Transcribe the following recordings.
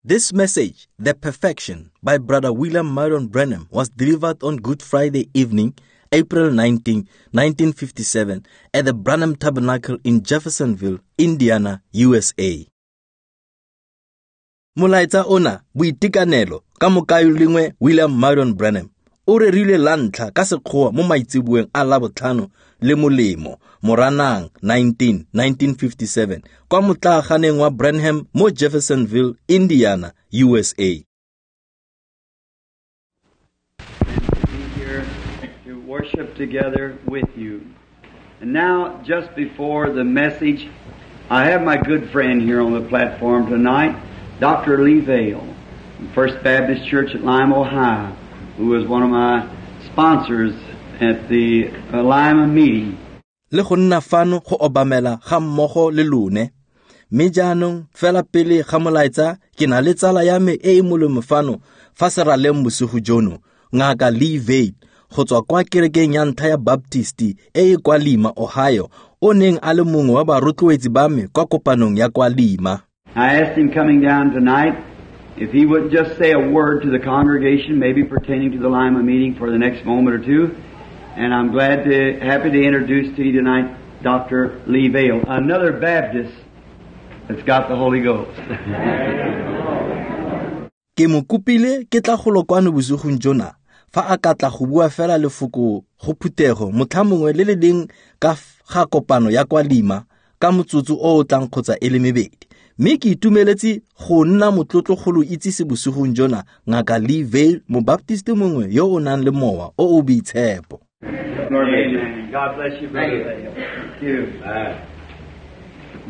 This message, The Perfection, by Brother William Marion Branham, was delivered on Good Friday evening, April 19, 1957, at the Branham Tabernacle in Jeffersonville, Indiana, USA. Molaetsa ona, boitekanelo, ka mokaulengwe William Marion Branham, o rerilwe la ntlha ka sekgowa mo maitseboeng a Labotlhano le molemo, Moranang 19, 1957, kwa motlaaganeng wa Branham mo Jeffersonville, Indiana, USA. Be here to worship together with you. And now, just before the message, I have my good friend here on the platform tonight, Dr. Lee Vayle, from First Baptist Church at Lima, Ohio, who was one of my sponsors at the Lima meeting. Le go nna fano go obamela ga mmogo le lone. Mme jaanong fela pele ga molaetsa ke na le tsala ya me e e molemo fano fa seraleng bosigo jono, Ngaka Lee Vayle, go tswa kwa kerekeng ya ntlha ya Baptist e e kwa Lima, Ohio, o neng a le mongwe wa barotloetsi ba me kwa kopanong ya kwa Lima. I asked him coming down tonight if he would just say a word to the congregation, maybe pertaining to the Lima meeting for the next moment or two. And I'm happy to introduce to you tonight Dr. Lee Vayle, another Baptist that's got the Holy Ghost. Ke mo kopile ke tla golo kwano bosigong jona fa a ka tla go bua fela lefoko go phuthego motlha mongwe le le leng ka ga kopano ya kwa Lima ka motsotso o o tlang kgotsa e le mebedi. Mme ke itumeletse go nna motlotlo go lo itsise bosigong jona Ngaka Lee Vayle, mobaptiste mongwe yo o nang le mowa o o boitshepo. Amen. God bless you, Brother Vayle. Thank you.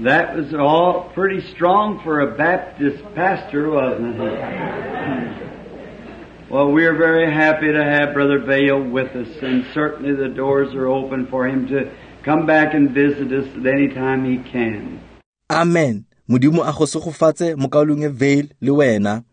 That was all pretty strong for a Baptist pastor, wasn't it? Well, we're very happy to have Brother Vayle with us, and certainly the doors are open for him to come back and visit us at any time he can. Amen. Modimo a go segofatse mokaulengwe Vayle le wena.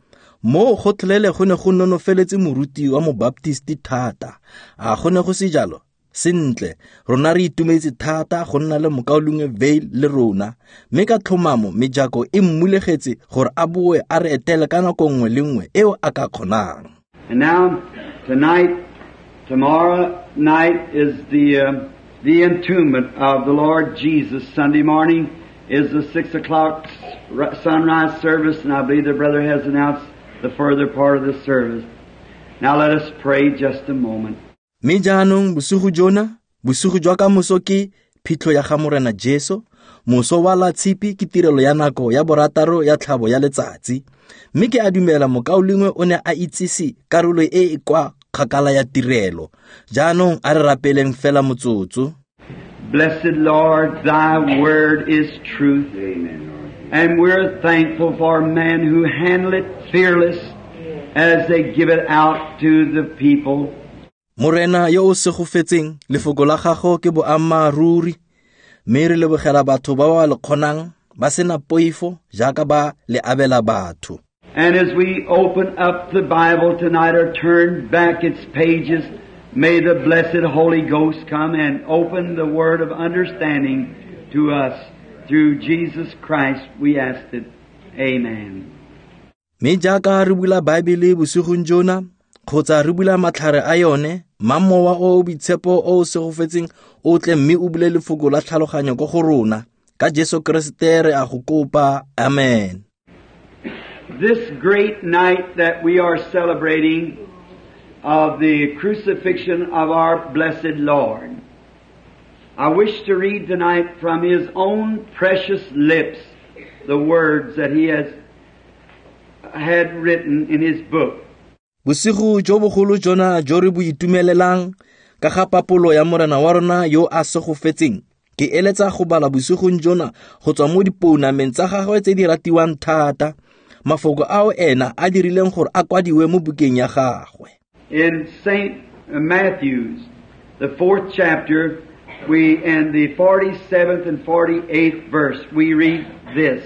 Mo go tlholele go ne go nonofeletse moruti wa mobaptisti thata. A go ne go se jalo? Sentle, rona re itumetse thata go nna le mokaulengwe Vayle le rona, mme ka tlhomamo mejako e mmulegetse gore a boe a re etele ka nako nngwe le nngwe eo a ka kgonang. And now, tonight, tomorrow night is the entombment of the Lord Jesus. Sunday morning is the 6 o'clock sunrise service, and I believe the brother has announced the further part of the service. Now let us pray just a moment. Mme jaanong bosigo jona, bosigo jwa kamoso ke phitlho ya ga Morena Jesu, moso wa la tshipi ke tirelo ya nako ya borataro ya tlhabo ya letsatsi. Mme ke a dumela mokaulengwe o ne a itsise karolo e e kwa kgakala ya tirelo. Jaanong a re rapeleng fela motsotso. Blessed Lord, thy word is truth. Amen, Lord. And we're thankful for men who handle it fearless as they give it out to the people. Morena yo o segofetseng, lefoko la gago ke boammaaruri, mme re lebogela batho ba ba le kgonang ba sena poifo jaaka ba le abela batho. And as we open up the Bible tonight or turn back its pages, may the blessed Holy Ghost come and open the word of understanding to us. Through Jesus Christ we ask it. Amen. Mme jaaka re bula Baebele bosigong jona, kgotsa re bula matlhare a yone, mmamowa o o boitshepo o o segofetseng o tle mme o bule lefoko la tlhaloganyo ko go rona. Ka Jesu Keresete re a go kopa. Amen. This great night that we are celebrating of the crucifixion of our blessed Lord, I wish to read tonight from His own precious lips the words that He has had written in His book. Bosigo jo bogolo jona jo re bo itumelelang ka ga papolo ya Morena wa rona yo a segofetseng, ke eletsa go bala bosigong jona go tswa mo dipounameng tsa gagwe tse di ratiwang thata, mafoko ao ena a dirileng gore a kwadiwe mo bukeng ya gagwe. In St. Matthew's, the 4th chapter, we in the 47th and 48th verse, we read this.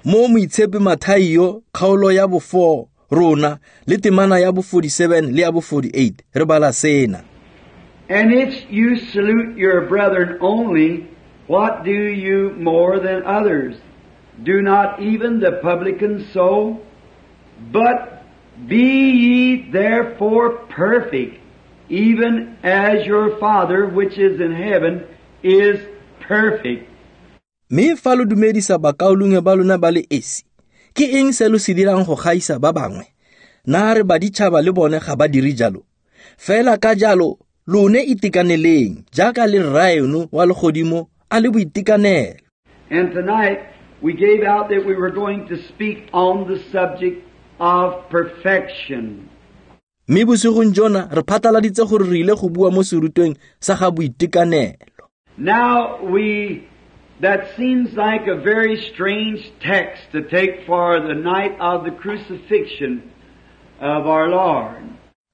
Mo moitshepi Mathaio, kgaolo ya bo 4, rona le temana ya bo 47 le ya bo 48, re bala sena. And if you salute your brethren only, what do you more than others? Do not even the publicans so? But be ye therefore perfect, even as your Father which is in heaven is perfect. Mme fa lo dumedisa bakaulengwe ba lona ba le esi, ke eng se lo se dirang go gaisa ba bangwe? Na re baditšhaba le bone ga ba dire jalo? Fela ka jalo lone itekaneleng jaaka le Rraeno wa legodimo a le boitekanelo. And tonight we gave out that we were going to speak on the subject of perfection. Mme bosigong jona re phatlaladitse gore re ile go bua mo serutweng sa ga boitekanelo. Now that seems like a very strange text to take for the night of the crucifixion of our Lord.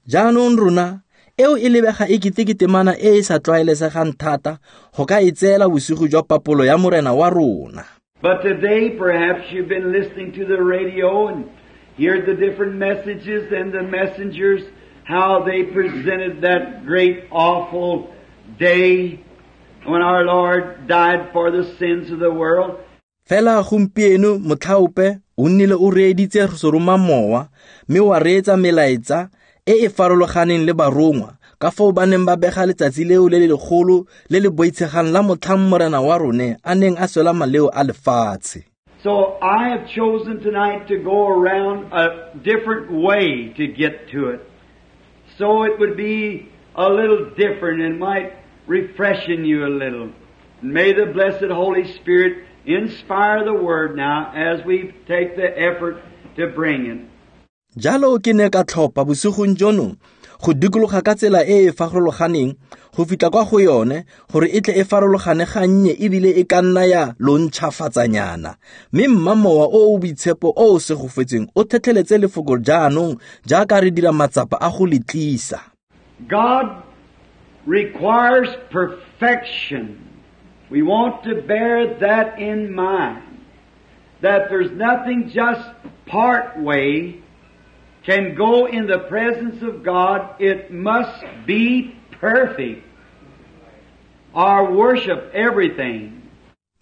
Jaanong rona eo e lebega e kete ke temana e e sa tlwaelesegang thata go ka e tseela bosigo jwa papolo ya Morena wa rona. But today perhaps you've been listening to the radio and heard the different messages and the messengers, how they presented that great awful day when our Lord died for the sins of the world. Fela gompieno motlhaope o nnile o reeditse seromamowa mme wa reetsa melaetsa e e farologaneng le barongwa ka foo ba neng ba bega letsatsi leo le le legolo le le boitshegang la motlhang Morena wa rone a neng a swela maleo a lefatshe. So I have chosen tonight to go around a different way to get to it. So it would be a little different and might refreshen you a little. And may the blessed Holy Spirit inspire the Word now as we take the effort to bring it. Jalo ke ne ka tlhopha bosigong jono go dikologa ka tsela e e farologaneng go fitlha kwa go yone gore e tle e farologane gannye ebile e ka nna ya lo ntšhafatsanyana. Mme mmamowa o o boitshepo o o segofetseng o tlhotlheletse lefoko jaanong jaaka re dira matsapa a go le tlisa. God requires perfection. We want to bear that in mind, that there's nothing just part way can go in the presence of God. It must be perfect. Our worship, everything.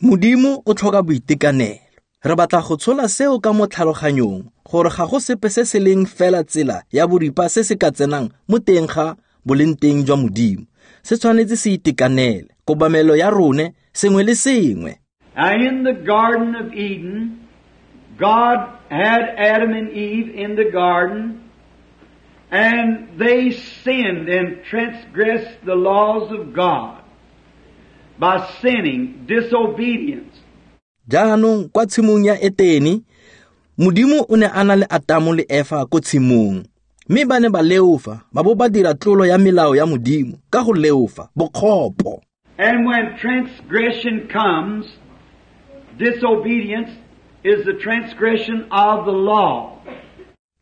Modimo o tlhoka boitekanelo. Re batla go tshola seo ka mo tlhaloganyong gore ga go sepe se se leng fela tsela ya boripa se se ka tsenang mo teng ga boleng teng jwa Modimo. Se tshwanetse se itekanele, kobamelo ya rone, sengwe le sengwe. Now in the Garden of Eden, God had Adam and Eve in the garden, and they sinned and transgressed the laws of God by sinning, disobedience. Jaanong kwa tshimong ya Etene, Modimo o ne a na le Atamo le Efa ko tshimong. Mme ba ne ba leofa, ba bo ba dira tlolo ya melao ya Modimo ka go leofa, bokgopo. And when transgression comes, disobedience is the transgression of the law.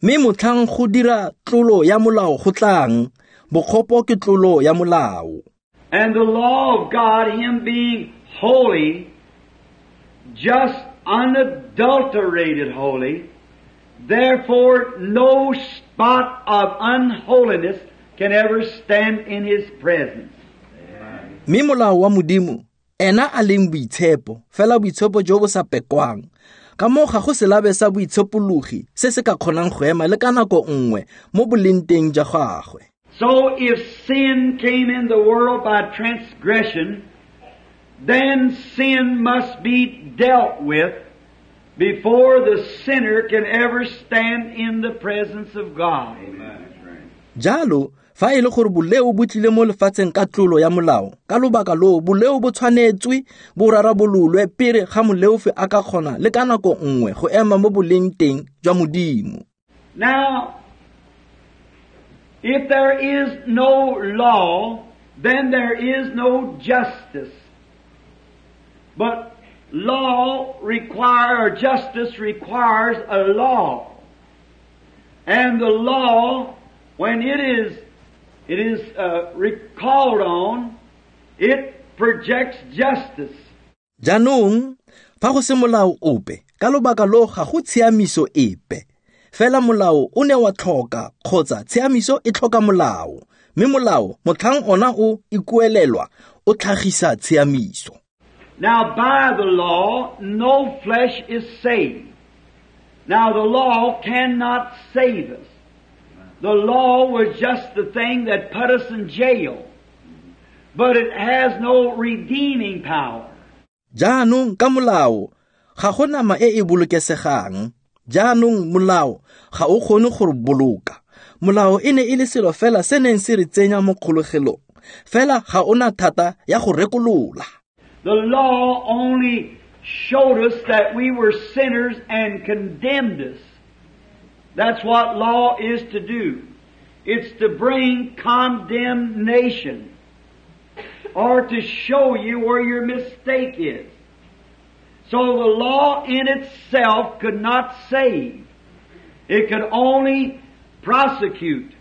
Mme motlhang go dira tlolo ya molao go tlang, bokgopo ke tlolo ya molao. And the law of God, Him being holy, just unadulterated holy, therefore no spot of unholiness can ever stand in His presence. Mme molao wa Modimo, ena a leng boitshepo, fela boitshepo jo bo sa pekwang. Ka moo ga go selabe sa boitshepologi se se ka kgonang go ema le ka nako nngwe mo boleng teng jwa gagwe. So if sin came in the world by transgression, then sin must be dealt with before the sinner can ever stand in the presence of God. Amen. Jalo, fa e le gore boleo bo tlile mo lefatsheng ka tlolo ya molao, ka lobaka loo boleo bo tshwanetswe bo rarabololwe pele ga moleofi a ka kgona le ka nako nngwe go ema mo boleng teng jwa Modimo. Now, if there is no law, then there is no justice. But law requires, or justice requires a law. And the law, when it is recalled on, it projects justice. Jaanong, fa go se molao ope, ka lobaka loo ga go tshiamiso epe. Fela molao o ne wa tlhoka kgotsa tshiamiso e tlhoka molao. Mme molao, motlhang ona o ikuelelwa, o tlhagisa tshiamiso. Now by the law, no flesh is saved. Now the law cannot save us. The law was just the thing that put us in jail. But it has no redeeming power. Jaanong ka molao ga go nama e e bolokesegang. Jaanong molao ga o kgone go re boloka. Molao e ne e le selo fela se neng se re tsenya mo kgologelong. Fela ga ona thata ya go rekolola. The law only showed us that we were sinners and condemned us. That's what law is to do. It's to bring condemnation or to show you where your mistake is. So the law in itself could not save. It could only prosecute.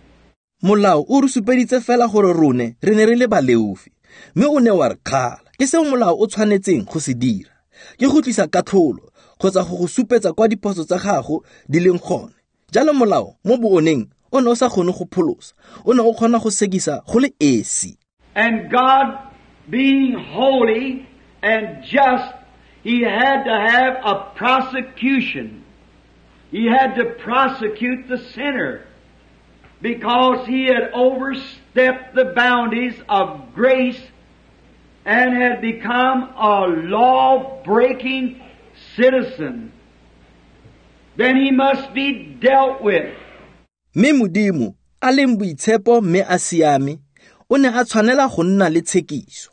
Molao o re supeditse fela gore rone re ne re le baleofi, mme o ne wa re kgala. Ke seo molao o tshwanetseng go se dira. Ke go tlisa katlholo kgotsa go go supetsa kwa diphoso tsa gago di leng gone. Jalo molao mo booneng o ne o sa kgone go pholosa, o ne o kgona go sekisa go le esi. And God being holy and just, He had to have a prosecution. He had to prosecute the sinner because he had overstepped the boundaries of grace and had become a law-breaking citizen. Then he must be dealt with. Mme Modimo a leng boitshepo mme a siame, o ne a tshwanela go nna le tshekiso.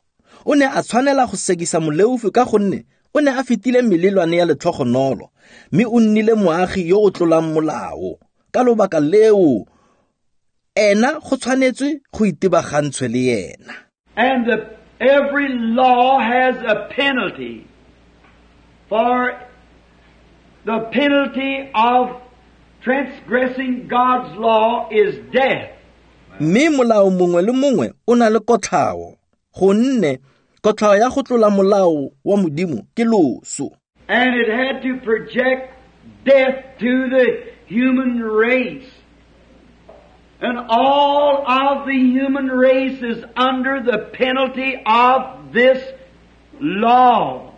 O ne a tshwanela go sekisa moleofi ka gonne o ne a fetile melelwane ya letlhogonolo, mme o nnile moagi yo o tlolang molao. Ka lobaka leo, ena go tshwanetswe go itebagantshwe le yena. And every law has a penalty. For the penalty of transgressing God's law is death. Mme molao mongwe le mongwe o na le kotlhao, gonne kotlhao ya go tlola molao wa Modimo ke loso. And it had to project death to the human race. And all of the human race is under the penalty of this law.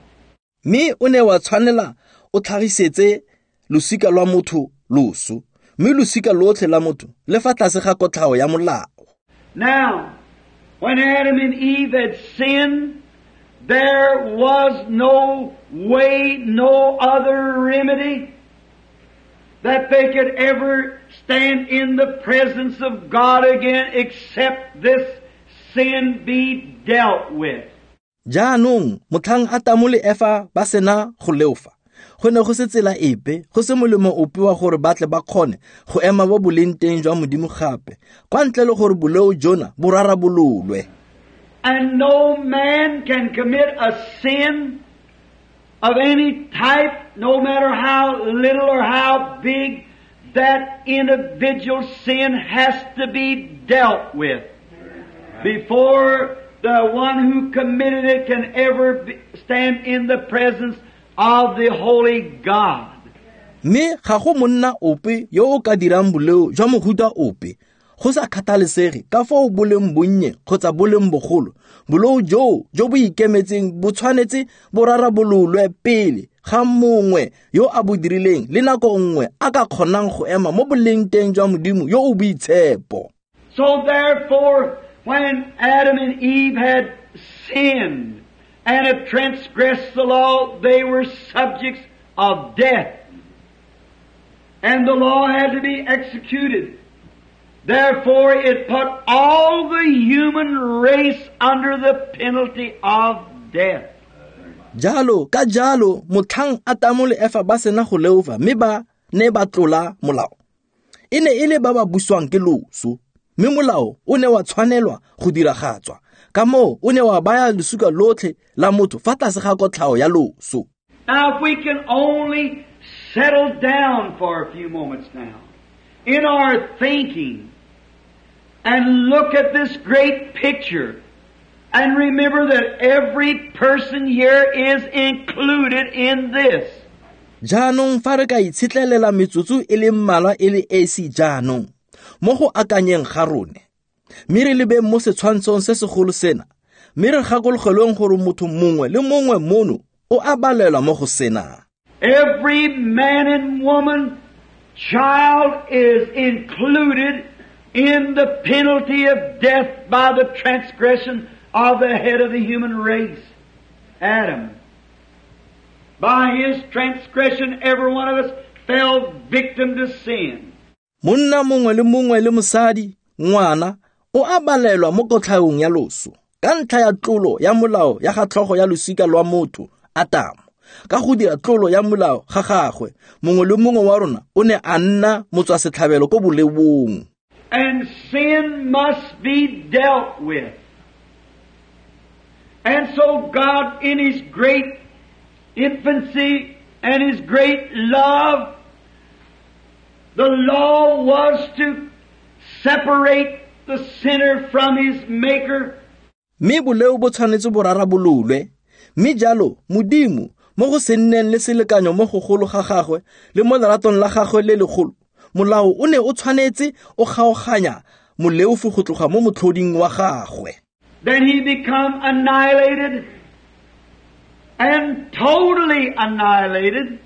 Mme o ne wa tshwanela o tlhagisetse losika lwa motho loso, mme losika lotlhe la motho le fa tlase ga kotlhao ya molao. Now, when Adam and Eve had sinned, there was no way, no other remedy that they could ever stand in the presence of God again except this sin be dealt with. Jaanong motlhang Atamo le Efa ba sena go leofa, go ne go se tsela epe, go se molemo ope wa gore ba tle ba kgone go ema bo boleng teng jwa Modimo gape, kwa ntle le gore boleo jona bo rarabololwe. And no man can commit a sin of any type, no matter how little or how big, that individual sin has to be dealt with before the one who committed it can ever stand in the presence of the holy God. Mme ga go monna ope yo o ka dirang boleo jwa mohuta ope, go sa kgathalesege ka foo bo leng bonnye kgotsa bo leng bogolo, boleo joo jo bo ikemetseng bo tshwanetse bo rarabololwe pele ga mongwe yo a bo dirileng le nako nngwe a ka kgonang go ema mo boleng teng jwa Modimo yo o boitshepo. So therefore, when Adam and Eve had sinned and had transgressed the law, they were subjects of death. And the law had to be executed. Therefore, it put all the human race under the penalty of death. Jalo, ka jalo, motlhang Atamo le Efa ba sena go leofa, mme ba ne ba tlola molao. E ne e le ba ba buswang ke loso, mme molao o ne wa tshwanelwa go diragatswa. Ka moo o ne wa baya losika lotlhe la motho fa tlase ga kotlhao ya loso. Now, if we can only settle down for a few moments now in our thinking and look at this great picture and remember that every person here is included in this. Jaanong fa re ka itshetlelela metsotso e le mmalwa e le esi jaanong mo go akanyeng ga rone, mme re lebeng mo setshwantshong se segolo sena, mme re gakologelweng gore motho mongwe le mongwe mono o a balelwa mo go sena. Every man and woman, child is included in the penalty of death by the transgression of the head of the human race, Adam. By his transgression, every one of us fell victim to sin. Monna mongwe le mongwe le mosadi, ngwana, o a balelwa mo kotlhaong ya loso ka ntlha ya tlolo ya molao ya ga tlhogo ya losika lwa motho, Atamo. Ka go dira tlolo ya molao ga gagwe, mongwe le mongwe wa rona o ne a nna motswasetlhabelo ko boleong. And sin must be dealt with. And so God, in His great infancy and His great love, the law was to separate the sinner from his Maker. Mme boleo bo tshwanetse bo rarabololwe, mme jalo Modimo mo go se nneng le selekanyo mo gogolo ga gagwe le mo leratong la gagwe le legolo, molao o ne o tshwanetse o kgaoganya moleofi go tloga mo motlhoding wa gagwe. Then he become annihilated and totally annihilated.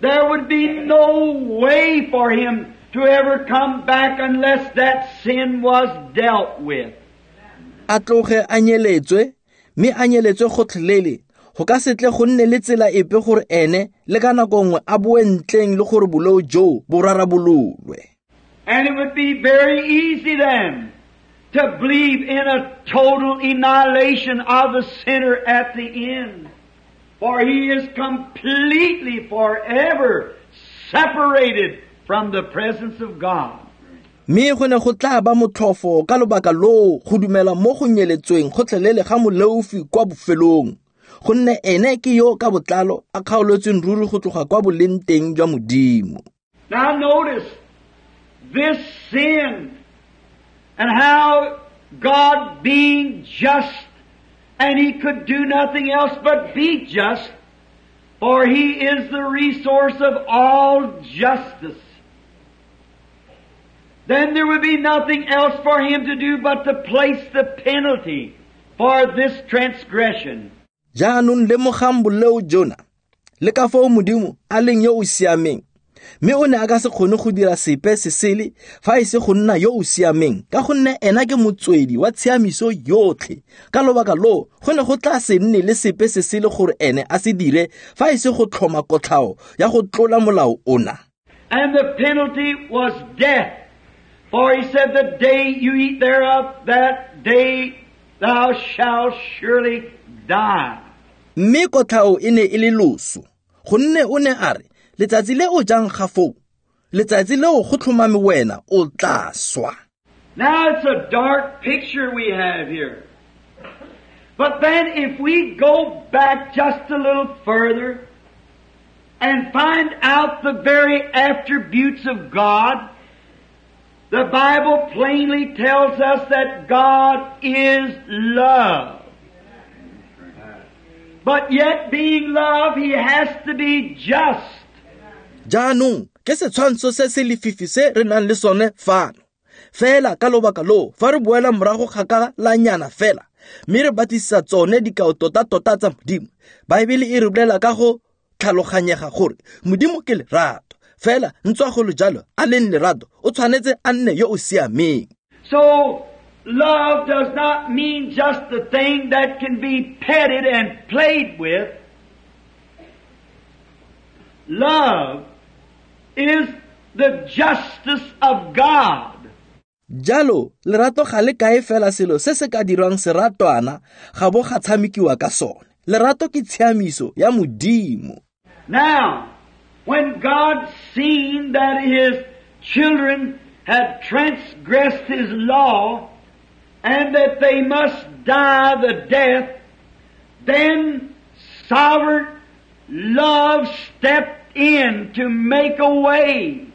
There would be no way for him to ever come back unless that sin was dealt with. A tloge a nyeletswe, mme a nyeletswe gotlhelele, go ka se tle go nne le tsela epe gore ene le ka nako nngwe a boe ntleng le gore boleo joo bo rarabololwe. And it would be very easy then to believe in a total annihilation of the sinner at the end. For he is completely forever separated from the presence of God. Mme go ne go tla ba motlhofo ka lobaka loo go dumela mo go nyeletsweng gotlhelele ga moleofi kwa bofelong, gonne ene ke yo ka botlalo a kgaoletsweng ruri go tloga kwa boleng teng jwa Modimo. Now notice this sin and how God being just, and He could do nothing else but be just, for He is the resource of all justice. Then there would be nothing else for Him to do but to place the penalty for this transgression. Jaanong lemogang boleo jona, le ka foo Modimo a leng yo o siameng, mme o ne a ka se kgone go dira sepe se sele fa e se go nna yo o siameng, ka gonne ena ke motswedi wa tshiamiso yotlhe. Ka lobaka loo go ne go tla se nne le sepe se sele gore ene a se dire fa e se go tlhoma kotlhao ya go tlola molao ona. And the penalty was death. For He said, the day you eat thereof, that day thou shalt surely die. Mme kotlhao e ne e le loso, gonne o ne a re, letsatsi le o jang ga foo, letsatsi leo go tlhomame wena o tla swa. Now it's a dark picture we have here. But then if we go back just a little further and find out the very attributes of God, the Bible plainly tells us that God is love. But yet being love, He has to be just. Jaanong ke setshwantsho se se lefifi se re nang le sone fano. Fela ka lobaka loo, fa re boela morago kgakalanyana fela, mme re batlisisa tsone dikao tota-tota tsa Modimo, Baebele e re bolela ka go tlhaloganyega gore Modimo ke lerato. Fela ntswa go le jalo a leng lerato, o tshwanetse a nne yo o siameng. So love does not mean just the thing that can be petted and played with. Love is the justice of God. Jalo lerato ga le kae fela selo se se ka dirwang seratwana ga bo ga tshamekiwa ka sone. Lerato ke tshiamiso ya Modimo. Now, when God seen that His children had transgressed His law and that they must die the death, then sovereign love stepped in to make a way.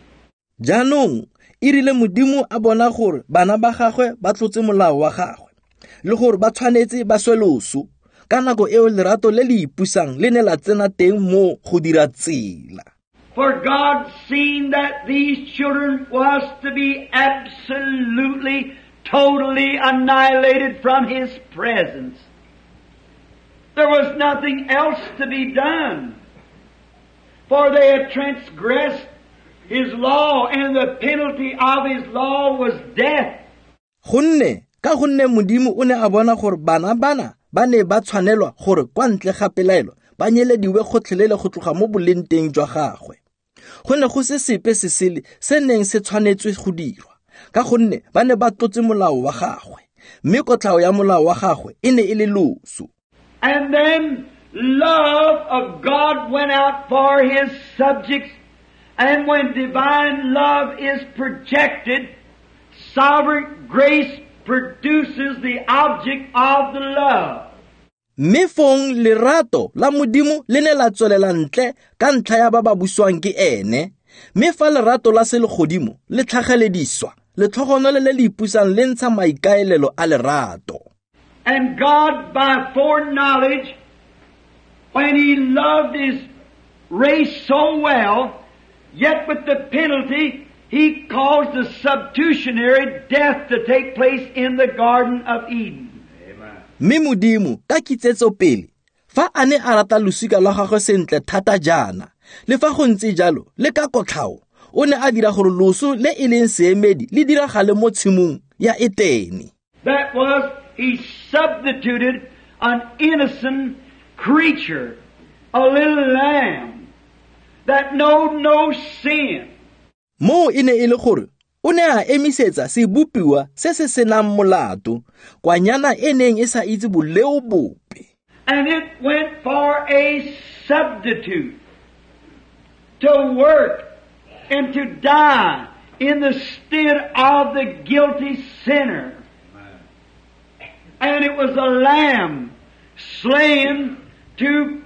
Jaanong e rile Modimo a bona gore bana ba gagwe ba tlotse molao wa gagwe le gore ba tshwanetse ba swe loso, ka nako eo lerato le le ipusang le ne la tsena teng mo go dira tsela. For God seen that these children was to be absolutely, totally annihilated from His presence. There was nothing else to be done. For they had transgressed His law, and the penalty of His law was death. Gonne ka gonne Modimo o ne a bona gore bana bana ba ne ba tshwanelwa gore kwa ntle ga pelaelo ba nyelediwe gotlhelele go tloga mo boleng teng jwa gagwe. Go ne go se sepe se sele se neng se tshwanetswe go dirwa, ka gonne ba ne ba tlotse molao wa gagwe, mme kotlhao ya molao wa gagwe e ne e le loso. And then love of God went out for His subjects, and when divine love is projected, sovereign grace produces the object of the love. Mme fong lerato la Modimo le ne la tswelela ntle ka ntlha ya ba ba buswang ke ene, mme fa lerato la selegodimo le tlhagelediswa, letlhogonolo le le ipusang le ntsha maikaelelo a lerato. And God, by foreknowledge, when He loved His race so well, yet with the penalty, He caused the substitutionary death to take place in the Garden of Eden. Mme Modimo ka kitsetso pele, fa a ne a rata losika lwa gagwe sentle thata jaana, le fa go ntse jalo le ka kotlhao, o ne a dira gore loso le e leng seemedi le diragale mo tshimong ya Etene. That was, He substituted an innocent creature, a little lamb, that knowed no sin. Moo e ne e le gore o ne a emisetsa sebopiwa se se senang molato, kwanyana e neng e sa itse boleo bope. And it went for a substitute to work and to die in the stead of the guilty sinner. And it was a lamb slain to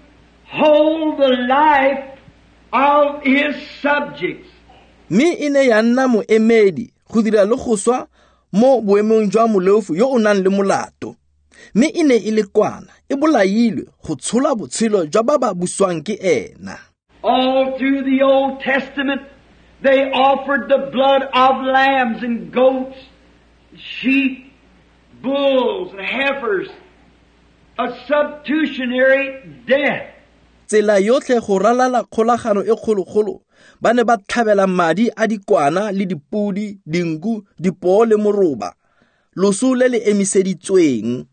hold the life of his subjects. Mme e ne ya nna moemedi go dira le go swa mo boemong jwa moleofu yo o nang le molato. Mme e ne e le kwana e bolailwe go tshola botshelo jwa ba ba buswang ke ena. All through the Old Testament, they offered the blood of lambs and goats, sheep, bulls and heifers, a substitutionary death. Tsela yotlhe go ralala kgolagano e kgologolo, ba ne ba tlhabela madi a dikwana le dipodi, dinku, dipoo le moroba, loso le le emiseditsweng.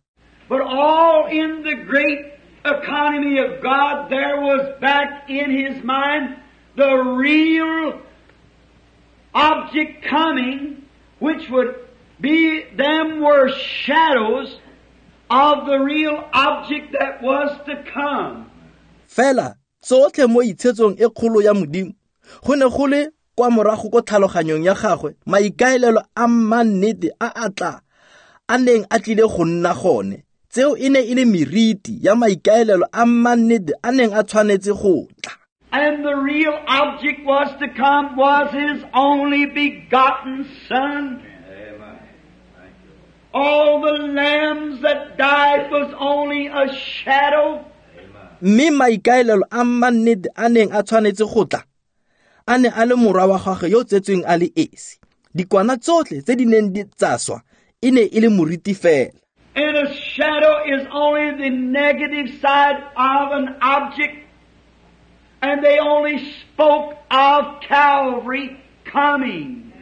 But all in the great economy of God, there was back in His mind the real object coming, which would be, them were shadows of the real object that was to come. Fela tsotlhe mo itshetsong e kgolo ya Modimo, go ne go le kwa morago ko tlhaloganyong ya gagwe maikaelelo a mannete a a tla a neng a tlile go nna gone. Tseo e ne e le meriti ya maikaelelo a mannete a neng a tshwanetse go tla. And the real object was to come was His only begotten Son. Amen. All the lambs that died was only a shadow. Mme maikaelelo a mannete a neng a tshwanetse go tla a ne a le morwa wa gagwe yo tsetsweng a le esi. Dikwana tsotlhe tse di neng di tsa swa e ne e le moriti fela. And a shadow is only the negative side of an object. And they only spoke of Calvary coming.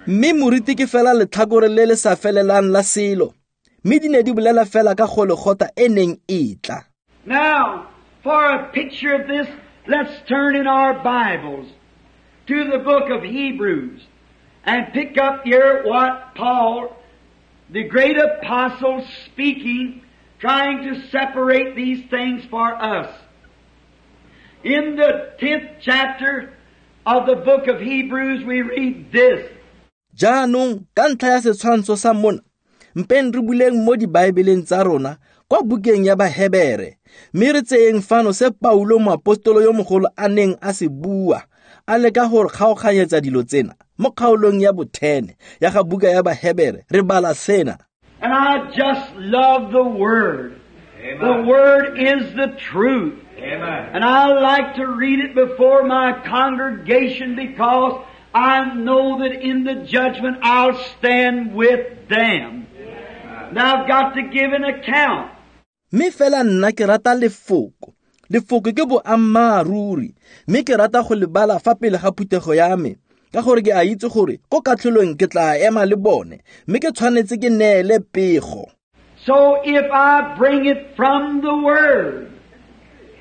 Mme moriti ke fela letlhakore le le sa felelang la selo, mme di ne di bolela fela ka Golegotha e neng e tla. Now, for a picture of this, let's turn in our Bibles to the book of Hebrews and pick up here what Paul, the great apostle, speaking, trying to separate these things for us. In the 10th chapter of the book of Hebrews, we read this. Jaanong ka ntlha ya setshwantsho sa mona, mpeng re buleng mo dibaebeleng tsa rona kwa bukeng ya Bahebere, mme re tseyeng fano se Paulo moapostolo yo mogolo a neng a se bua, a leka gore kgaoganyetsa dilo tsena. Mo kgaolong ya bo-10 ya ga buka ya Bahebere re bala sena. And I just love the Word. Amen. The Word is the truth. Amen. And I like to read it before my congregation because I know that in the judgment I'll stand with them. Now I've got to give an account. Mme fela nna ke rata lefoko. Lefoko ke boammaaruri, mme ke rata go le bala fa pele ga phuthego ya me, ka gore ke a itse gore ko katlholong ke tla ema le bone, mme ke tshwanetse ke neele pego. So if I bring it from the Word,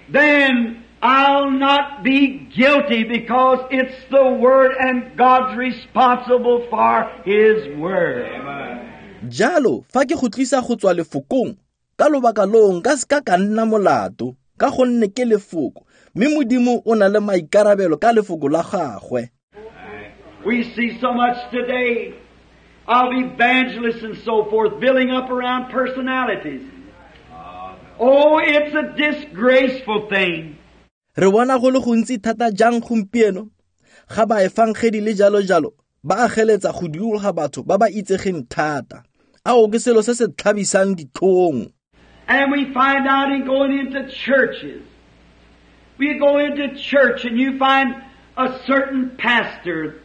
then I'll not be guilty because it's the Word and God's responsible for His Word. Jalo, fa ke go tlisa go tswa lefokong, ka lobaka loo nka seka ka nna molato, ka gonne ke lefoko, mme Modimo o na le maikarabelo ka lefoko la gagwe. We see so much today of evangelists and so forth building up around personalities. Oh, it's a disgraceful thing. Re bona go le gontsi thata jang gompieno ga baefangedi le jalo jalo ba ageletsa go dikologa batho ba ba itsegeng thata. Ao ke selo se se tlhabisang ditlhong. And we find out in going into churches. We go into church and you find a certain pastor.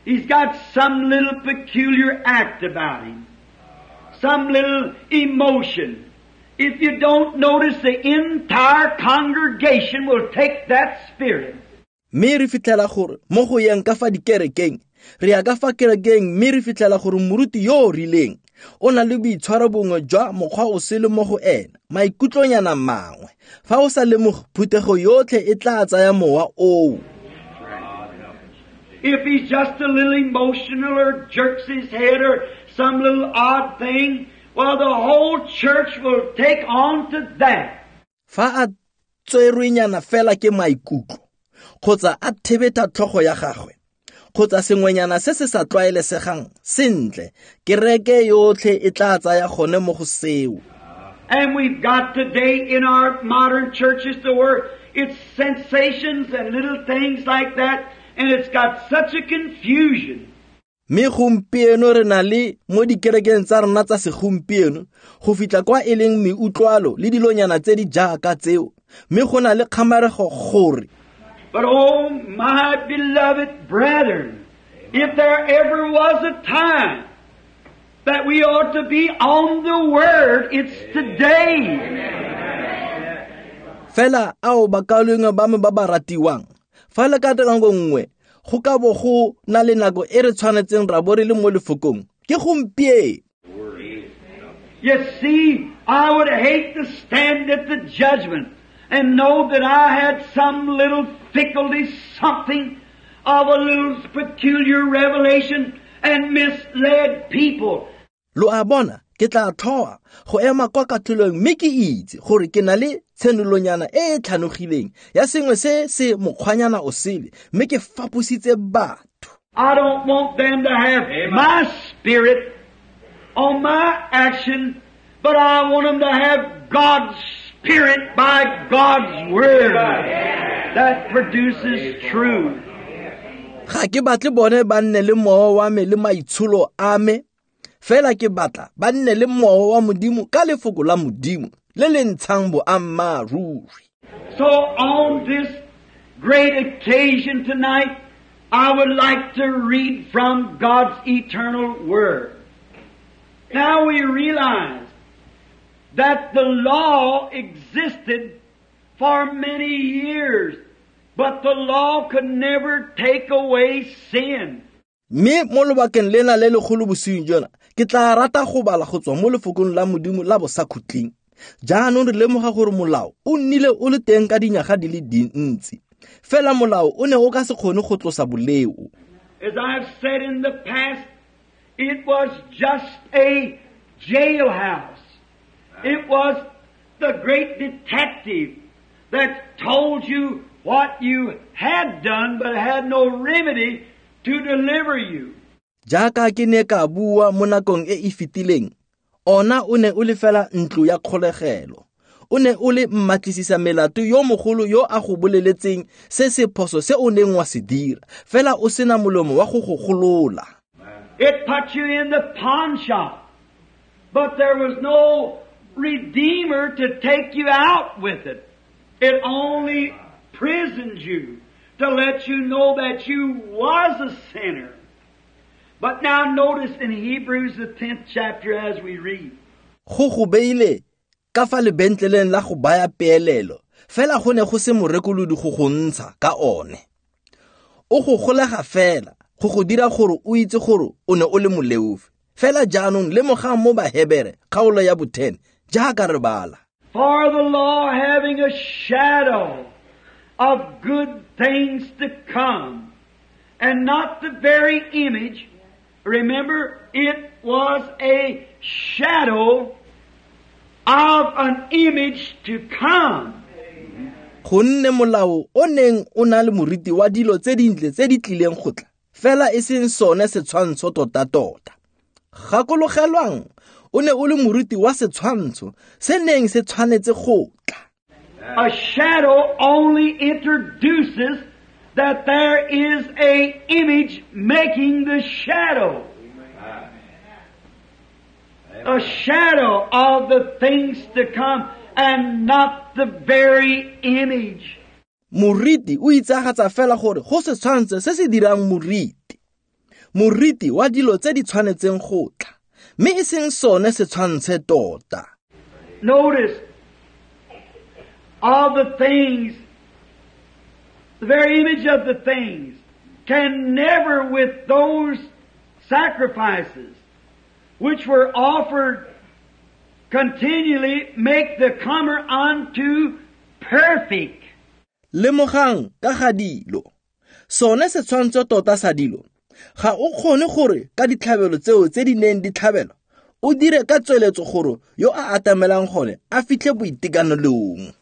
He's got some little peculiar act about him. Some little emotion. If you don't notice, the entire congregation will take that spirit. Mme re fitlhela gore mo go yeng ka fa dikerekeng, re ya ka fa kerekeng mme re fitlhela gore moruti yo o rileng o na le boitshwaro bongwe jwa mokgwa o sele mo go ena, maikutlonyana mangwe. Fa o sa lemoge, phuthego yotlhe e tla tsaya mowa oo. If he's just a little emotional or jerks his head or some little odd thing, well, the whole church will take on to that. Fa a tserwenyana fela ke maikutlo, kgotsa a thebetha tlhogo ya gagwe, kgotsa sengwenyana se se sa tlwaelesegang sentle, kereke yotlhe e tla tsaya gone mo go seo. And we've got today in our modern churches to where it's sensations and little things like that, and it's got such a confusion. Mme gompieno re na le mo dikerekeng tsa rona tsa segompieno go fitlha kwa e leng meutlwalo le dilonyana tse di jaaka tseo, mme go na le kgamarego gore. But oh, my beloved brethren, if there ever was a time that we ought to be on the Word, it's today. Fela ao bakaulengwe ba me ba ba ratiwang, fa le ka nako nngwe go ka bo go na le nako e re tshwanetseng ra bo re le mo lefokong, ke gompieno. You see, I would hate to stand at the judgment and know that I had some little fickleness, something of a little peculiar revelation and misled people. Lo a bona, ke tla tlhoa go ema kwa katlholong mme ke itse gore ke na le tshenolonyana e e tlhanogileng ya sengwe se se mokgwanyana o sele, mme ke fapositse batho. I don't want them to have my spirit on my action, but I want them to have God's Spirit by God's Word that produces truth. Ga ke batle bone ba nne le mowa wa me le maitsholo a me, fela ke batla ba nne le mowa wa Modimo ka lefoko la Modimo le le ntshang boammaaruri. So on this great occasion tonight, I would like to read from God's eternal Word. Now we realize that the law existed for many years, but the law could never take away sin. Mme mo lobakeng lena le legolo bosiung jona, ke tla rata go bala go tswa mo lefokong la Modimo la bosakhutleng. Jaanong re lemoga gore molao o nnile o le teng ka dinyaga di le dintsi, fela molao o ne o ka se kgone go tlosa boleo. As I've said in the past, it was just a jailhouse. It was the great detective that told you what you had done but had no remedy to deliver you. Jaaka ke ne ka bua mo nakong e e fetileng, ona o ne o le fela ntlo ya kgolegelo. O ne o le mmatlisisa melato yo mogolo yo a go boleletseng se se phoso se o neng wa se dira, fela o sena molomo wa go go golola. It put you in the pawn shop, but there was no redeemer to take you out with it. It only prisoned you to let you know that you was a sinner. But now notice in Hebrews the 10th chapter as we read. Go go beile ka fa lebentleleng la go baya peelelo, Fela go ne go se morekolodi go go ntsha ka one. O go golega fela go go dira gore o itse gore o ne o le moleofi. Fela jaanong lemogang mo Bahebere kgaolo ya bo-10 jaaka re bala. For the law having a shadow of good things to come, and not the very image, remember, it was a shadow of an image to come. Gonne molao o neng o na le moriti wa dilo tse dintle tse di tlileng go tla, fela e seng sone setshwantsho tota-tota. Gakologelwang, o ne o le moriti wa setshwantsho se neng se tshwanetse go tla. A shadow only introduces that there is a image making the shadow. A shadow of the things to come and not the very image. Moriti o itsagatsa fela gore go setshwantsho se se dirang moriti. Moriti wa dilo tse di tshwanetseng go tla, mme e seng sone setshwantshe tota. Notice all the things, the very image of the things, can never with those sacrifices which were offered continually make the comer unto perfect. Lemogang ka ga dilo, sone setshwantsho tota sa dilo, ga o kgone gore ka ditlhabelo tseo tse di neng di tlhabelwa o dire ka tsweletso gore yo a atamelang gone a fitlhe boitekanelong.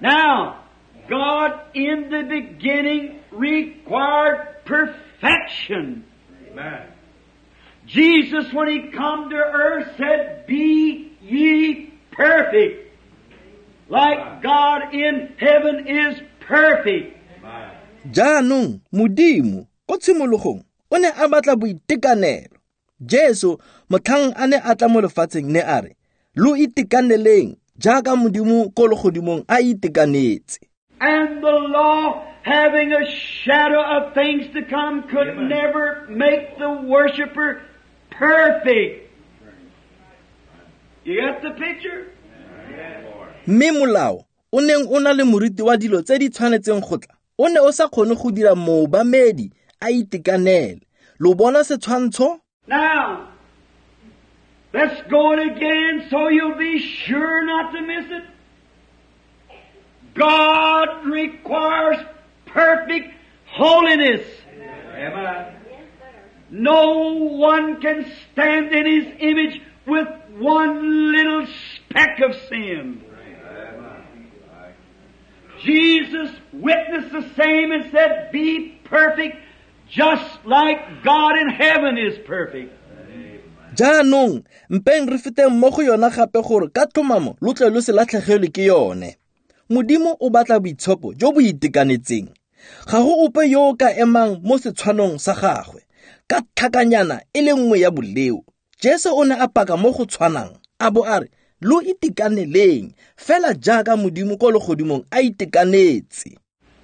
Now, God in the beginning required perfection. Amen. Jesus, when He come to earth, said, "Be ye perfect, like God in heaven is perfect." Jaanong Modimo ko tshimologong o ne a batla boitekanelo. Jesu motlhang a ne a tla mo lefatsheng ne a re, "Lo itekaneleng jaaka Modimo ko legodimong a itekanetse." And the law, having a shadow of things to come, could Amen. Never make the worshiper perfect. You got the picture? Mme molao o neng o na le moriti wa dilo tse di tshwanetseng go tla, o ne o sa kgone go dira moobamedi a itekanele. Lo bona setshwantsho? Now, let's go it again so you'll be sure not to miss it. God requires perfect holiness. Amen. No one can stand in His image with one little speck of sin. Jesus witnessed the same and said, "Be perfect just like God in heaven is perfect." Jaanong mpeng re feteng mo go yona gape gore ka tlhomamo lo tle lo se latlhegelwe ke yone. Modimo o batla boitshepo jo bo itekanetseng. Ga go ope yo o ka emang mo setshwanong sa gagwe ka tlhakanyana e le nngwe ya boleo. Jesu o ne a paka mo go tshwanang, a bo a re, "Lo itekaneleng fela jaaka Modimo ko legodimong a itekanetse."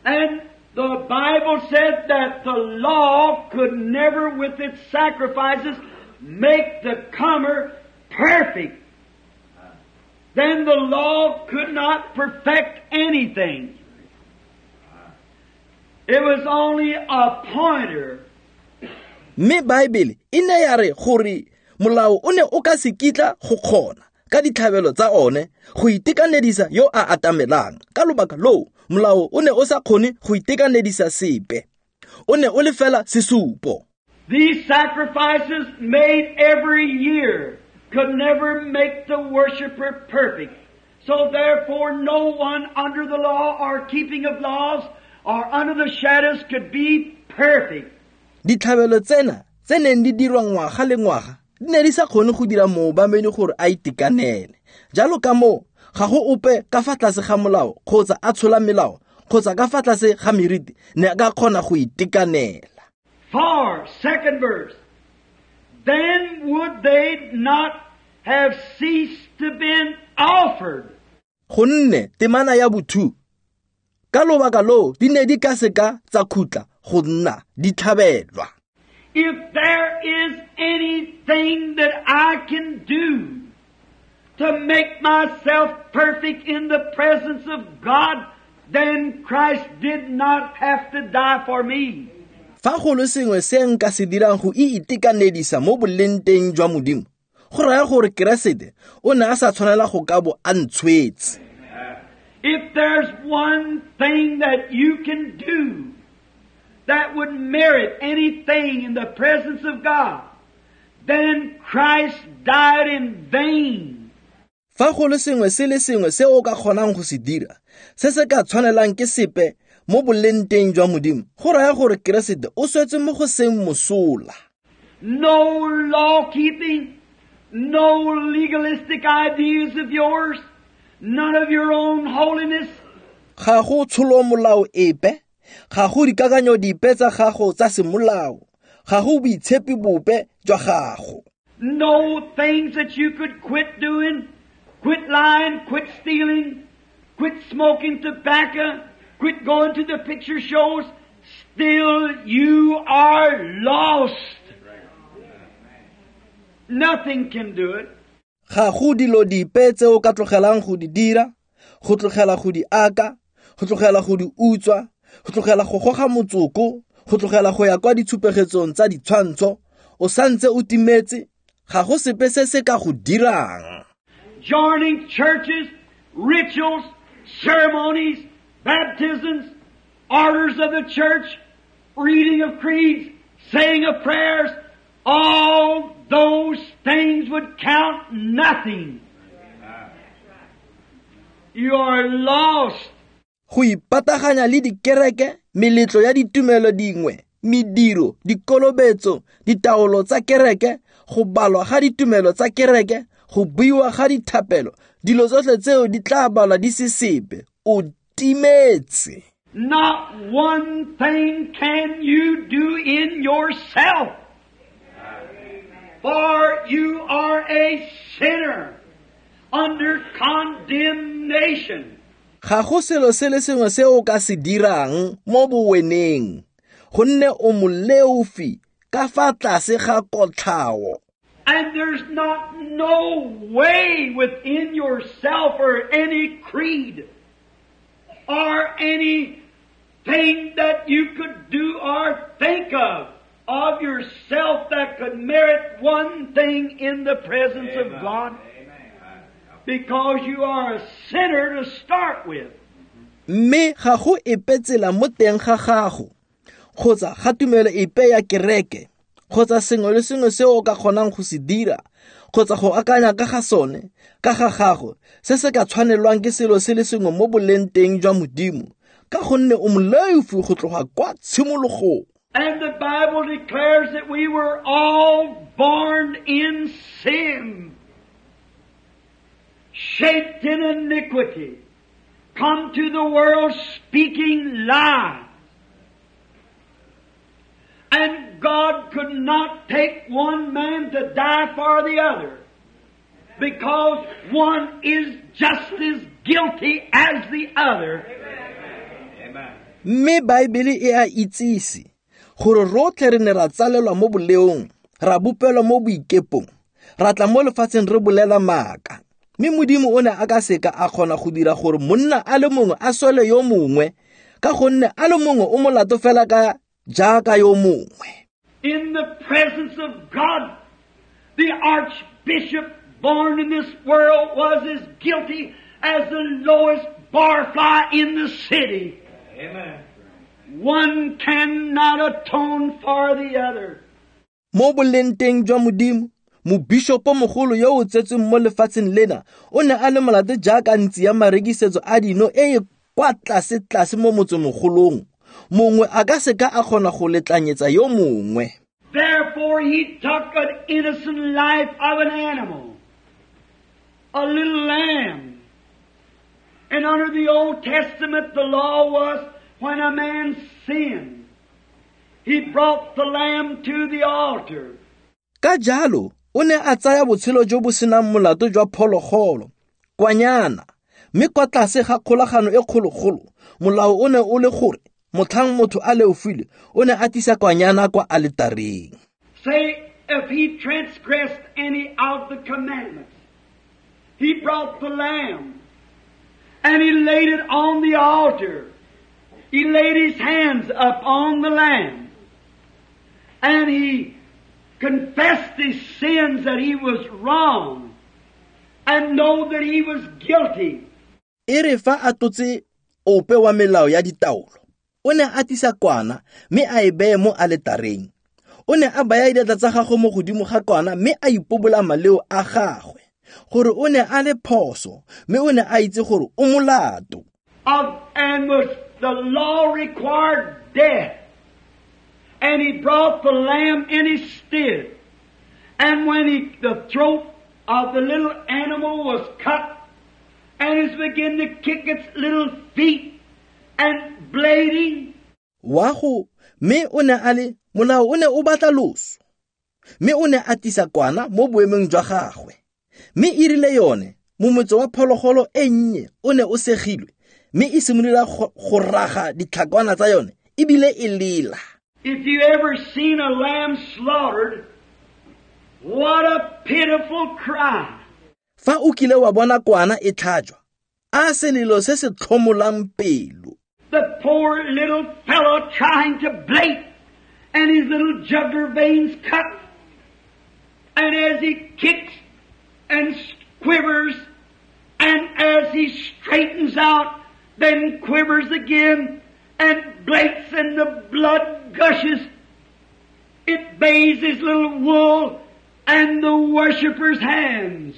And the Bible said that the law could never with its sacrifices make the comer perfect. Then the law could not perfect anything. It was only a pointer. Mme Bible e ne ya re gore molao o ne o ka se kitla go kgona ka ditlhabelo tsa one go itekanedisa yo a atamelang. Ka lobaka loo molao o ne o sa kgone go itekanedisa sepe. O ne o le fela sesupo. These sacrifices made every year could never make the worshiper perfect. So therefore no one under the law or keeping of laws or under the shadows could be perfect. Ditlhabelo tsena tse neng di dirwa ngwaga le ngwaga di ne di sa kgone go dira moobamedi gore a itekanele. Jalo ka moo ga go ope ka fa tlase ga molao kgotsa a tshola melao kgotsa ka fa tlase ga meriti ne a ka kgona go itekanela. For, second verse, then would they not have ceased to be offered? Gonne temana ya bo-2, ka lobaka loo di ne di ka seka tsa khutla go nna di tlhabelwa. If there is anything that I can do to make myself perfect in the presence of God, then Christ did not have to die for me. Fa go le sengwe se nka se dirang go itekanedisa mo bolengteng jwa Modimo, go raya gore Keresete o ne a sa tshwanela go ka bo a ntshwetse. If there's one thing that you can do that would merit anything in the presence of God, then Christ died in vain. Fa go le sengwe se le sengwe se o ka kgonang go se dira, se se ka tshwanelang ke sepe mo bolengteng jwa Modimo, go raya gore Keresete o swetse mo go seng mosola. No law keeping, no legalistic ideas of yours, none of your own holiness. Ga go tsholo molao epe, ga go dikakanyo dipe tsa gago tsa semolao, ga go boitshepi bope jwa gago. No things that you could quit doing, quit lying, quit stealing, quit smoking tobacco, quit going to the picture shows. Still you are lost. Nothing can do it. Ga go dilo dipe tse o ka tlogelang go di dira, go tlogela go di aka, go tlogela go di utswa, go tlogela go goga motsoko, go tlogela go ya kwa ditshupegetsong tsa ditshwantsho, o santse o timetse, ga go sepe se se ka go dirang. Joining churches, rituals, ceremonies, baptisms, orders of the church, reading of creeds, saying of prayers, all those things would count nothing. You are lost. Go ipataganya le dikereke, meletlo ya ditumelo dingwe, mediro, dikolobetso, ditaolo tsa kereke, go balwa ga ditumelo tsa kereke, go buiwa ga dithapelo, dilo tsotlhe tseo di tla balwa di se sepe. O timetse. Not one thing can you do in yourself, for you are a sinner under condemnation. Ga go selo se le sengwe se o ka se dirang mo boweneng, gonne o moleofi ka fa tlase ga kotlhao. And there's not no way within yourself or any creed or anything that you could do or think of yourself that could merit one thing in the presence of God. Because you are a sinner to start with. Mme ga go epe tsela mo teng ga gago, kgotsa ga tumelo epe ya kereke, kgotsa sengwe le sengwe se o ka kgonang go se dira, kgotsa go akanya ka ga sone, ka ga gago, se se ka tshwanelwang ke selo se le sengwe mo bolengteng jwa Modimo, ka gonne o moleofi go tloga kwa tshimologong. And the Bible declares that we were all born in sin, shaped in iniquity, come to the world speaking lies. And God could not take one man to die for the other, because one is just as guilty as the other. Amen. Mme Baebele e a itsise gore rotlhe re ne ra tsalelwa mo boleong, ra bopelwa mo boikepong, ra tla mo lefatsheng re bolela maaka. Mme Modimo o ne a ka seka a kgona go dira gore monna a le mongwe a swele yo mongwe, ka gonne a le mongwe o molato fela ka jaaka yo mongwe. In the presence of God, the archbishop born in this world was as guilty as the lowest barfly in the city. Amen. One cannot atone for the other. Mo bolengteng jwa Modimo, mobishopo mogolo yo o tsetsweng mo lefatsheng lena o ne a le molato jaaka ntsi ya marekisetso a dino e e kwa tlase-tlase mo motsemogolong. Mongwe a ka seka a kgona go letlanyetsa yo mongwe. Therefore he took an innocent life of an animal, a little lamb. And under the Old Testament the law was when a man sinned, he brought the lamb to the altar. Ka jalo, o ne a tsaya botshelo jo bo senang molato jwa phologolo, kwanyana, mme kwa tlase ga kgolagano e kgologolo, molao o ne o le gore motlhang motho a leofile, o ne a tlisa kwanyana kwa aletareng. Say, if he transgressed any of the commandments, He brought the lamb and he laid it on the altar. He laid his hands upon the lamb and he confessed his sins, that he was wrong and know that he was guilty. E re fa a tlotse ope wa melao ya ditaolo, o ne a tlisa kwana mme a e beye mo aletareng. O ne a baya diatla tsa gagwe mo godimo ga kwana mme a ipobola maleo a gagwe, gore o ne a le phoso mme o ne a itse gore o molato. And was the law required death. And he brought the lamb in his stead. And when the throat of the little animal was cut, and it began to kick its little feet and bleeding. Wa go mme o ne a le molao o ne o batla loso, mme o ne a tlisa kwana mo boemong jwa gagwe. Mme e rile yone momotso wa phologolo e nnye o ne o segilwe, mme e simolola go raga ditlhakwana tsa yone ebile e lela. If you ever seen a lamb slaughtered, what a pitiful cry. Fa o kile wa bona kwana e tlhajwa, a selelo se se tlhomolang pelo. The poor little fellow trying to bleat, and his little jugular veins cut, and as he kicks and quivers, and as he straightens out, then quivers again, and bleats, and the blood gushes. It bathes his little wool and the worshipper's hands.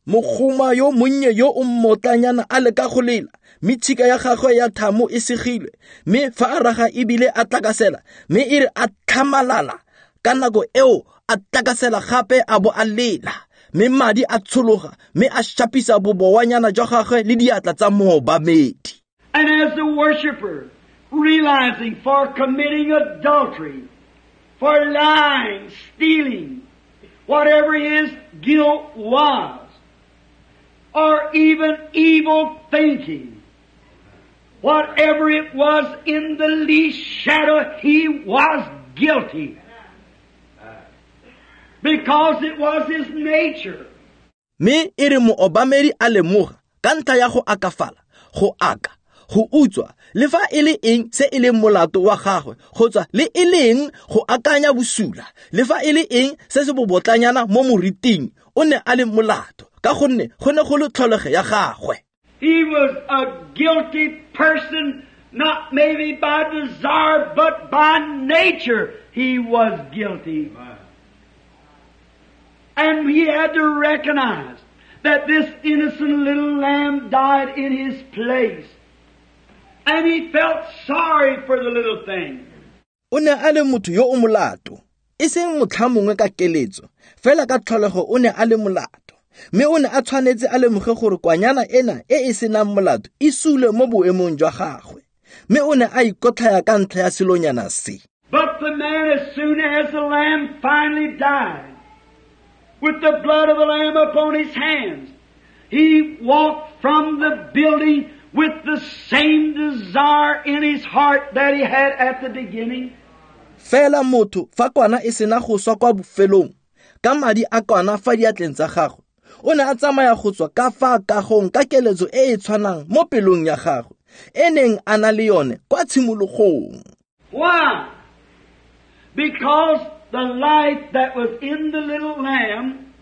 Mogoma yo monnye yo o mmotlanyana a leka go lela, mme tshika ya gagwe ya thamo e segilwe, mme fa a raga ebile a tlakasela, mme e re a tlhamalala ka nako eo a tlakasela gape a bo a lela, mme madi a tshologa, mme a shapisa bobowanyana jwa gagwe le diatla tsa moobamedi. And as the worshipper, realizing for committing adultery, for lying, stealing, whatever his guilt was, or even evil thinking, whatever it was, in the least shadow, he was guilty. Because it was his nature. Me e re moobamedi a lemoga ka ntlha ya go akafala, go aka, go utswa, le fa e le eng se e leng molato wa gagwe, kgotsa le e leng go akanya bosula, le fa e le eng se se bobotlanyana mo moriting, o ne a le molato ka gonne go ne go le tlholego ya gagwe. He was a guilty person, not maybe by desire, but by nature he was guilty. And he had to recognize that this innocent little lamb died in his place. And he felt sorry for the little thing. O ne a le motho yo o molato, e seng motlha mongwe ka keletso, fela ka tlholego o ne a le molato. Mme o ne a tshwanetse a lemoge gore kwanyana ena e e senang molato e sule mo boemong jwa gagwe. Mme o ne a ikotlhaya ka ntlha ya selonyana se. But the man, as soon as the lamb finally died, with the blood of the lamb upon his hands, he walked from the building with the same desire in his heart that he had at the beginning. Fela motho fa kwana e sena go swa kwa bofelong, ka madi a kwana fa diatleng tsa gagwe, o ne a tsamaya go tswa ka fa kagong ka keletso e e tshwanang mo pelong ya gagwe, e neng a na le yone kwa tshimologong. Why? Because the life that was in the little lamb,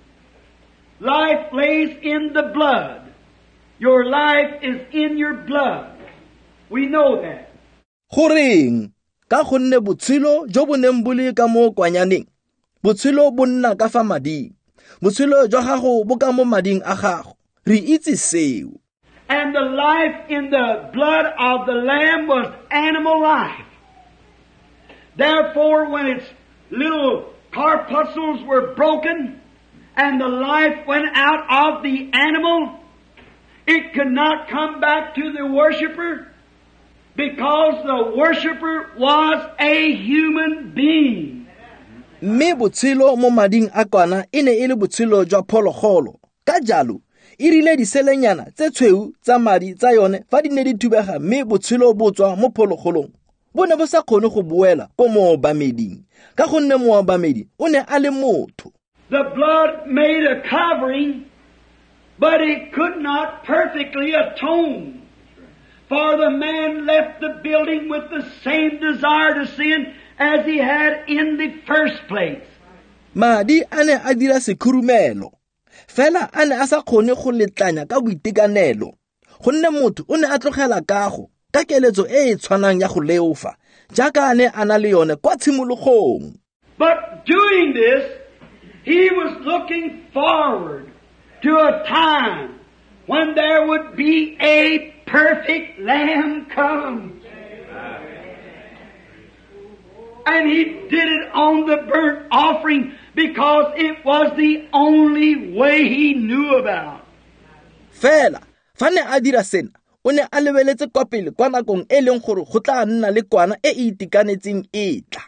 life lays in the blood. Your life is in your blood. We know that. Goreng? Ka gonne botshelo jo bo neng bo le ka mo kwanyaneng, botshelo bo nna ka fa mading. Botshelo jwa gago bo ka mo mading a gago. Re itse seo. And the life in the blood of the lamb was animal life. Therefore, when its little corpuscles were broken and the life went out of the animal, it could not come back to the worshiper, because the worshiper was a human being. Mme botshelo mo mading a kwana e ne e le botshelo jwa phologolo. Ka jalo, e rile diselenyana tse tshweu tsa madi tsa yone fa di ne di thubega mme botshelo bo tswa mo phologolong, bo ne bo sa kgone go boela ko moobameding, ka gonne moobamedi o ne a le motho. The blood made a covering But it could not perfectly atone. For the man left the building with the same desire to sin as he had in the first place. Madi a ne a dira sekhurumelo, fela a ne a sa kgone go letlanya ka boitekanelo, gonne motho o ne a tlogela kago ka keletso e e tshwanang ya go leofa jaaka a ne a na le yone kwa tshimologong. But doing this, he was looking forward to a time when there would be a perfect Lamb come. And he did it on the burnt offering because it was the only way he knew about. Fela, fa ne a dira sena, o ne a lebeletse kwa pele kwa nakong e leng gore go tla nna le kwana e e itekanetseng e tla.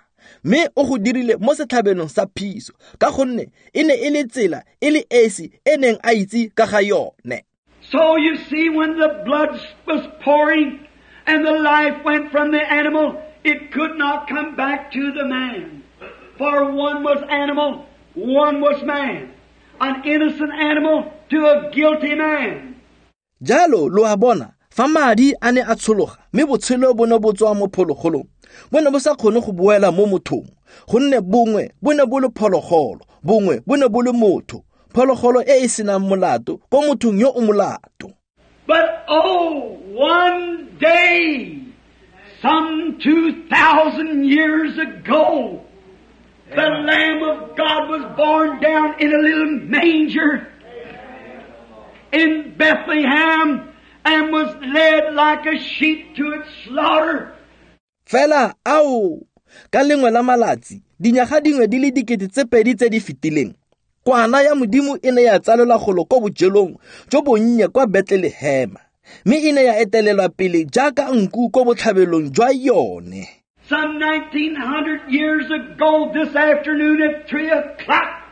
Mme o go dirile mo setlhabelong sa phiso ka gonne e ne e le tsela e le esi e neng a itse ka ga yone. So you see, when the blood was pouring and the life went from the animal, it could not come back to the man. For one was animal, one was man. An innocent animal to a guilty man. Jalo lo a bona, fa madi a ne a tshologa mme botshelo bo ne bo tswa mo phologolong, bo ne bo sa kgone go boela mo mothong, gonne bongwe bo ne bo le phologolo, bongwe bo ne bo le motho, phologolo e e senang molato ko mothong yo o molato. But oh, one day, some 2,000 years ago, the Lamb of God was born down in a little manger in Bethlehem and was led like a sheep to its slaughter. Fela ao, ka lengwe la malatsi, dinyaga dingwe di le 2000 tse di fetileng, kwana ya Modimo e ne ya tsalelwa golo ko bojelong jo bonnye kwa Bethlehema, mme e ne ya etelelwa pele jaaka nku ko botlhabelong jwa yone. Some 1900 years ago this afternoon at 3 o'clock,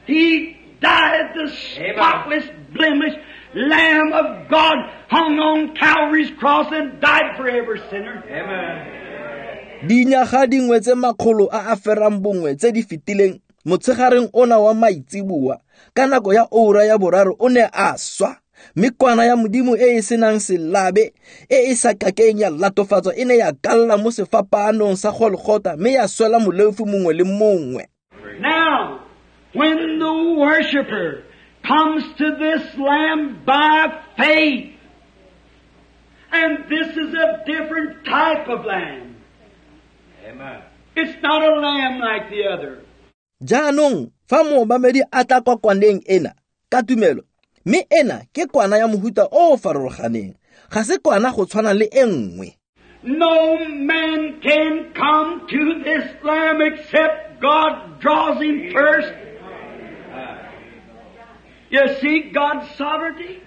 he died, the spotless, blemish Lamb of God, hung on Calvary's cross and died for every sinner. Amen. Dinyaga dingwe tse makgolo a a ferang bongwe tse di fetileng motshegareng ona wa maitseboa ka nako ya oura ya boraro o ne a swa, mme kwana ya Modimo e e senang selabe e e sa kakeng ya latofatswa e ne ya kalla mo sefapaanong sa Golgotha mme ya swela moleofi mongwe le mongwe. Now, when the worshiper comes to this Lamb by faith, and this is a different type of lamb. Amen. It's not a lamb like the other. Jaanong fa moobamedi a tla kwa kwaneng ena ka tumelo, mme ena ke kwana ya mohuta o o farologaneng, ga se kwana go tshwana le e nngwe. No man can come to this Lamb except God draws him first. You see God's sovereignty?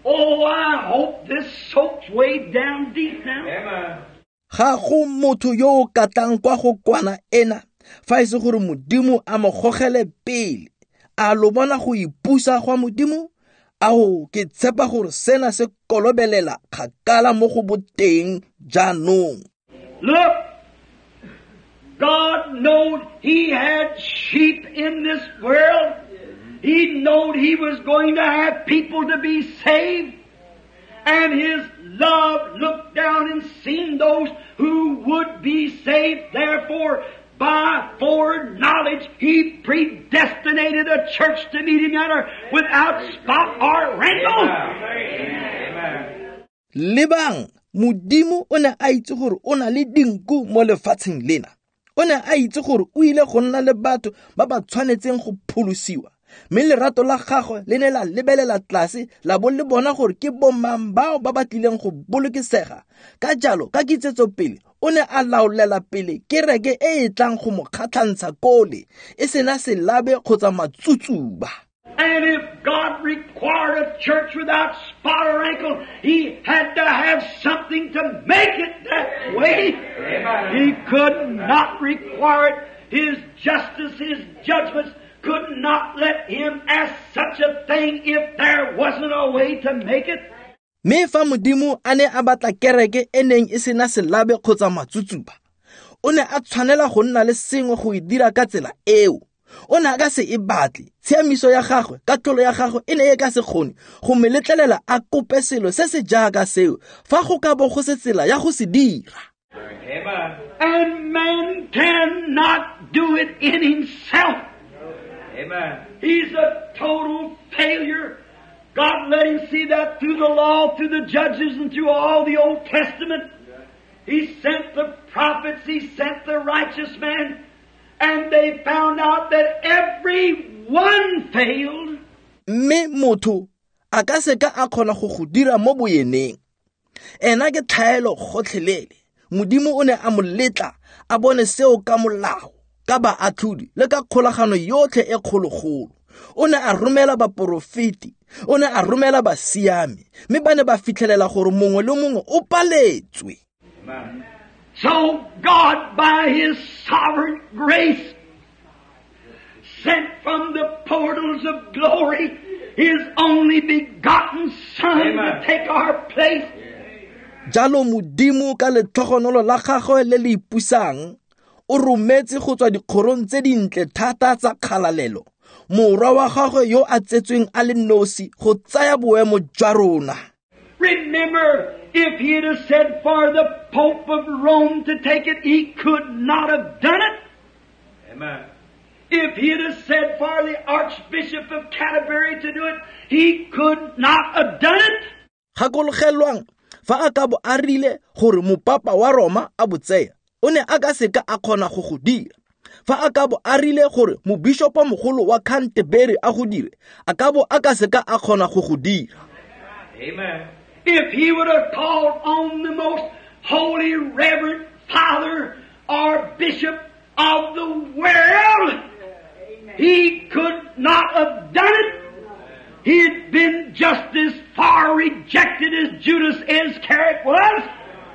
Oh, I hope this soaks way down deep now. Amen. Ga go motho yo o katang kwa go kwana ena fa e se gore Modimo a mo gogele pele. A lo bona go ipusa gwa Modimo? Ao, ke tshepa gore sena se kolobelela kgakala mo go boteng jaanong. Look, God knowed He had sheep in this world. He knowed He was going to have people to be saved. And His love looked down and seen those who would be saved. Therefore, by foreknowledge, He predestinated a church to meet Him at without spot or wrinkle. Amen. Lebang, Modimo o ne a itse gore o na le dinku mo lefatsheng lena. O ne a itse gore o ile go nna le batho ba ba tshwanetseng go pholosiwa. Mme lerato la gagwe le ne la lebelela tlase la bo le bona gore ke bomang bao ba ba tlileng go bolokesega. Ka jalo, ka kitsetso pele, o ne a laolela pele kereke e e tlang go mo kgatlhantsha kole, e sena selabe kgotsa matsutsuba. And if God required a church without spot or wrinkle, He had to have something to make it that way. Amen. He could not require it. His justice, His judgments could not let Him ask such a thing if there wasn't a way to make it. Mme fa Modimo a ne a batla kereke e neng e sena selabe kgotsa matsutsuba, o ne a tshwanela go nna le sengwe go e dira ka tsela eo. O ne a ka se e batle. Tshiamiso ya gagwe, katlholo ya gagwe e ne e ka se kgone go mo letlelela a kope selo se se jaaka seo fa go ka bo go se tsela ya go se dira. Amen. And man cannot do it in himself. Amen. He's a total failure. God let him see that through the law, through the judges, and through all the Old Testament. He sent the prophets, He sent the righteous man, and they found out that every one failed. Mme motho a ka se ka a kgona go go dira mo boyeneng. Ena ke tlhaelo gotlhelele. Modimo o ne a mo letla a bone seo ka molao, ka baatlhodi le ka kgolagano yotlhe e kgologolo. O ne a romela baporofeti, o ne a romela basiami, mme ba ne ba fitlhelela gore mongwe le mongwe o paletswe. Amen. So God, by His sovereign grace, sent from the portals of glory His only begotten Son Amen. to take our place. Jalo Modimo ka letlhogonolo la gagwe le le ipusang o rometse go tswa dikgorong tse dintle thata tsa kgalalelo morwa wa gagwe yo a tsetsweng a le nosi go tsaya boemo jwa rona. Remember, if He'd have said for the Pope of Rome to take it, he could not have done it. Amen. If he'd have said for the Archbishop of Canterbury to do it, he could not have done it. Gakologelwang fa a ka bo a rile gore mopapa wa Roma a bo tseya, o ne a ka se ka a kgona go go dira. Fa a ka bo a rile gore mobishopo mogolo wa Canterbury a go dire, a ka bo a ka se ka a kgona go go dira. Amen. If he would have called on the most holy reverend father or bishop of the world, he could not have done it. He had been just as far rejected as Judas Iscariot was.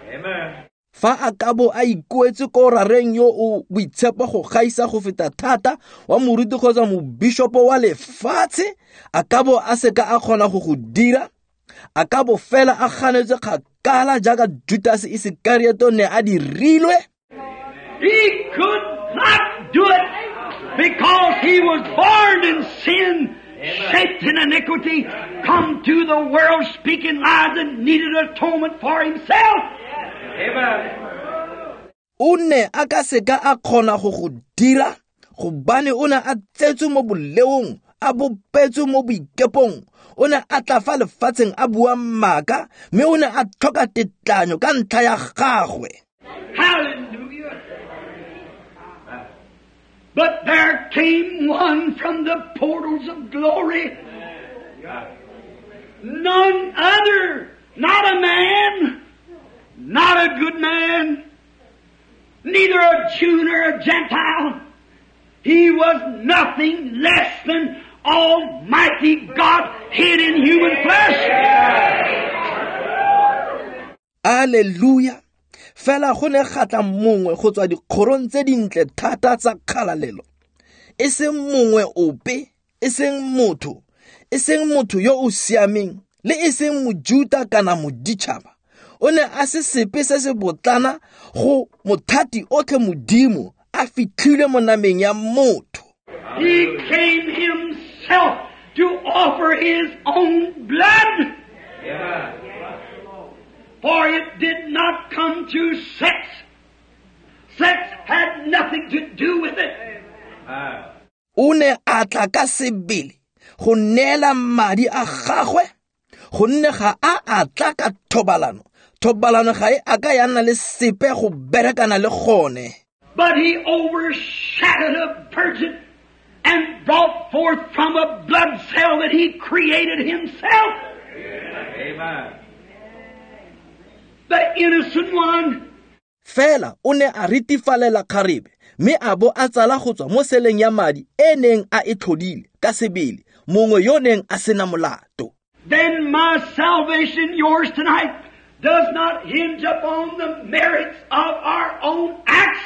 Amen. Fa a ka bo a ikuetse ko rareng yo o boitshepo go gaisa go feta thata wa moruti kgotsa mobishopo wa lefatshe, a ka bo a se ka a kgona go go dira. A ka bo fela a ganetswe kgakala jaaka Judas Iscariot ne a dirilwe. He could not do it because he was born in sin, shaped in iniquity, come to the world speaking lies and needed atonement for himself. Amen. O ne a ka se ka a kgona go go dira gobane o ne a tsetswe mo boleong, a bopetswe mo boikepong. O ne a tla fa lefatsheng a bua maaka, mme o ne a tlhoka tetlanyo ka ntlha ya gagwe. Hallelujah. But there came one from the portals of glory. None other, not a man, not a good man, neither a Jew nor a Gentile. He was nothing less than Almighty God hid in human flesh. Hallelujah. Fela go ne ga tla mongwe go tswa dikgorong tse dintle thata tsa kgalalelo. E seng mongwe ope, e seng motho, e seng motho yo o siameng, le e seng mojuta kana moditšhaba. O ne a se sepe se se botlana go mothati otlhe Modimo a fitlhilwe mo nameng ya motho. He came himself to offer his own blood. Amen. For it did not come through sex. Sex had nothing to do with it. O ne a tla ka sebele go neela madi a gagwe, gonne ga a a tla ka thobalano. Thobalano ga e a ka ya nna le sepe go berekana le gone. But he overshadowed a virgin and brought forth from a blood cell that he created himself. Amen. The innocent one. Fela o ne a ritifalela kgarebe, mme a bo a tsala go tswa mo seleng ya madi e neng a e tlhodile ka sebele, mongwe yo neng a sena molato. Then my salvation, yours tonight, does not hinge upon the merits of our own acts.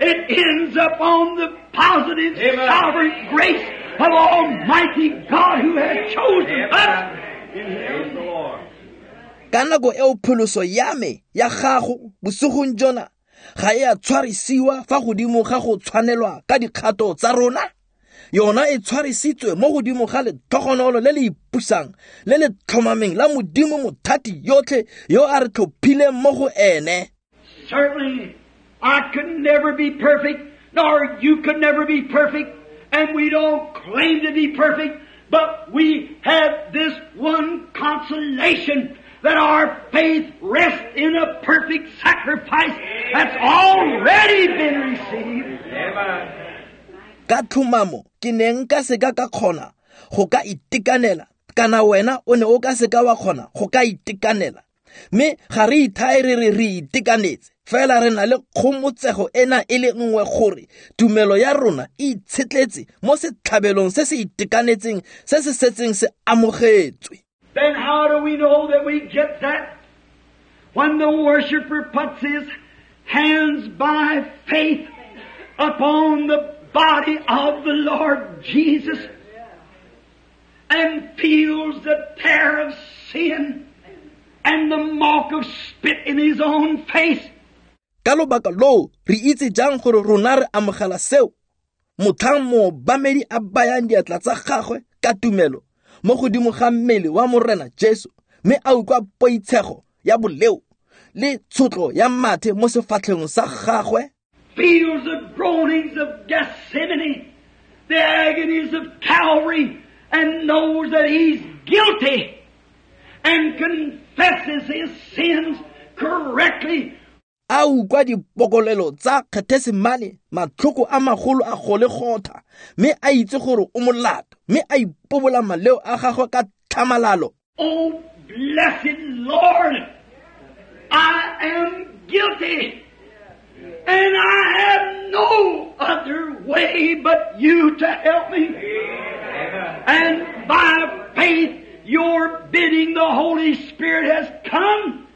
It ends upon the positive, Amen. Sovereign grace of Almighty God who has chosen us. Praise the Lord. Ka nako eo pholoso ya me ya gago bosigong jona ga e a tshwarisiwa fa godimo ga go tshwanelwa ka dikgato tsa rona. Yona e tshwarisitswe mo godimo ga letlhogonolo le le ipusang le le tlhomameng la Modimo mothati yotlhe yo a re tlhophileng mo go ene. Certainly, I could never be perfect, nor you could never be perfect, and we don't claim to be perfect, but we have this one consolation that our faith rests in a perfect sacrifice that's already been received. Amen. Ka tlhomamo ke ne nka seka ka kgona go ka itekanela, kana wena o ne o ka seka wa kgona go ka itekanela. Mme ga re ithae re re re itekanetse, fela re na le kgomotsego ena e le nngwe gore tumelo ya rona e itshetletse mo setlhabelong se se itekanetseng se se setseng se amogetswe. Then how do we know that we get that? When the worshiper puts his hands by faith upon the body of the Lord Jesus and feels the tear of sin and the mark of spit in his own face. Ka lobaka loo re itse jang gore rona re amogela seo? Motlhang moobamedi a bayang diatla tsa gagwe ka tumelo mo godimo ga mmele wa Morena Jesu, mme a utlwa poitshego ya boleo le tshotlo ya mathe mo sefatlhegong sa gagwe. Feels the groanings of Gethsemane, the agonies of Calvary, and knows that he's guilty and confesses his sins correctly. A utlwa dipokolelo tsa Gethsemane, matlhoko a magolo a Golegotha, mme a itse gore o molato, mme a ipobola maleo a gagwe ka tlhamalalo. Oh, blessed Lord, I am guilty, and I have no other way but you to help me. Amen. And by faith, your bidding, the Holy Spirit has come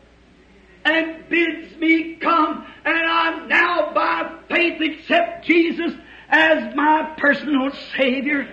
and bids me come, and I now by faith accept Jesus as my personal Savior.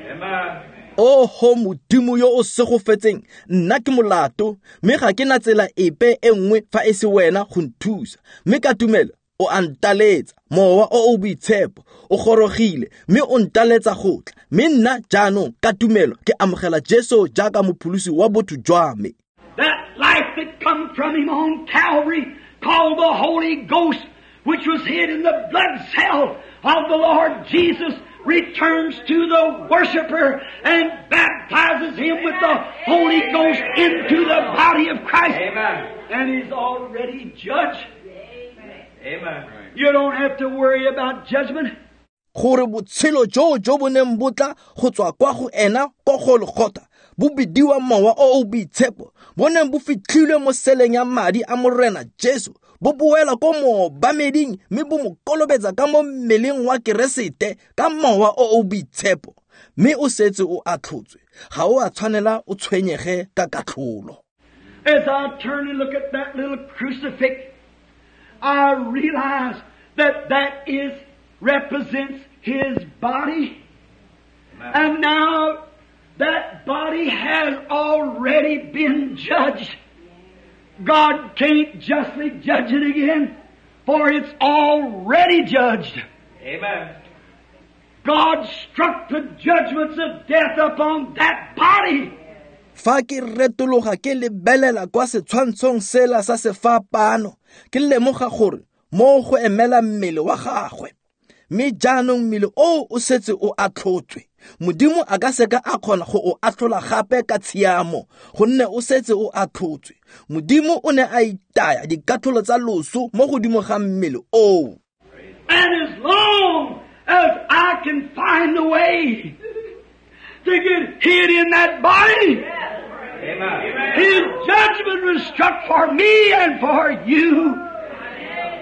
Amen. Oho Modimo yo o segofetseng, nna ke molato, mme ga ke na tsela epe e nngwe fa e se wena go nthusa. Mme ka tumelo o a ntaletsa, mowa o o boitshepo o gorogile, mme o ntaletsa go tla. Mme nna jaanong ka tumelo ke amogela Jesu jaaka mopholosi wa botho jwa me. That life that come from him on Calvary, called the Holy Ghost, which was hid in the blood cell of the Lord Jesus, returns to the worshiper and baptizes him with the Holy Ghost into the body of Christ. Amen. And he's already judged. Amen. You don't have to worry about judgment. Gore botshelo jo jo bo neng bo tla go tswa kwa go ena ko Golgotha bo bidiwa mowa o o boitshepo, bo neng bo fitlhilwe mo seleng ya madi a Morena Jesu, bo boela ko moobameding mme bo mo kolobetsa ka mo mmeleng wa Keresete ka mowa o o boitshepo. Mme o setse o atlhotswe, ga o a tshwanela o tshwenyege ka katlholo. As I turn and look at that little crucifix, I realize that that is represents his body. And now that body has already been judged. God can't justly judge it again, for it's already judged. Amen. God struck the judgments of death upon that body. Fa ke retologa ke lebelela kwa setshwantshong sela sa sefapano, ke lemoga gore mo go emela mmele wa gagwe. Mme jaanong mmele oo o setse o atlhotswe. Modimo a ka seka a kgona go o atlhola gape ka tshiamo, gonne o setse o atlhotswe. Modimo o ne a itaya dikatlholo tsa loso mo godimo ga mmele oo. And as long as I can find a way to get hid in that body, Amen. His judgment was struck for me and for you.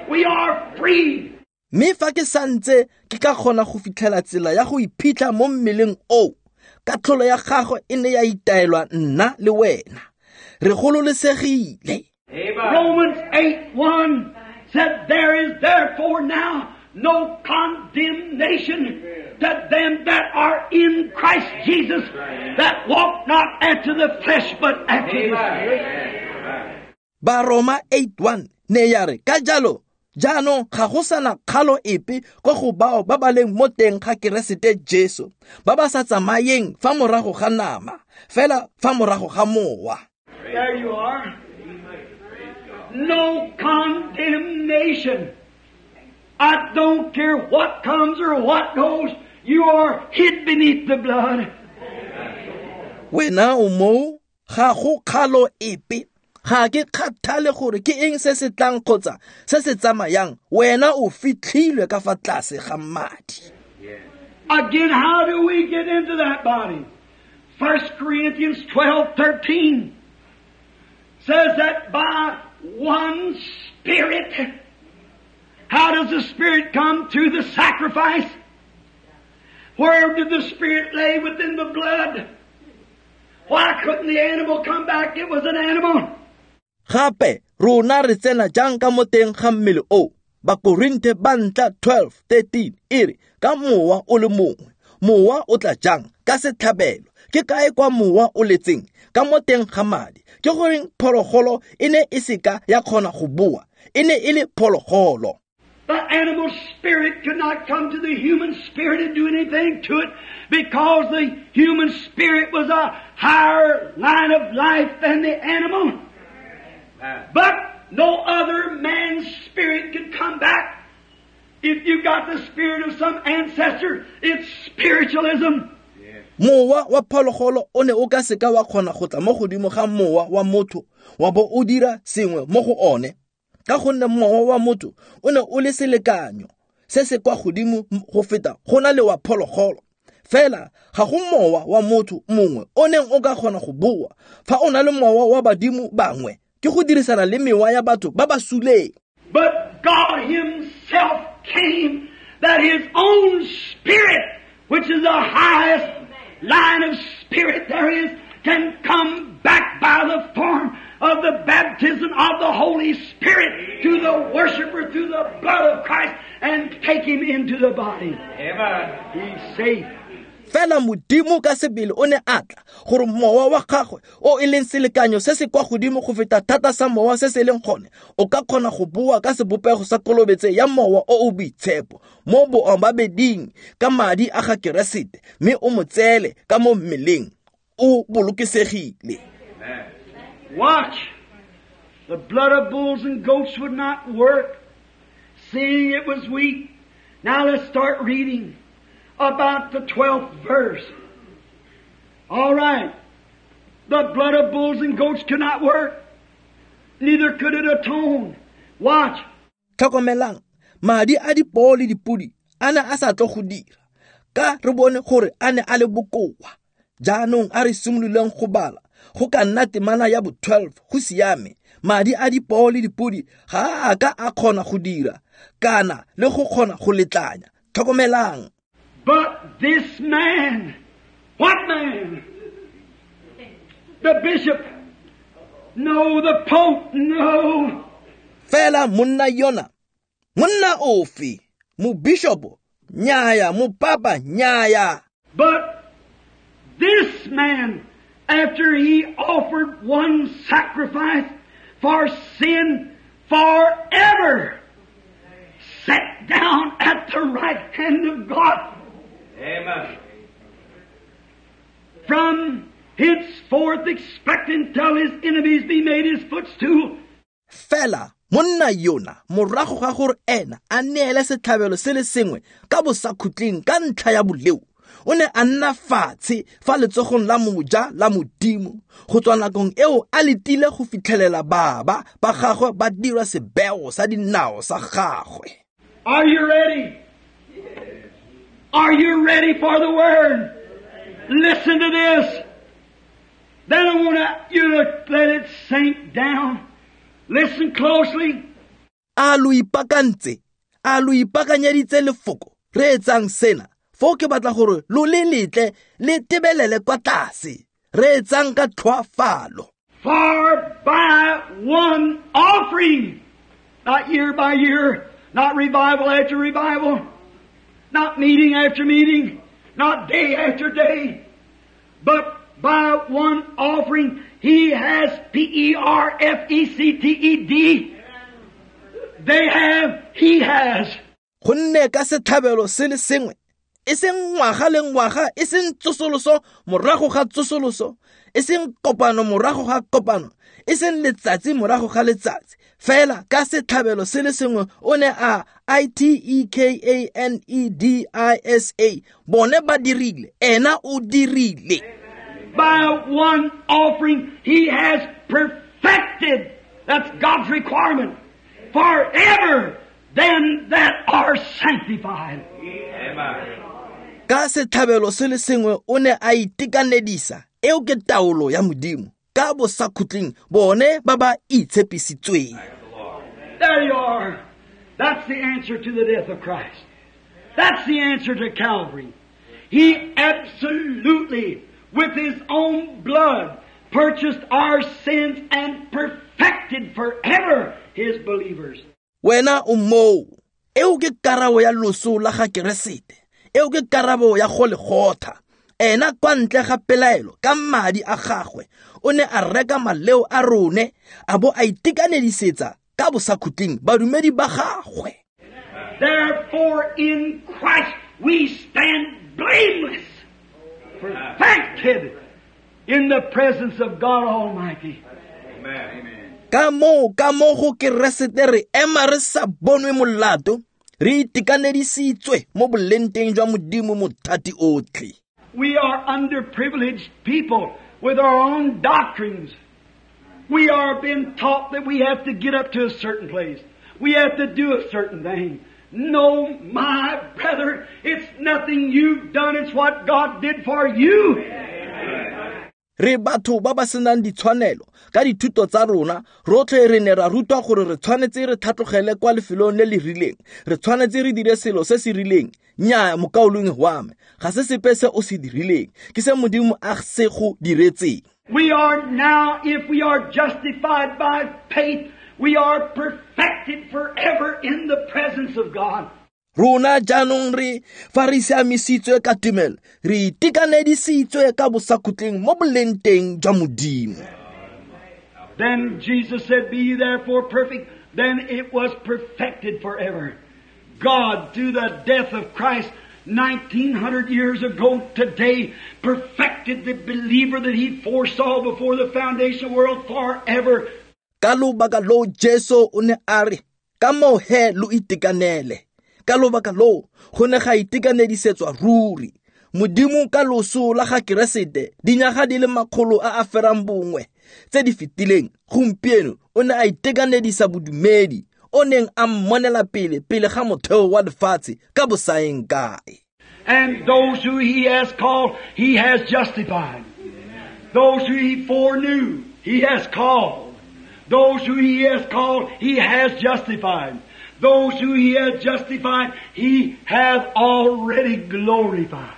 We are free. Mme fa ke santse ke ka kgona go fitlhela tsela ya go iphitlha mo mmeleng oo, katlholo ya gagwe e ne ya itaelwa nna le wena. Re gololesegile. Amen. Romans 8:1 said, there is therefore now no condemnation to them that are in Christ Jesus, that walk not after the flesh, but after the Spirit. Baroma 8:1 ne ya re ka jalo Jaanong ga go sana kgalo epe kwa go bao ba ba leng mo teng ga Keresete Jesu, ba ba sa tsamayeng fa morago ga nama, fela fa morago ga mowa. There you are. No condemnation. I don't care what comes or what goes. You are hid beneath the blood. Wena o moo, ga go kgalo epe. Ga ke kgathale gore ke eng se se tlang kgotsa se se tsamayang, wena o fitlhilwe ka fa tlase ga madi. Again, how do we get into that body? 1 Corinthians 12:13 says that by one Spirit. How does the Spirit come? Through the sacrifice. Where did the Spirit lay? Within the blood. Why couldn't the animal come back? It was an animal. Gape rona re tsena jang ka mo teng ga mmele o? Bakorinthe ba ntla 12:13 e re ka mowa o le mongwe. Mowa o tla jang? Ka setlhabelo. Ke kae kwa mowa o letseng? Ka mo teng ga madi. Ke goreng phologolo e ne e seka ya kgona go boa? E ne e le phologolo. The animal spirit could not come to the human spirit and do anything to it, because the human spirit was a higher line of life than the animal. But no other man's spirit could come back. If you got the spirit of some ancestor, it's spiritualism. Mowa wa phologolo o ne o ka seka wa kgona go tla mo godimo ga mowa wa motho wa bo o dira sengwe mo go one, ka gonne mowa wa motho o ne o le selekanyo se se kwa godimo go feta go na le wa phologolo. Fela ga go mowa wa motho mongwe o neng o ka kgona go boa. Fa o na le mowa wa badimo bangwe, ke go dirisana le mewa ya batho ba ba suleng. But God Himself came that His own Spirit, which is the highest line of spirit there is, can come back by the form of the baptism of the Holy Spirit to the worshiper through the blood of Christ and take him into the body. Amen. He's safe. Fela Modimo ka sebele o ne a tla gore mowa wa gagwe o e leng selekanyo se se kwa godimo go feta thata sa mowa se se leng gone o ka kgona go boa ka sebopego sa kolobetse ya mowa o o boitshepo mo boobabeding ka madi a ga Keresete, mme o mo tseele ka mo mmeleng o bolokesegile. Watch. The blood of bulls and goats would not work, seeing it was weak. Now let's start reading about the 12th verse. All right. The blood of bulls and goats could not work. Neither could it atone. Watch. Tlhokomelang, madi a dipoo le dipodi a ne a sa tlo go dira, ka re bone gore a ne a le bokoa. Jaanong a re simololeng go bala go ka nna temana ya bo 12. Go siame. Madi a dipoo le dipodi ga a ka a kgona go dira kana le go kgona go letlanya. Tlhokomelang. But this man, what man? The bishop? No. The pope? No. Fela monna yona, monna ofe? Mobishopo? Nyaya. Mopapa? Nyaya. But this man, after he offered one sacrifice for sin forever, sat down at the right hand of God. Amen. From henceforth expecting till his enemies be made his footstool. Fela monna yona morago ga gore ena a neele setlhabelo se le sengwe ka bosakhutleng ka ntlha ya boleo, o ne a nna fatshe fa letsogong la moja la Modimo go tswa nakong eo a letile go fitlhelela baba ba gagwe ba dirwa sebeo sa dinao sa gagwe. Are you ready? Are you ready for the Word? Listen to this. Then I want you to let it sink down. Listen closely. A lo ipakantse, a lo ipakanyeditse lefoko. Reetsang sena. Foo ke batla gore lo le letle le tebelele kwa tlase. Reetsang ka tlhoafalo. For by one offering, not year by year, not revival after revival, not meeting after meeting, not day after day, but by one offering he has P-E-R-F-E-C-T-E-D, they have, He has. Gonne ka setlhabelo se le sengwe, e seng ngwaga le ngwaga, e seng tsosoloso morago ga tsosoloso, e seng kopano morago ga kopano, e seng letsatsi morago ga letsatsi, fela ka setlhabelo se le sengwe o ne a I-T-E-K-A-N-E-D-I-S-A, bone ba dirile, ena o dirile. By one offering He has perfected, that's God's requirement, forever them that are sanctified. Amen. Ka setlhabelo se le sengwe o ne a itekanedisa, eo ke taolo ya Modimo, ka bosakhutleng bone ba ba itshepisitsweng. There you are. That's the answer to the death of Christ. That's the answer to Calvary. He absolutely, with His own blood, purchased our sins and perfected forever His believers. Wena o moo, eo ke karabo ya loso la ga Keresete, eo ke karabo ya Golegotha. Ena kwa ntle ga pelaelo ka madi a gagwe o ne a reka maleo a rone a bo a itekanedisetsa ka bosakhutleng badumedi ba gagwe. Therefore in Christ we stand blameless, perfected in the presence of God Almighty. Amen. Ka moo ka mo go Keresete re ema re sa bonwe molato, re itekanedisitswe mo bolenteng jwa Modimo mothati otlhe. We are underprivileged people with our own doctrines. We are being taught that we have to get up to a certain place. We have to do a certain thing. No, my brother, it's nothing you've done. It's what God did for you. Re batho ba ba senang ditshwanelo ka dithuto tsa rona, rotlhe re ne ra rutwa gore re tshwanetse re tlhatlogele kwa lefelong le le rileng, re tshwanetse re dire selo se se rileng. Nnyaa, mokaulengwe wa me, ga se sepe se o se dirileng, ke se Modimo a se go diretseng. We are now, if we are justified by faith, we are perfected forever in the presence of God. Rona jaanong re fa re siamisitswe ka tumelo, re itekanedisitswe ka bosakhutleng mo bolenteng jwa Modimo. Then Jesus said, "Be ye therefore perfect." Then it was perfected forever. God, through the death of Christ 1900 years ago today, perfected the believer that He foresaw before the foundation of the world forever. Ka lobaka loo Jesu o ne a re, ka moo he lo itekanele. Ka lobaka loo go ne ga itekanedisetswa ruri. Modimo ka loso la ga Keresete dinyaga di le 900 a a ferang bongwe tse di fetileng, gompieno o ne a itekanedisa bodumedi o neng a mmonela pele pele ga motheo wa lefatshe ka bosaeng kae. And those who He has called, He has justified. Those who He foreknew, He has called. Those who He has called, He has justified. Those who He has justified, He hath already glorified.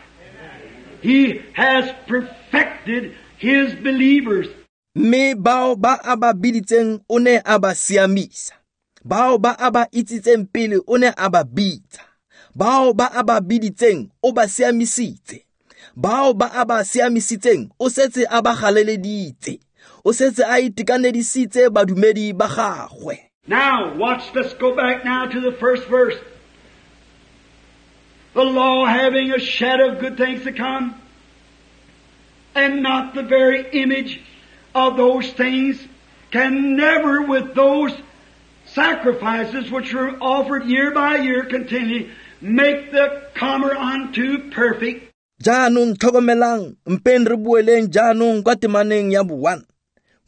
He has perfected His believers. Mme bao ba a ba biditseng o ne a ba siamisa. Bao ba a ba itsitseng pele o ne a ba bitsa. Bao ba a ba biditseng o ba siamisitse. Bao ba a ba siamisitseng o setse a ba galeleditse. O setse a itekanedisitse badumedi ba gagwe. Now, watch, let's go back now to the first verse. The law having a shadow of good things to come, and not the very image of those things, can never with those sacrifices which were offered year by year continually make the comer unto perfect. Jaanong tlhokomelang, mpeng re boeleng jaanong kwa temaneng ya bo-1.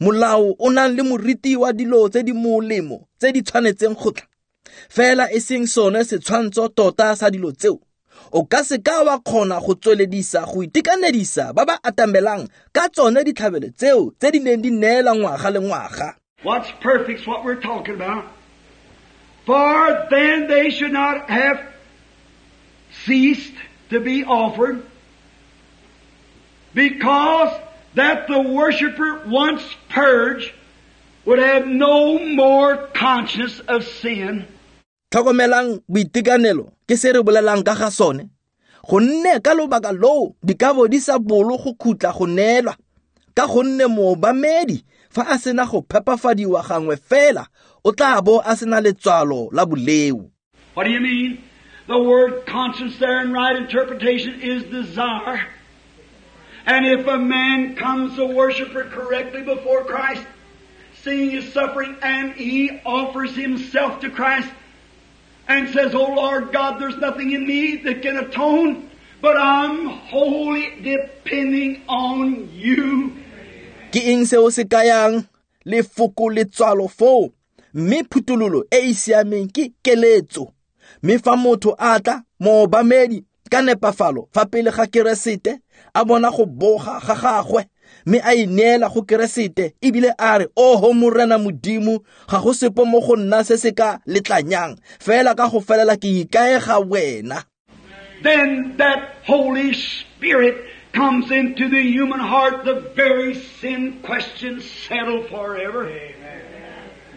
Molao o nang le moriti wa dilo tse di molemo tse di tshwanetseng go tla, fela e seng sone setshwantsho tota sa dilo tseo. O ka se ka wa kgona go tsweledisa go itekanedisa ba ba atamelang ka tsone ditlhabelo tseo tse di neng di neela ngwaga le ngwaga. What's perfect's what we're talking about. For then they should not have ceased to be offered, because that the worshipper once purged would have no more conscience of sin. Tlhokomelang boitekanelo ke se re bolelang ka ga sone. Gonne ka lobaka loo dikabo di sa bolo go khutla go neelwa, ka gonne moobamedi fa a sena go phepafadiwa gangwe fela o tla bo a sena letswalo la boleo. What do you mean? The word conscience there in right interpretation is desire. And if a man comes a worshiper correctly before Christ, seeing his suffering, and he offers himself to Christ and says, "Oh Lord God, there's nothing in me that can atone, but I'm wholly depending on you." Ke eng seo se kayang lefoko letswalo foo? Mme phuthololo e e siameng ke keletso. Mme fa motho a tla moobamedi ka nepafalo fa pele ga Keresete, a bona go boga ga gagwe, mme a ineela go Keresete ebile a re, "Oho Morena Modimo, ga go sepe mo go nna se se ka letlanyang, fela ka go felela ke ikaega wena." Then that Holy Spirit comes into the human heart, the very sin question settled forever. Amen.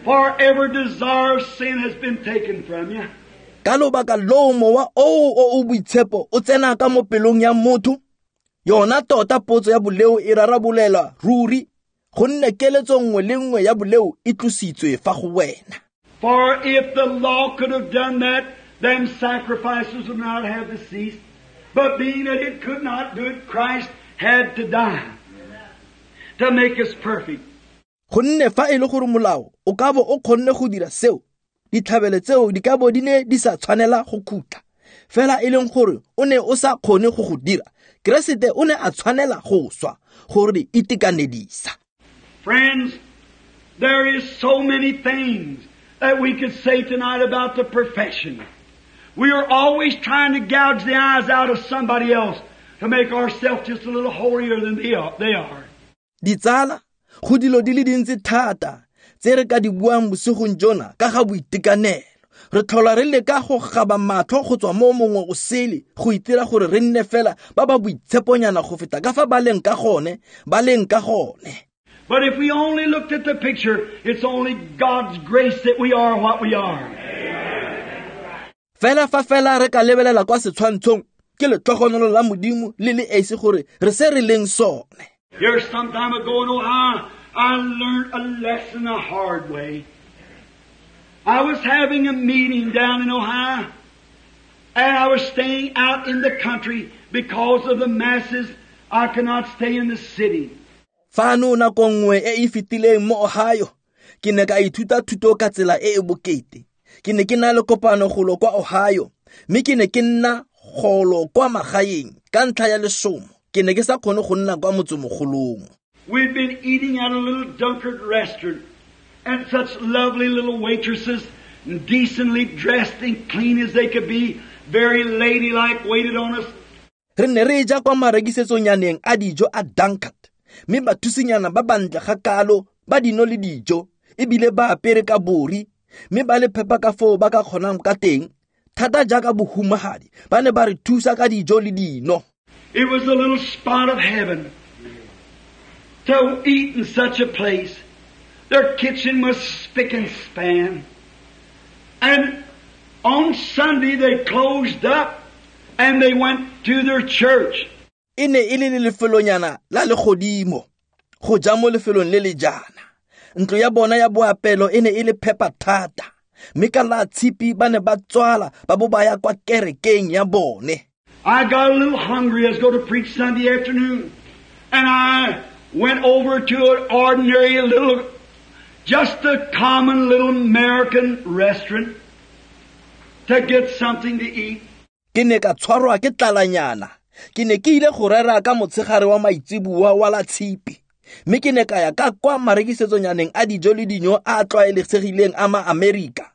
Forever desire of sin has been taken from you. Ka lobaka loo mowa oo o o boitshepo o tsena ka mo pelong ya motho, yona tota potso ya boleo e rarabolelwa ruri, gonne keletso nngwe le nngwe ya boleo e tlositswe fa go wena. For if the law could have done that, then sacrifices would not have to cease. But being that it could not do it, Christ had to die to make us perfect. Gonne fa e le gore molao o ka bo o kgonne go dira seo, ditlhabelo tseo di ka bo di ne di sa tshwanela go khutla. Fela e leng gore o ne o sa kgone go go dira, Keresete o ne a tshwanela go swa gore itekanedisa. Friends, there is so many things that we could say tonight about the perfection. We are always trying to gouge the eyes out of somebody else to make ourselves just a little holier than they are. Ditsala, go dilo di le dintsi thata tse re ka di buang bosigong jona ka ga boitekanelo. Re tlhola re leka go gaba matlho go tswa mo mongwe o sele go itira gore re nne fela ba ba boitsheponyana go feta ka fa ba leng ka gone, ba leng ka gone. But if we only looked at the picture, it's only God's grace that we are what we are. Fela fa fela re ka lebelela kwa setshwantshong, ke letlhogonolo la Modimo le le esi gore re se re leng sone. Here some time ago in Ohio, I learned a lesson the hard way. I was having a meeting down in Ohio, and I was staying out in the country because of the masses. I could not stay in the city. Fano nako nngwe e e fetileng mo Ohio, ke ne ka ithuta thuto ka tsela e e bokete. Ke ne ke na le kopano golo kwa Ohio, mme ke ne ke nna golo kwa magaeng ka ntlha ya lesomo. Ke ne ke sa kgone go nna kwa motsemogolong. We'd been eating at a little Dunkard restaurant, and such lovely little waitresses, decently dressed and clean as they could be, very ladylike, waited on us. Re ne re ja kwa marekisetsonyaneng a dijo a Dunkard, mme bathusinyana ba bantle ga kalo ba dino le dijo, ebile ba apere ka bori, mme ba le phepa ka foo ba ka kgonang ka teng, thata jaaka bohumagadi, ba ne ba re thusa ka dijo le dino. It was a little spot of heaven to eat in such a place. Their kitchen was spick and span. And on Sunday they closed up and they went to their church. E ne e le lefelonyana la legodimo, go ja mo lefelong le le jaana. Ntlo ya bona ya boapelo e ne e le phepa thata, mme ka la tshipi ba ne ba tswala ba bo ba ya kwa kerekeng ya bone. I got a little hungry. I was going to preach Sunday afternoon. And I went over to an ordinary little, just a common little American restaurant to get something to eat. Ke ne ka tshwarwa ke tlalanyana. Ke ne ke ile go rera ka motshegare wa maitseboa wa la tshipi. Mme ke ne ka ya ka kwa marekisetsonyaneng a dijo le dinyo a tlwaelegileng a ma-Amerika,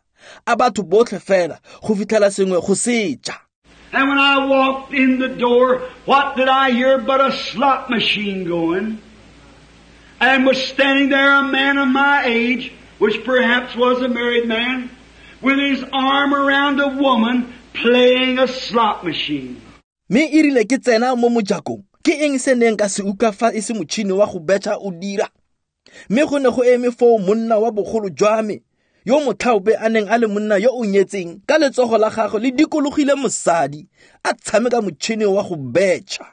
a batho botlhe fela go fitlhela sengwe go seja. And when I walked in the door, what did I hear but a slot machine going? And was standing there a man of my age, which perhaps was a married man, with his arm around a woman playing a slot machine. Mme e rile ke tsena mo mojakong, ke eng se neng ka se utlwa fa e se motšhini wa go betšha o dira? Mme go ne go eme foo monna wa bogolo jwa me, yo motlhaope a neng a le monna yo o nyetseng, ka letsogo la gagwe le dikologile mosadi, a tshameka motšhini wa go betšha.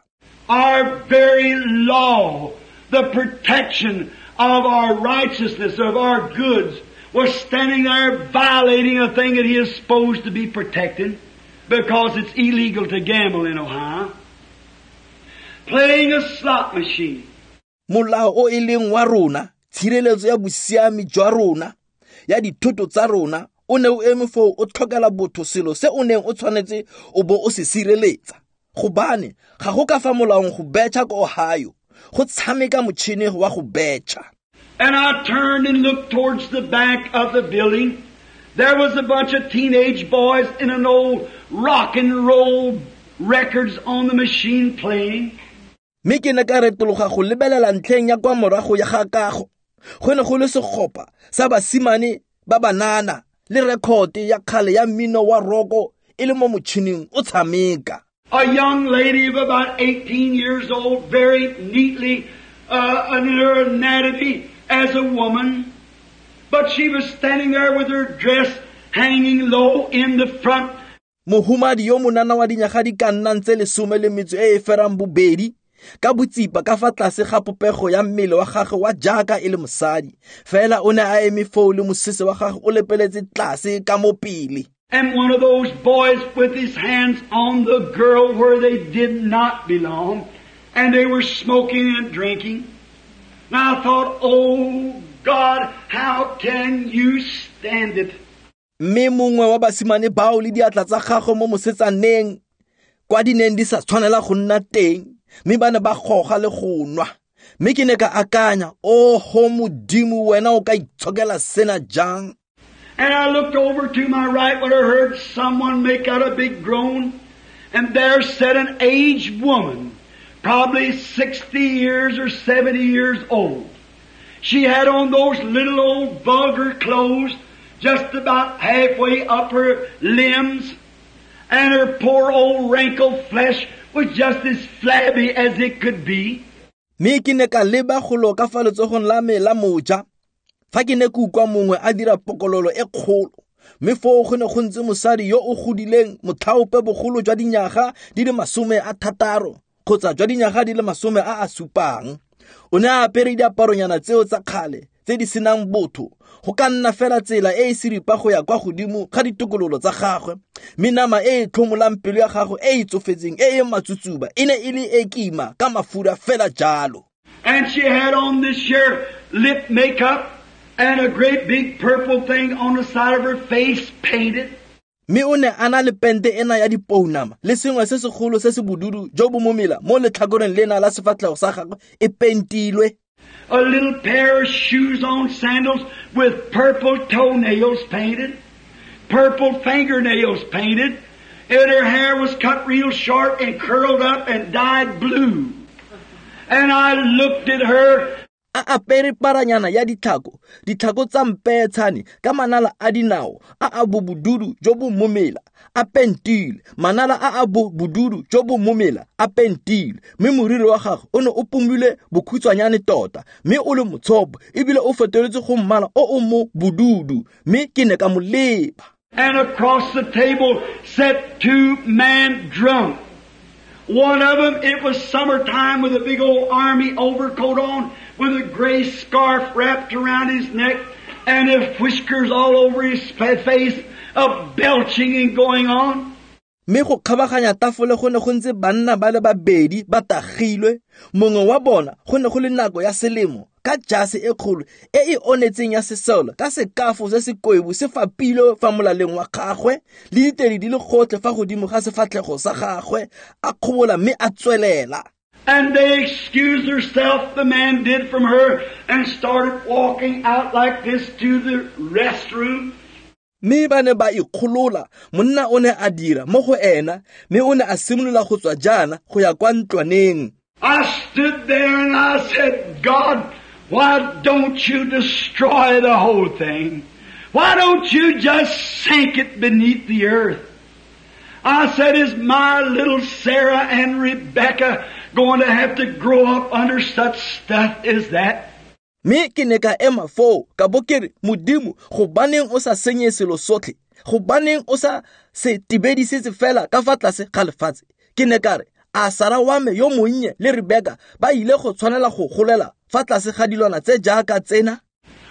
Our very law, the protection of our righteousness, of our goods, was standing there violating a thing that he is supposed to be protecting because it's illegal to gamble in Ohio, playing a slot machine. Molao o e leng wa rona, tshireletso ya bosiami jwa rona, ya dithoto tsa rona, o ne o eme foo o tlhokela botho selo se o neng o tshwanetse o bo o se sireletsa. Gobane ga go ka fa molaong go betšha ko Ohio, go tshameka motšhini wa go betšha. And I turned and looked towards the back of the building. There was a bunch of teenage boys in an old rock and roll records on the machine playing. Mme ke ne ka retologa go lebelela ntlheng ya kwa morago ya ga kago. Go ne go le segopa sa basimane ba banana le rekhote ya kgale ya mmino wa roko e le mo motšhining o tshameka. A young lady of about 18 years old, very neatly in her anatomy as a woman, but she was standing there with her dress hanging low in the front. Mohumadi yo monana wa dinyaga di ka nnang tse 18, ka botsipa ka fa tlase ga popego ya mmele wa gagwe wa jaaka e le mosadi, fela o ne a eme foo le mosese wa gagwe o lepeletse tlase ka mo pele. And one of those boys with his hands on the girl where they did not belong, and they were smoking and drinking. And I thought, oh God, how can you stand it? Mme mongwe wa basimane bao le diatla tsa gagwe mo mosetsaneng kwa di neng di sa tshwanela go nna teng, mme ba ne ba goga le go nwa. Mme ke ne ka akanya, oho Modimo, wena o ka itshokela sena jang? And I looked over to my right when I heard someone make out a big groan, and there sat an aged woman, probably 60 years or 70 years old. She had on those little old vulgar clothes just about halfway up her limbs, and her poor old wrinkled flesh was just as flabby as it could be. Mme ke ne ka leba golo ka fa letsogong la me la moja, fa ke ne ke utlwa mongwe a dira pokololo e kgolo, mme foo go ne go ntse mosadi yo o godileng motlhaope bogolo jwa dinyaga di le 60 kgotsa jwa dinyaga di le 70. O ne a apere diaparonyana tseo tsa kgale tse di senang botho, go ka nna fela tsela e e seripa go ya kwa godimo ga ditokololo tsa gagwe, mme nama e e tlhomolang pelo ya gagwe e e tsofetseng e e matsutsuba e ne e le e kima ka mafura fela jalo. And she had on this here lip makeup and a great big purple thing on the side of her face painted. Mme o ne a na le pente ena ya dipounama le sengwe se segolo se se bodudu jo bo momela mo letlhakoreng lena la sefatlhego sa gagwe e pentilwe. A little pair of shoes on sandals with purple toenails painted, purple fingernails painted, and her hair was cut real short and curled up and dyed blue. And I looked at her. A apere paranyana ya ditlhako, ditlhako tsa mpeetshane ka manala a dinao a a bobududu jo bo momela a pentile, manala a a bobududu jo bo momela a pentile, mme moriri wa gagwe o ne o pomilwe bokhutshwanyane tota, mme o le motshopo ebile o fetoletse go mmala o o mo bodudu, mme ke ne ka mo leba. And across the table sat two men drunk. One of them, it was summertime, with a big old army overcoat on, with a gray scarf wrapped around his neck, and his whiskers all over his face, of belching and going on. Mme go kgabaganya tafole go ne go ntse banna ba le babedi ba tagilwe, mongwe wa bona go ne go le nako ya selemo ka jase e kgolo e e onetseng ya sesole ka sekafo se se koibu se fapilwe fa molaleng wa gagwe le ditedi di le gotlhe fa godimo ga sefatlhego sa gagwe, a kgobola mme a tswelela. And they excused herself, the man did, from her, and started walking out like this to the restroom. Mme ba ne ba ikgolola, monna o ne a dira mo go ena, mme o ne a simolola go tswa jaana go ya kwa ntlwaneng. I stood there and I said, God, why don't you destroy the whole thing? Why don't you just sink it beneath the earth? I said, is my little Sarah and Rebecca going to have to grow up under such stuff as that? Mme ke ne ka ema foo ka bo ke re, Modimo, gobaneng o sa senye selo sotlhe? Gobaneng o sa se tibedisetse fela ka fa tlase ga lefatshe? Ke ne ka re, a Sara wa me yo monnye le Rebecca ba ile go tshwanela go golela fa tlase ga dilwana tse jaaka tsena?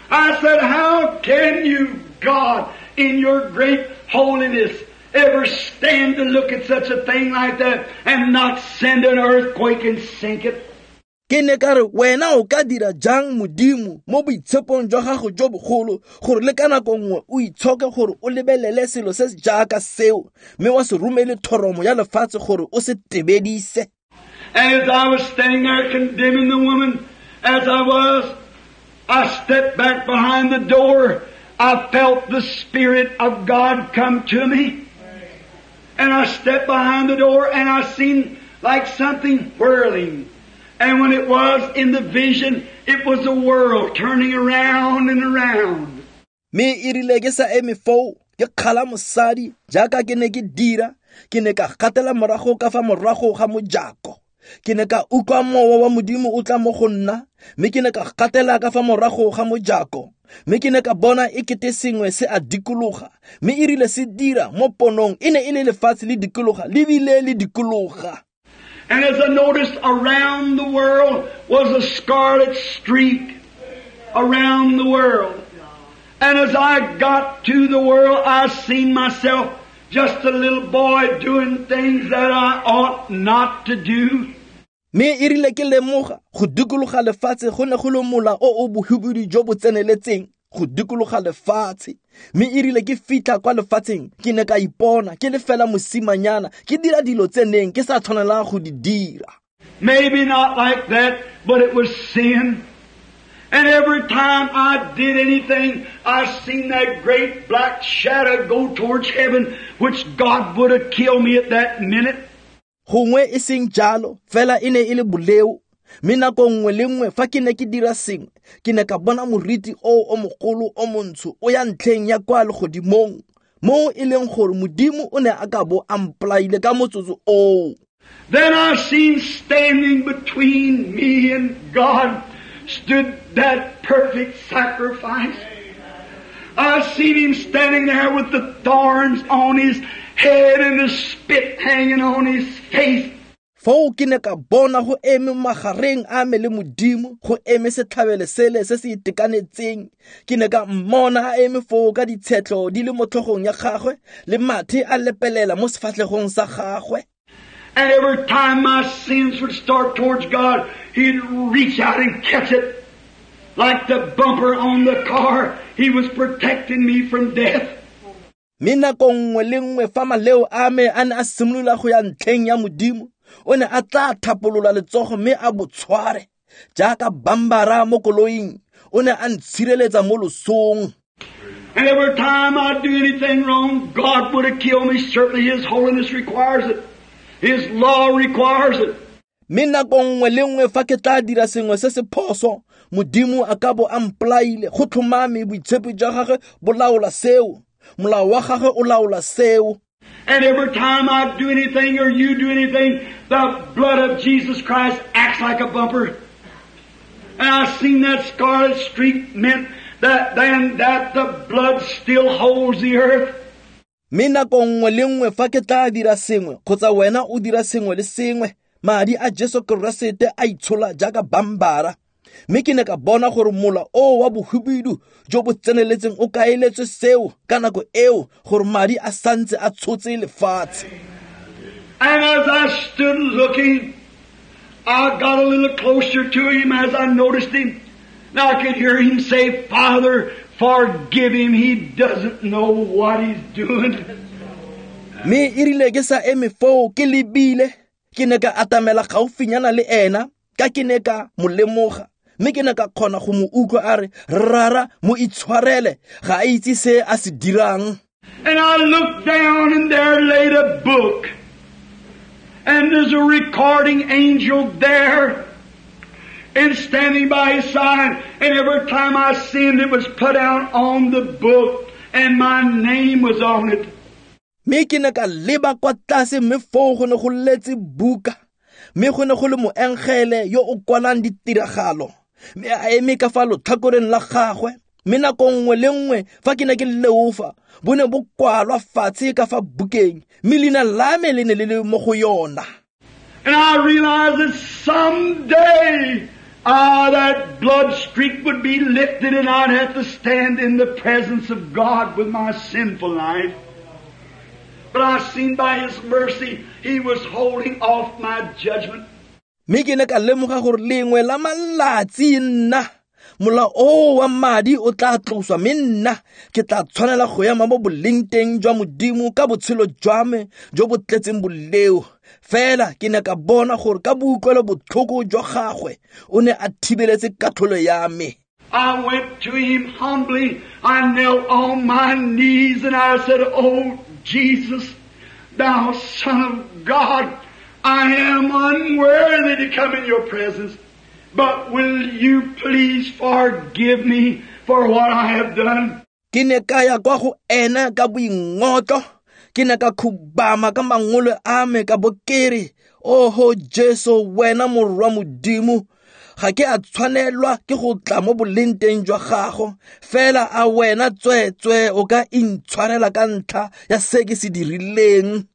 I said, how can you, God, in your great holiness, ever stand to look at such a thing like that and not send an earthquake and sink it? Ke ne ka re wena o ka dira jang Modimo mo boitshepong jwa gago jo bogolo gore le ka nako nngwe o itshoke gore o lebelele selo se se jaaka seo mme wa se romele thoromo ya lefatshe gore o se tebedise. And as I was standing there condemning the woman, as I was, I stepped back behind the door. I felt the Spirit of God come to me. And I stepped behind the door and I seen like something whirling. And when it was in the vision, it was the world turning around and around. Me erile ke sa eme foo, ke kgala mosadi jaaka ke ne ke dira, ke ne ka gatela morago ka fa morago ga mojako. Ke ne ka utlwa mowa wa Modimo o tla mo go nna, mme ke ne ka gatela ka fa morago ga mojako. Mme ke ne ka bona e kete sengwe se a dikologa, mme erile se dira mo ponong e ne e le lefatshe le dikologa, le bile le dikologa. And as I noticed, around the world was a scarlet streak around the world. And as I got to the world, I seen myself just a little boy doing things that I ought not to do. Me erile ke lemoga go dikologa lefatshe go ne go le mola o o bohubidu jo bo tseneletseng go dikologa lefatshe. Mme erile ke fitlha kwa lefatsheng ke ne ka ipona ke le fela mosimanyana ke dira dilo tse neng ke sa tshwanelang go di dira. Maybe not like that, but it was sin. And every time I did anything, I seen that great black shadow go towards heaven, which God would have killed me at that minute. Gongwe e seng jalo, fela e ne e le boleo. Mme nako nngwe le nngwe fa ke ne ke dira sengwe, ke ne ka bona moriti o o mogolo o montsho o ya ntlheng ya kwa legodimong, mo e leng gore Modimo o ne a ka bo a mpolaile ka motsotso oo. Then I seen standing between me and God stood that perfect sacrifice. I seen him standing there with the thorns on his head and the spit hanging on his face. Foo ke ne ka bona go eme magareng a me le Modimo, go eme setlhabelo sele se se itekanetseng. Ke ne ka mmona a eme foo ka ditshetlo di le mo tlhogong ya gagwe le mathe a lepelela mo sefatlhegong sa gagwe. And every time my sins would start towards God, he'd reach out and catch it. Like the bumper on the car, he was protecting me from death. Mme nako nngwe le nngwe fa maleo a me a ne a simolola go ya ntlheng ya Modimo, o ne a tla thapolola letsogo mme a bo tshware jaaka bambara mo koloing, o ne a ntshireletsa mo losong. And every time I do anything wrong, God would have killed me. Certainly His holiness requires it. His law requires it. Mme nako nngwe le nngwe fa ke tla dira sengwe se se phoso, Modimo a ka bo a mpolaile. Go tlhomame boitshepo jwa gagwe bo laola seo, molao wa gagwe o laola seo. And every time I do anything or you do anything, the blood of Jesus Christ acts like a bumper. And I seen that scarlet streak meant that then that the blood still holds the earth. Mme nako nngwe le nngwe fa ke tla dira sengwe kgotsa wena o dira sengwe le sengwe, madi a Jesu Keresete a itshola jaaka bambara. Mme ke ne ka bona gore mola o wa bohubidu jo bo tseneletseng o kaeletswe seo ka nako eo gore madi a santse a tshotse lefatshe. And as I stood looking, I got a little closer to him as I noticed him. Now I could hear him say, Father, forgive him. He doesn't know what he's doing. Mme erile ke sa eme foo ke lebile, ke ne ka atamela gaufinyana le ena, ka ke ne ka mo lemoga. Mme ke ne ka kgona go mo utlwa a re, Rara, mo itshwarele, ga a itse se a se dirang. And I looked down and there laid a book. And there's a recording angel there and standing by his side. And every time I sinned, it was put out on the book and my name was on it. Mme ke ne ka leba kwa tlase mme foo go ne go letse buka. Mme go ne go le moengele yo o kwalang ditiragalo. Mme a eme ka fa lotlhakoreng la gagwe. Mme nako nngwe le nngwe fa ke ne ke leofa, bo ne bo kwalwa fatshe ka fa bukeng, mme leina la me le ne le le mo go yona. And I realized that someday That blood streak would be lifted and I'd have to stand in the presence of God with my sinful life. But I seen by His mercy, He was holding off my judgment. Mme ke ne ka lemoga gore lengwe la malatsi nna mola o wa madi o tla tloswa, mme nna ke tla tshwanela go ema mo boleng teng jwa Modimo ka botshelo jwa me jo bo tletseng boleo. Fela ke ne ka bona gore ka boutlwelo botlhoko jwa gagwe o ne a thibeletse katlholo ya me. I went to Him humbly. I knelt on my knees and I said, Oh Jesus, Thou Son of God, I am unworthy to come in Your presence, but will You please forgive me for what I have done? Ke ne ka ya kwa go ena ka boingotlo, ke ne ka khubama ka mangolo a me ka bo ke re, Oho Jesu, wena morwa Modimo, ga ke a tshwanelwa ke go tla mo boleng teng jwa gago, fela a wena tswetswe o ka intshwarela ka ntlha ya se ke se dirileng.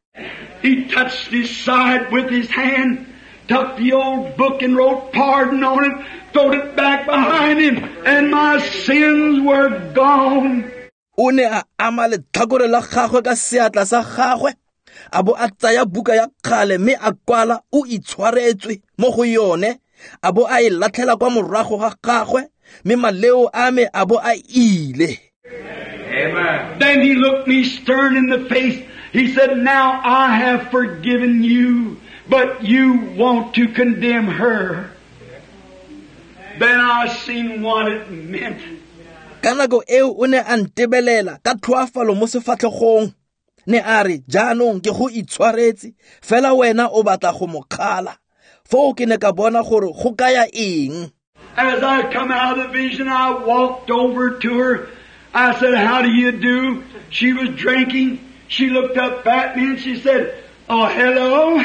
He touched his side with his hand, took the old book and wrote pardon on it, throwed it back behind him, and my sins were gone. O ne a ama letlhakore la gagwe ka seatla sa gagwe, a bo a tsaya buka ya kgale mme a kwala o itshwaretswe mo go yone, a bo a e latlhela kwa morago ga gagwe, mme maleo a me a bo a ile. Amen. Then he looked me stern in the face. He said, Now I have forgiven you, but you want to condemn her. Then I seen what it meant. Ka nako eo o ne a ntebelela ka tlhoafalo mo sefatlhegong, ne a re, Jaanong ke go itshwaretse, fela wena o batla go mo kgala. Foo ke ne ka bona gore go kaya eng. As I come out of the vision, I walked over to her. I said, How do you do? She was drinking. She looked up at me and she said, Oh, hello.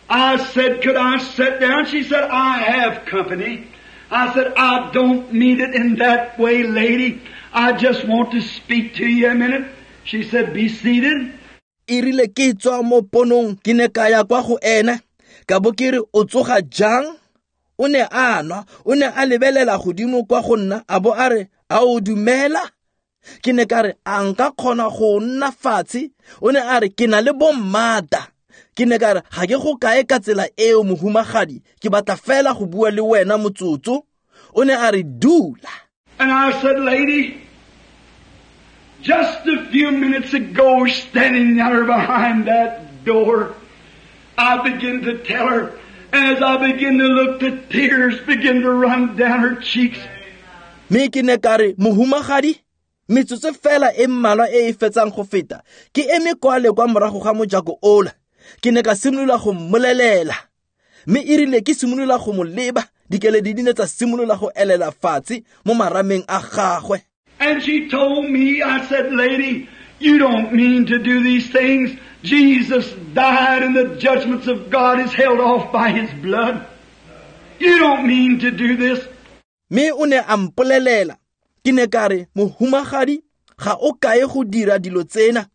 I said, Could I sit down? She said, I have company. I said, I don't mean it in that way, lady. I just want to speak to you a minute. She said, Be seated. E rile ke tswa mo ponong, ke ne ka ya kwa go ena, ka bo ke re, O tsoga jang? O ne a nwa, o ne a lebelela godimo kwa go nna, a bo a re, A o dumela? Ke ne ka re, A nka kgona go nna fatshe? O ne a re, Ke na le bommata. Ke ne ka re, Ga ke go kae ka tsela eo, mohumagadi, ke batla fela go bua le wena motsotso. O ne a re, Dula. And I said, Lady, just a few minutes ago, standing there behind that door, I began to tell her, as I began to look, the tears began to run down her cheeks. Mme ke ne ka re, Mohumagadi, metsotso fela e mmalwa e e fetsang go feta, ke eme kwale kwa morago ga mojako ola. Ke ne ka simolola go mmolelela, mme e rile ke simolola go mo leba, dikeledi di ne tsa simolola go elela fatshe mo marameng a gagwe. And she told me, I said, Lady, you don't mean to do these things. Jesus died and the judgments of God is held off by His blood. You don't mean to do this. Mme o ne a mpolelela, ke ne ka re, Mohumagadi, ga o kae go dira dilo tsena.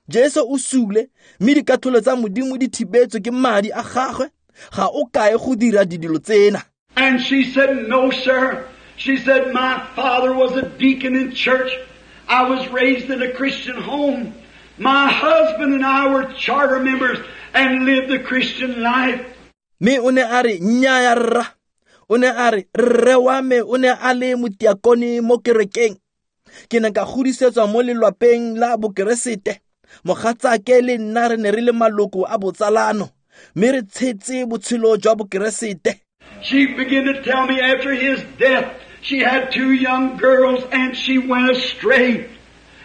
Jesu o sule, mme dikatlholo tsa Modimo di thibetswe ke madi a gagwe. Ga o kae go dira dilo tsena. And she said, No, sir. She said, My father was a deacon in church. I was raised in a Christian home. My husband and I were charter members and lived the Christian life. Mme o ne a re, Nnyaya rra. O ne a re, Rre wa me o ne a le motiakone mo kerekeng. Ke ne ka godisetswa mo lelwapeng la bokeresete. Mogatsake le nna re ne re le maloko a botsalano, mme re tshetse botshelo jwa bokeresete. She began to tell me after his death, she had 2 young girls and she went astray,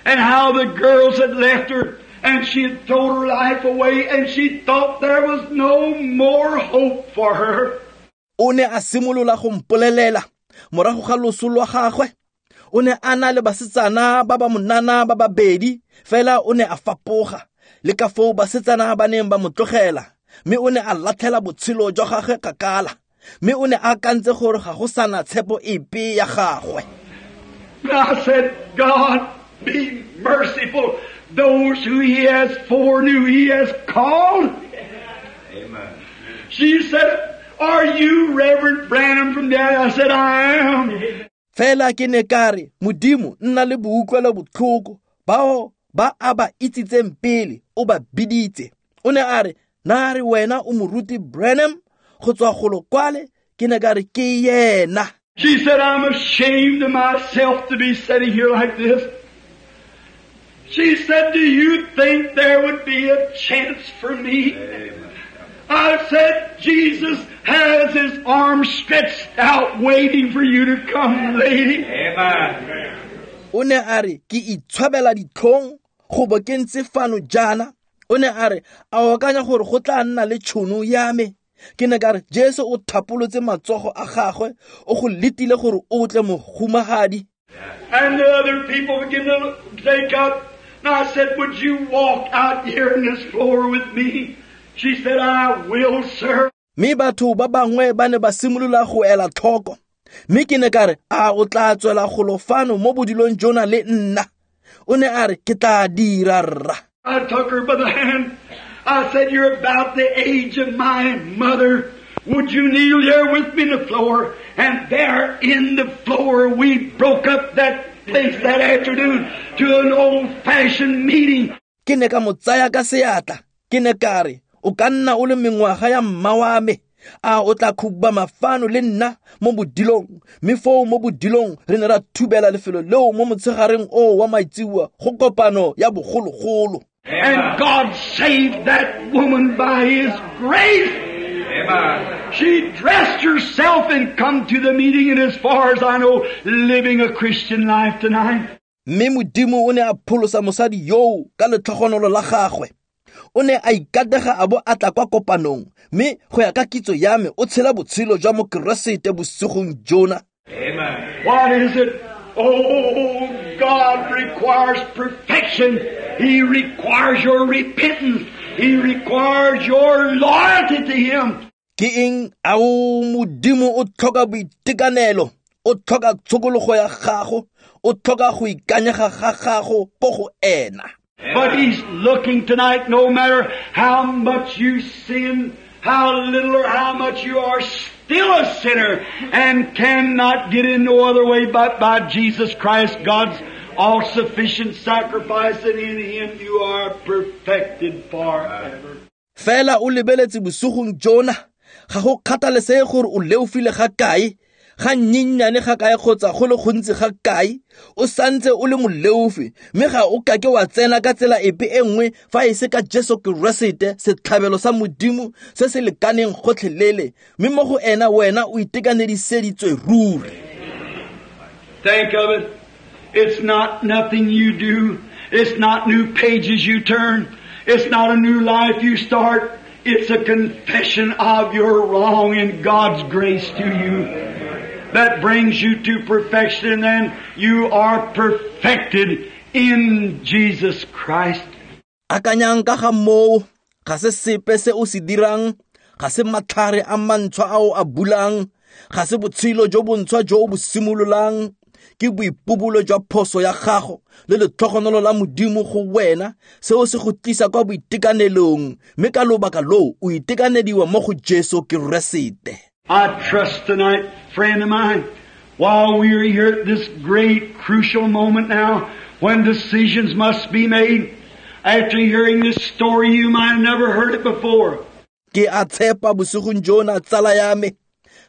and how the girls had left her and she had thrown her life away and she thought there was no more hope for her. O ne a simolola go mpolelela morago ga loso lwa gagwe. O ne a na le basetsana ba ba monana ba babedi, fela o ne a fapoga le ka foo basetsana ba neng ba mo tlogela, mme o ne a latlhela botshelo jwa gagwe kgakala, mme o ne a akantse gore ga go sana tshepo epe ya gagwe. I said, God, be merciful. Those who He has foreknew, He has called. Amen. She said, Are you Reverend Branham from down? I said, I am. Fela ke ne ka re, Modimo nna le boutlwelo botlhoko, bao ba a ba itsitseng pele o ba biditse. O ne a re, na re wena o moruti Branham go tswa golo kwale? Ke ne ka re ke yena. She said, I'm ashamed of myself to be sitting here like this. She said, do you think there would be a chance for me? Amen. I said, Jesus has His arms stretched out waiting for you to come, lady. Amen. O ne a re, ke itshwabela ditlhong go bo ke ntse fano jaana. O ne a re, a o akanya gore go tla nna le tšhono ya me? Ke ne ka re, Jesu o thapolotse matsogo a gagwe, o go letile gore o tle mohumagadi. And the other people began to take up. And I said, would you walk out here on this floor with me? She said, I will, sir. Mme batho ba bangwe ba ne ba simolola go ela tlhoko. Mme ke ne ka re, a o tla tswela golo fano mo bodilong jona le nna? O ne a re, ke tla dira rra. I took her by the hand. I said, you're about the age of my mother. Would you kneel here with me on the floor? And there in the floor we broke up that place that afternoon to an old-fashioned meeting. Ke ne ka mo tsaya ka seatla. Ke ne ka re, o ka nna o le mengwaga ya mma wa me. A o tla khubama fano le nna mo bodilong? Mme foo mo bodilong re ne ra thubela lefelo leo mo motshegareng oo wa maitseboa go kopano ya bogologolo. And God saved that woman by His grace. Amen. She dressed herself and come to the meeting, and as far as I know, living a Christian life tonight. Mme Modimo o ne a pholosa mosadi yoo ka letlhogonolo la gagwe. O ne a ikatega a bo a tla kwa kopanong, mme go ya ka kitso ya me o tshela botshelo jwa mokeresete bosigong jona. Amen. What is it? Oh, God requires perfection. He requires your repentance. He requires your loyalty to Him. Ke eng? Ao Modimo o tlhoka boitekanelo, o tlhoka tshokologo ya gago, o tlhoka go ikanyega ga gago ko go ena. But He's looking tonight, no matter how much you sin, how little or how much, you are still a sinner and cannot get in no other way but by Jesus Christ, God's all-sufficient sacrifice, and in Him you are perfected forever. Fela o lebeletse bosigong jona, ga go kgathalesege gore o leofile ga kae, ga nnyennyane ga kae kgotsa go le gontsi ga kae, o santse o le moleofi, mme ga o kake wa tsena ka tsela epe e nngwe fa e se ka Jesu Keresete, setlhabelo sa Modimo se se lekaneng gotlhelele, mme mo go ena wena o itekanediseditswe ruri. Think of it. It's not nothing you do. It's not new pages you turn. It's not a new life you start. It's a confession of your wrong and God's grace to you that brings you to perfection, and you are perfected in Jesus Christ. Akanyang ka ga moo, ga se sepe se o se dirang, ga se matlhare a mantshwa a o a bulang, ga se botshelo jo bontshwa jo o bo simololang, ke boipobolo jwa phoso ya gago le letlhogonolo la Modimo go wena, seo se go tlisa kwa boitekanelong, mme ka lobaka loo o itekanediwa mo go Jesu Keresete. I trust tonight, friend of mine, while we are here at this great crucial moment now when decisions must be made, after hearing this story, you might have never heard it before. Ke a tshepa bosigong jona, tsala ya me,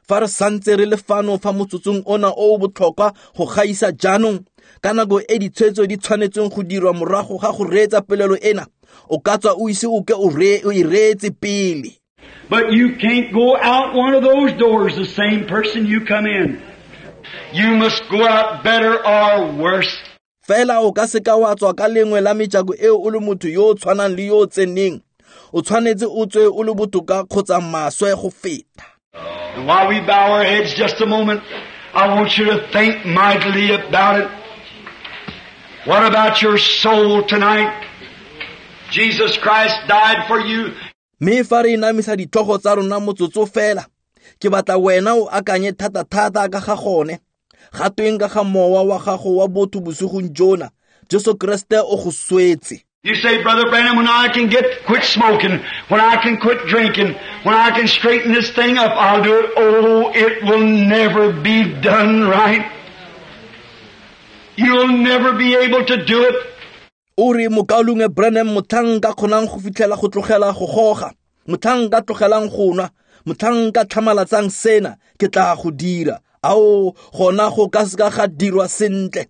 fa re santse re le fano fa motsotsong ona o o botlhokwa go gaisa jaanong, ka nako e ditshwetso di tshwanetseng go dirwa morago ga go reetsa polelo ena, o ka tswa o ise o ke o e reetse pele. But you can't go out one of those doors the same person you come in. You must go out better or worse. Fela o ka seka wa tswa ka lengwe la mejako eo o le motho yo o tshwanang le yo o tseneng. O tshwanetse o tswe o le botoka kgotsa maswe go feta. And while we bow our heads just a moment, I want you to think mightily about it. What about your soul tonight? Jesus Christ died for you. Mme fa re inamisa ditlhogo tsa rona motsotso fela, ke batla wena o akanye thata-thata ka ga gone. Ga tweng ka ga mowa wa gago wa botho bosigong jona, Jesu Kriste o go swetse. You say, Brother Branham, when I can quit smoking, when I can quit drinking, when I can straighten this thing up, I'll do it. Oh, it will never be done right. You'll never be able to do it. O re mokaulengwe Branham, motlhang nka kgonang go fitlhela go tlogela go goga, motlhang nka tlogelang go nwa, motlhang nka tlhamalatsang sena, ke tla go dira. Ao, gona go ka seka ga dirwa sentle.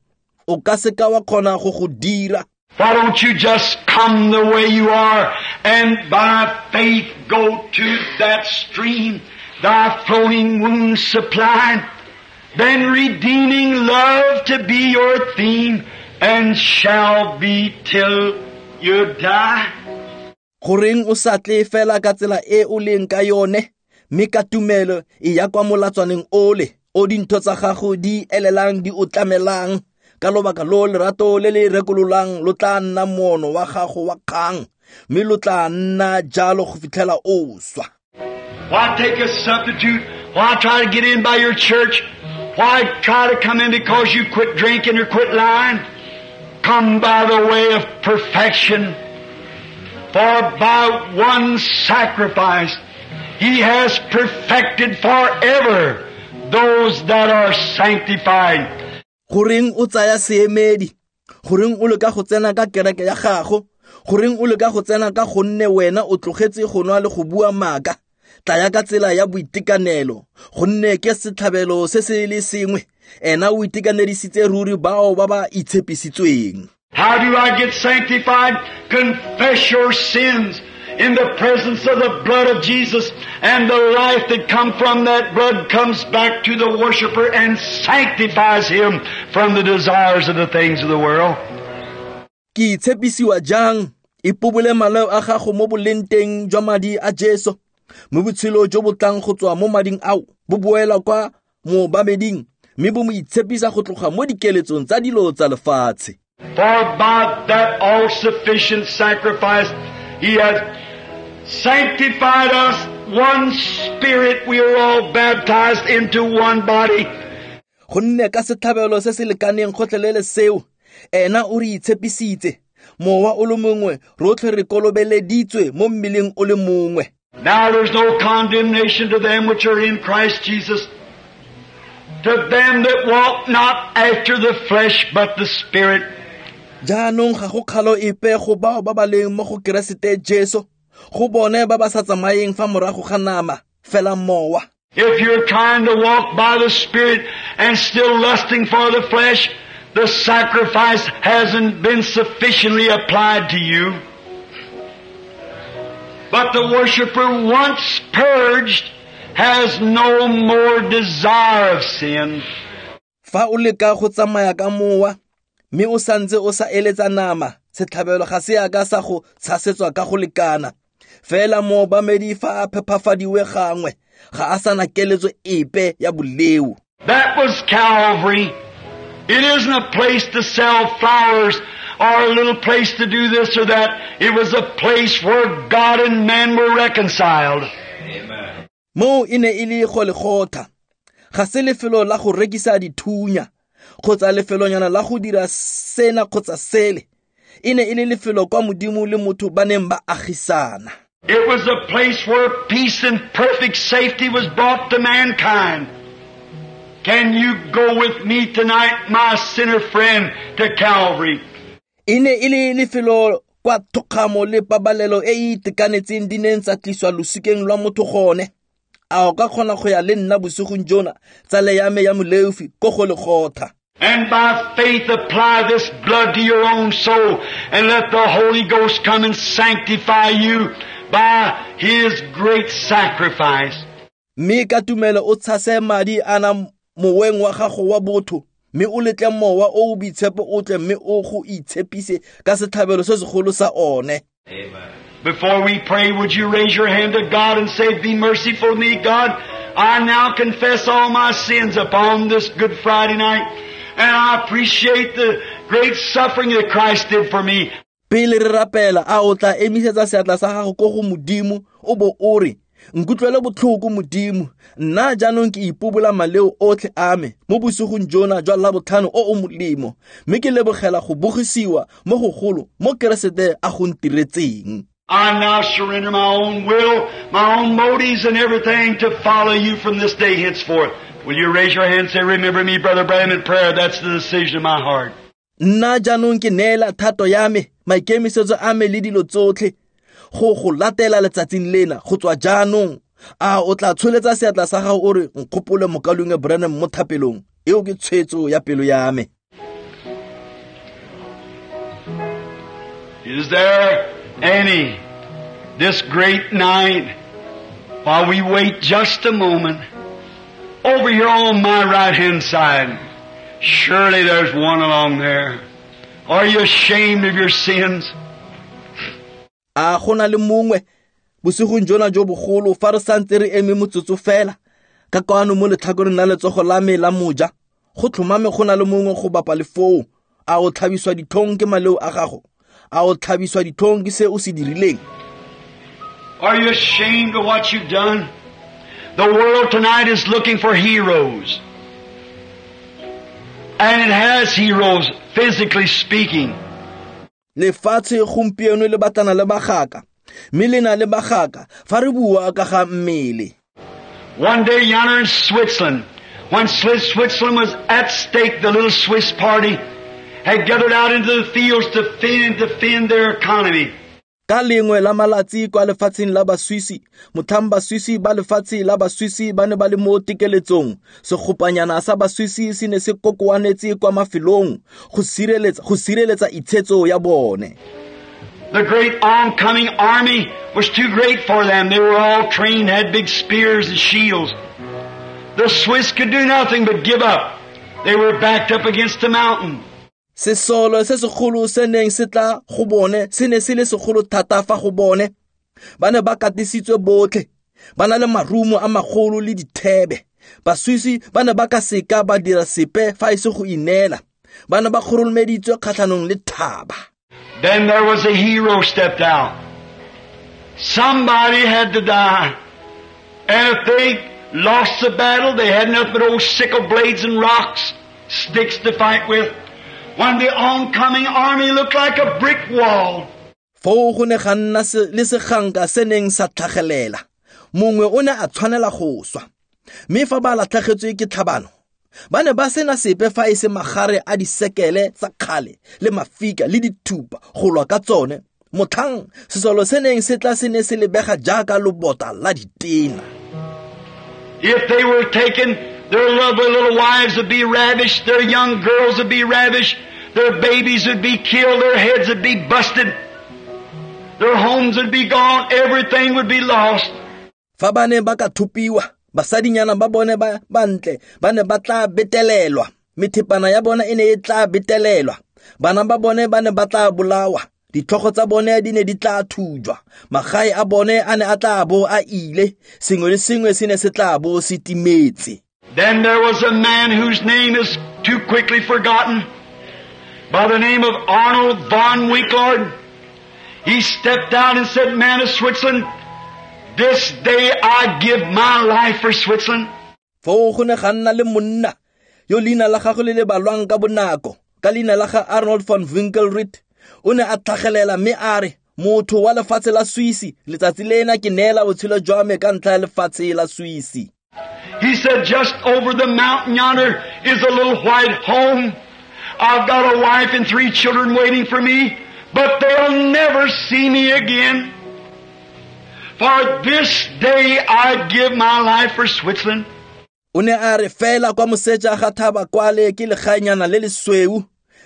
O ka seka wa kgona go go dira. Why don't you just come the way you are and by faith go to that stream, thy flowing wounds supplied, then redeeming love to be your theme and shall be till you die. Goreng o sa tle fela ka tsela e o leng ka yone, mme ka tumelo e ya kwa molatswaneng ole, o dintho tsa gago di elelang di o tlamelang. Ka lobaka lo lerato le le rekololang lo tla nna moono wa gago wa kgang, mme lo tla nna jalo go fitlhela o swa. Why take a substitute? Why try to get in by your church? Why try to come in because you quit drinking or quit lying? Come by the way of perfection. For by one sacrifice He has perfected forever those that are sanctified. Goreng o tsaya seemedi? Goreng o leka go tsena ka kereke ya gago? Goreng o leka go tsena ka gonne wena o tlogetse go nwa le go bua maaka? Tlaya ka tsela ya boitekanelo, gonne ke setlhabelo se se le sengwe. Ena o itekanedisitse ruri bao ba ba itshepisitsweng. How do I get sanctified? Confess your sins in the presence of the blood of Jesus, and the life that come from that blood comes back to the worshiper and sanctifies him from the desires of the things of the world. Ke itshepisiwa jang? Ipobole maleo a gago mo bolenteng jwa madi a Jesu. Mo botshelo jo bo tlang go tswa mo mading ao, bo boela kwa moobameding, mme bo mo itshepisa go tloga mo dikeletsong tsa dilo tsa lefatshe. For by that all-sufficient sacrifice He hath sanctified us, one spirit, we are all baptized into one body. Gonne ka setlhabelo se se lekaneng gotlhelele seo, ena o re itshepisitse, mowa o le mongwe, rotlhe re kolobeleditswe mo mmeleng o le mongwe. Now there's no condemnation to them which are in Christ Jesus, to them that walk not after the flesh but the Spirit. Jaanong ga go kgalo epe go bao ba ba leng mo go Keresete Jesu, go bone ba ba sa tsamayeng fa morago ga nama, fela mowa. If you're trying to walk by the Spirit and still lusting for the flesh, the sacrifice hasn't been sufficiently applied to you. But the worshiper once purged has no more desire of sin. Fa o leka go tsamaya ka mowa, mme o santse o sa eletsa nama, setlhabelo ga se a ka sa go tshasetswa ka go lekana. Fela moobamedi fa a phepafadiwe gangwe, ga a sana keletso epe ya boleo. That was Calvary. It isn't a place to sell flowers or a little place to do this or that. It was a place where God and man were reconciled. Amen. Mo e ne e le Golegotha. Ga se lefelo la go rekisa dithunya, kgotsa lefelonyana la go dira sena kgotsa sele. E ne e le lefelo kwa Modimo le motho ba neng ba agisana. It was a place where peace and perfect safety was brought to mankind. Can you go with me tonight, my sinner friend, to Calvary? E ne e le lefelo kwa thokgamo le pabalelo e e itekanetseng di neng tsa tliswa losikeng lwa motho gone. A o ka kgona go ya le nna bosigong jona, tsala ya me ya moleofi, ko Golegotha. And by faith apply this blood to your own soul and let the Holy Ghost come and sanctify you by His great sacrifice. Mme ka tumelo o tshase madi ana moweng wa gago wa botho, mme o letle mowa o o boitshepo o tle mme o go itshepise ka setlhabelo se segolo sa one. Amen. Before we pray, would you raise your hand to God and say, Be merciful to me, God. I now confess all my sins upon this Good Friday night, and I appreciate the great suffering that Christ did for me. Pele re rapela, a o tla emisetsa seatla sa gago ko go Modimo, o bo o re, Nkutlwele botlhoko Modimo, nna jaanong ke ipobola maleo otlhe a me mo bosigong jona jwa Labotlhano o o molemo, mme ke lebogela go bogisiwa mo gogolo mo Keresete a go ntiretseng. I now surrender my own will, my own motives and everything to follow you from this day henceforth. Will you raise your hand and say, remember me, Brother Branham, in prayer? That's the decision of my heart. Nna jaanong ke neela thato ya me, maikemisetso a me le dilo tsotlhe go go latela letsatsing lena go tswa jaanong. A o tla tsholetsa seatla sa gago o re, nkgopole mokaulengwe Branham mo thapelong? Eo ke tshwetso ya pelo ya me. Is there any this great night, while we wait just a moment, over here on my right hand side, surely there's one along there. Are you ashamed of your sins? A gona le mongwe bosigong jona jo bogolo fa re santse re eme motsotso fela ka kwano mo letlhakoreng la letsogo la me la moja, go tlhomame go na le mongwe go bapa le foo. A o tlhabiswa ditlhong ke maleo a gago? A o tlhabiswa ditlhong ke se o se dirileng? Are you ashamed of what you've done? The world tonight is looking for heroes. And it has heroes, physically speaking. Lefatshe gompieno le batlana le bagaka, mme le na le bagaka fa re bua ka ga mmele. One day yonder in Switzerland, when Switzerland was at stake, the little Swiss party had gathered out into the fields to defend their economy. Ka lengwe la malatsi kwa lefatsheng la Baswisi, motlhang Baswisi ba lefatshe la Baswisi ba ne ba le mo tekeletsong, segopanyana sa Baswisi se ne se kokoanetse kwa mafelong go sireletsa itshetso ya bone. The great oncoming army was too great for them. They were all trained, had big spears and shields. The Swiss could do nothing but give up. They were backed up against the mountain. Sesolo se segolo se neng se tla go bone se ne se le segolo thata fa go bone. Ba ne ba katisitswe botlhe, ba na le marumo a magolo le dithebe. Baswisi ba ne ba ka seka ba dira sepe fa e se go ineela. Ba ne ba kgoromeditswe kgatlhanong le thaba. Then there was a hero stepped out. Somebody had to die. And if they lost the battle, they had nothing but old sickle blades and rocks, sticks to fight with. When the oncoming army looked like a brick wall. Foo go ne ga nna le seganka se neng sa tlhagelela. Mongwe o ne a tshwanela go swa. Mme fa ba latlhegetswe ke tlhabano, ba ne ba sena sepe fa e se magare a disekele tsa kgale le mafika le dithupa go lwa ka tsone. Motlhang sesolo se neng se tla se ne se lebega jaaka lobota la ditena. If they were taken, their lovely little wives would be ravished, their young girls would be ravished, their babies would be killed, their heads would be busted, their homes would be gone, everything would be lost. Fa ba ne ba ka thupiwa, basadinyana ba bone ba bantle ba ne ba tla betelelwa, methepana ya bona e ne e tla betelelwa, bana ba bone ba ne ba tla bolawa, ditlhogo tsa bone di ne di tla thujwa, magae a bone a ne a tla bo a ile, sengwe le sengwe se ne se tla bo se timetse. Then there was a man whose name is too quickly forgotten, by the name of Arnold von Winkelried. He stepped out and said, Man of Switzerland, this day I give my life for Switzerland. Foo go ne ga nna le monna yo leina la gagwe le le balwang ka bonako, ka leina la ga Arnold von Winkelried. O ne a tlhagelela mme a re, motho wa lefatshe la Swisi, letsatsi lena ke neela botshelo jwa me ka ntlha ya lefatshe la Swisi. He said, just over the mountain yonder is a little white home. I've got a wife and 3 children waiting for me, but they'll never see me again. For this day I give my life for Switzerland. O ne a re fela kwa moseja ga thaba kwale ke legaenyana le lesweu.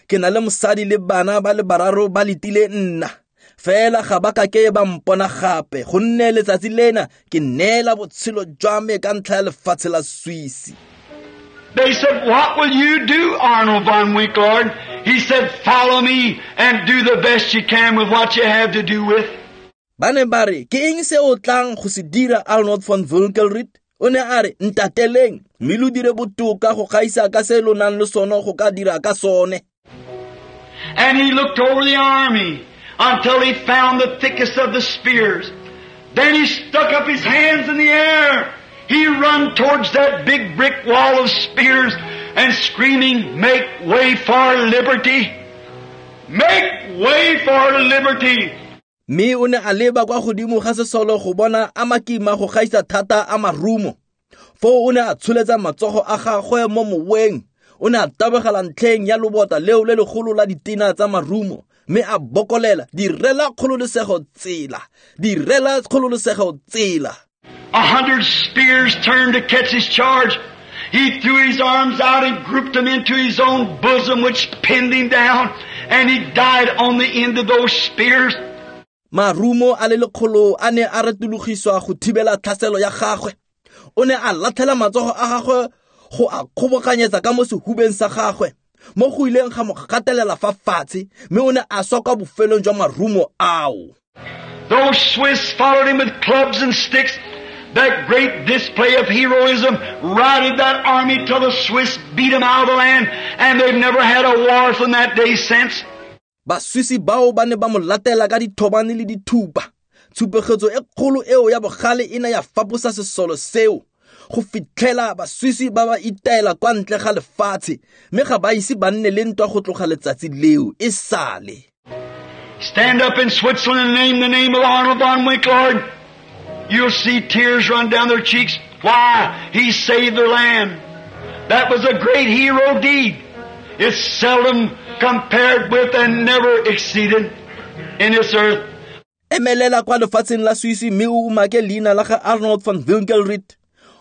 Ke na le mosadi le bana ba le bararo ba letile nna. Fela ga ba ka ke ba mpona gape, gonne letsatsi lena ke neela botshelo jwa me ka ntlha ya lefatshe la Swisi. They said, what will you do, Arnold von Winkelried? He said, follow me and do the best you can with what you have to do with. Ba ne ba re, ke eng se o tlang go se dira, Arnold von Winkelried? O ne a re, ntateleng, mme lo dire botoka go gaisa ka se lo nang le sone go ka dira ka sone. And he looked over the army until he found the thickest of the spears. Then he stuck up his hands in the air. He run towards that big brick wall of spears and screaming, "Make way for liberty! Make way for liberty!" Mme o ne a leba kwa godimo ga sesolo go bona a makima go gaisa thata a marumo. Foo o ne a tsholetsa matsogo a gagwe mo moweng. O ne a tabogela ntlheng ya lobota leo le legolo la ditena tsa marumo, mme a bokolela, "Direla kgololosego tsela, direla kgololosego tsela." 100 spears turned to catch his charge. He threw his arms out and grouped them into his own bosom, which pinned him down, and he died on the end of those spears. Marumo a le lekgolo a ne a retologiswa go thibela tlhaselo ya gagwe. O ne a latlhela matsogo a gagwe go a kgobokanyetsa ka mo sehubeng sa gagwe, mo go ileng ga mo gatelela fa fatshe, mme o ne a swa kwa bofelong jwa marumo ao. Those Swiss followed him with clubs and sticks. That great display of heroism routed that army till the Swiss beat them out of the land, and they've never had a war from that day since. Baswisi bao ba ne ba mo latela ka dithobane le dithupa. Tshupegetso e kgolo eo ya bogale e ne ya faposa sesolo seo go fitlhela baswisi ba ba itaela kwa ntle ga lefatshe, mme ga ba ise ba nne le ntwa go tloga letsatsi leo e sale. Stand up in Switzerland and name the name of Arnold von Winkelried. You'll see tears run down their cheeks. Why? He saved their land. That was a great hero deed. It's seldom compared with and never exceeded in this earth. Emelela kwa lefatsheng la Swisi mme o umake leina la ga Arnold von Winkelried.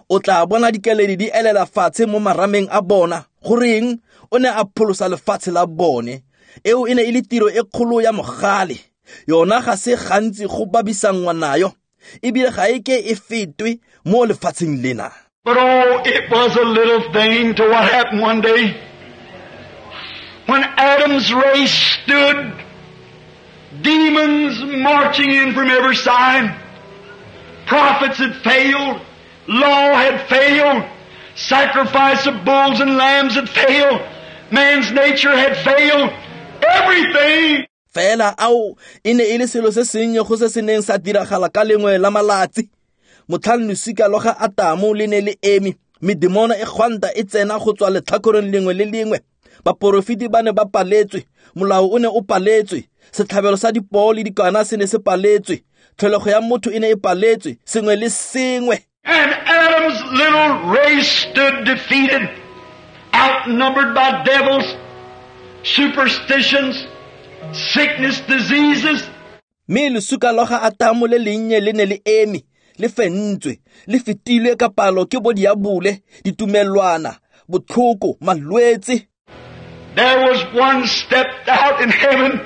O tla bona dikeledi di elela fatshe mo marameng a bona. Goreng? O ne a pholosa lefatshe la bone. Eo e ne e le tiro e kgolo ya mogale. Yona ga se gantsi go babisanngwa nayo, ebile ga e ke e fetwe mo lefatsheng lena. But oh, it was a little thing to what happened one day when Adam's race stood, demons marching in from every side. Prophets had failed, law had failed, sacrifice of bulls and lambs had failed, man's nature had failed, everything. Fela ao e ne e le selo se sennye go se se neng sa diragala ka lengwe la malatsi. Motlhang losika lwa ga Atamo le ne le eme, medemona e gwanta e tsena go tswa letlhakoreng lengwe le lengwe. Baporofeti ba ne ba paletswe, molao o ne o paletswe, setlhabelo sa dipoo le dikwana se ne se paletswe, tlholego ya motho e ne e paletswe, sengwe le sengwe. And Adam's little race stood defeated, outnumbered by devils, superstitions, sickness, diseases. Mme lesuka lwa ga Atamo le lennye le ne le eme, le fentswe, le fetilwe ka palo ke bo diabole, ditumelwana, botlhoko, malwetse. There was one stepped out in heaven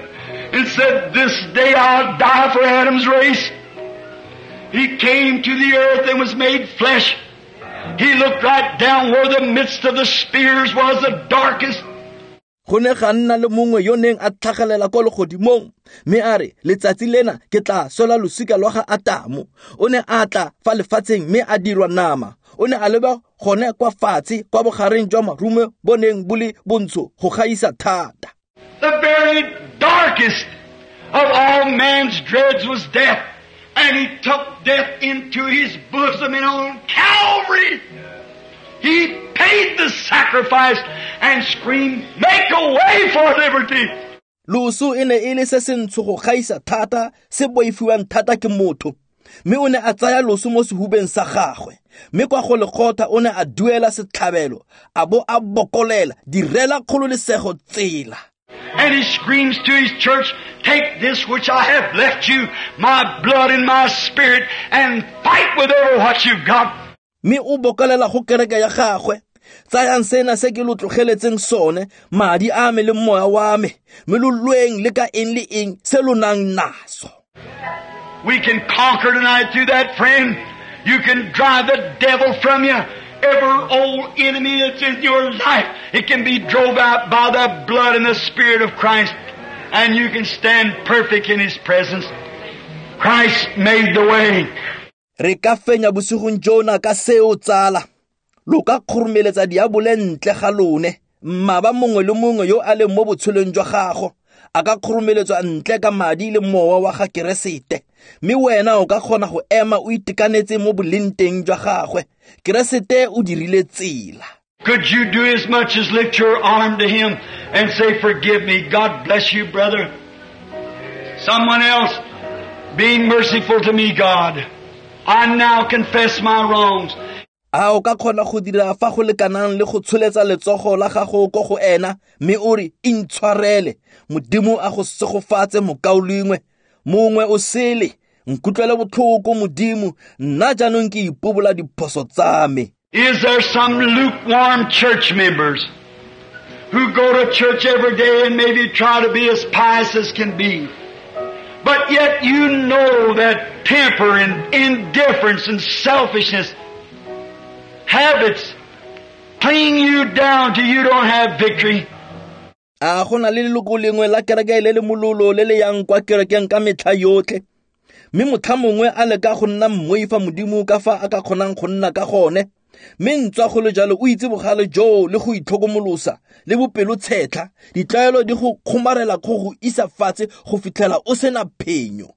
and said, "This day I'll die for Adam's race." He came to the earth and was made flesh. He looked right down where the midst of the spears was the darkest. Go ne ga nna le mongwe yo neng a tlhagelela kwa legodimong, mme a re, "Letsatsi lena ke tla swela losika lwa ga Atamo." O ne a tla fa lefatsheng mme a dirwa nama. O ne a leba gone kwa fatshe kwa bogareng jwa marumo bo neng bo le bontsho go gaisa thata. The very darkest of all man's dreads was death, and he took death into his bosom, and on Calvary he paid the sacrifice and screamed, "Make a way for liberty." Loso e ne e le se sentsho go gaisa thata, se boifiwang thata ke motho. Mme o ne a tsaya loso mo sehubeng sa gagwe, mme kwa go lekgotha o ne a duela setlhabelo, a bo a bokolela, "Direla kgololesego tsela." And he screams to his church, "Take this which I have left you, my blood and my spirit, and fight with every what you've got." Mme o bokolela go kereke ya gagwe, "Tsayang sena se ke lo tlogeletseng sone, madi a me le moya wa me, mme lo lweng le ka eng le eng se lo nang naso." We can conquer tonight through that, friend. You can drive the devil from you. Every old enemy that's in your life, it can be drove out by the blood and the Spirit of Christ, and you can stand perfect in His presence. Christ made the way. Re ka fenya bosigong jona ka seo tsala. Lo ka kgoromeletsa diabole ntle ga lone, mmaba mongwe le mongwe yo a leng mo botshelong jwa gago, A ka kgoromeletswa ntle ka madi le mowa wa ga Keresete. Mme wena o ka kgona go ema o itekanetse mo bolenteng jwa gagwe. Keresete o dirile tsela. Could you do as much as lift your arm to Him and say, "Forgive me"? God bless you, brother. Someone else, be merciful to me, God. I now confess my wrongs. A o ka kgona go dira fa go lekanang le go tsholetsa letsogo la gago ko go ena mme o re intshwarele. Modimo a go segofatse mokaulengwe. Mongwe o sele, nkutlwele botlhoko Modimo, nna jaanong ke ipobola diphoso tsa me. Is there some lukewarm church members who go to church every day and maybe try to be as pious as can be? But yet you know that temper and indifference and selfishness, habits, cling you down till you don't have victory. A go na le leloko lengwe la kereke le le mololo le le yang kwa kerekeng ka metlha yotlhe, mme motlha mongwe a leka go nna mmoifa Modimo ka fa a ka kgonang go nna ka gone, mme ntswa go le jalo o itse bogale joo le go itlhokomolosa le bopelotshetlha, ditlwaelo di go kgomarela go go isa fatshe go fitlhela o sena phenyo.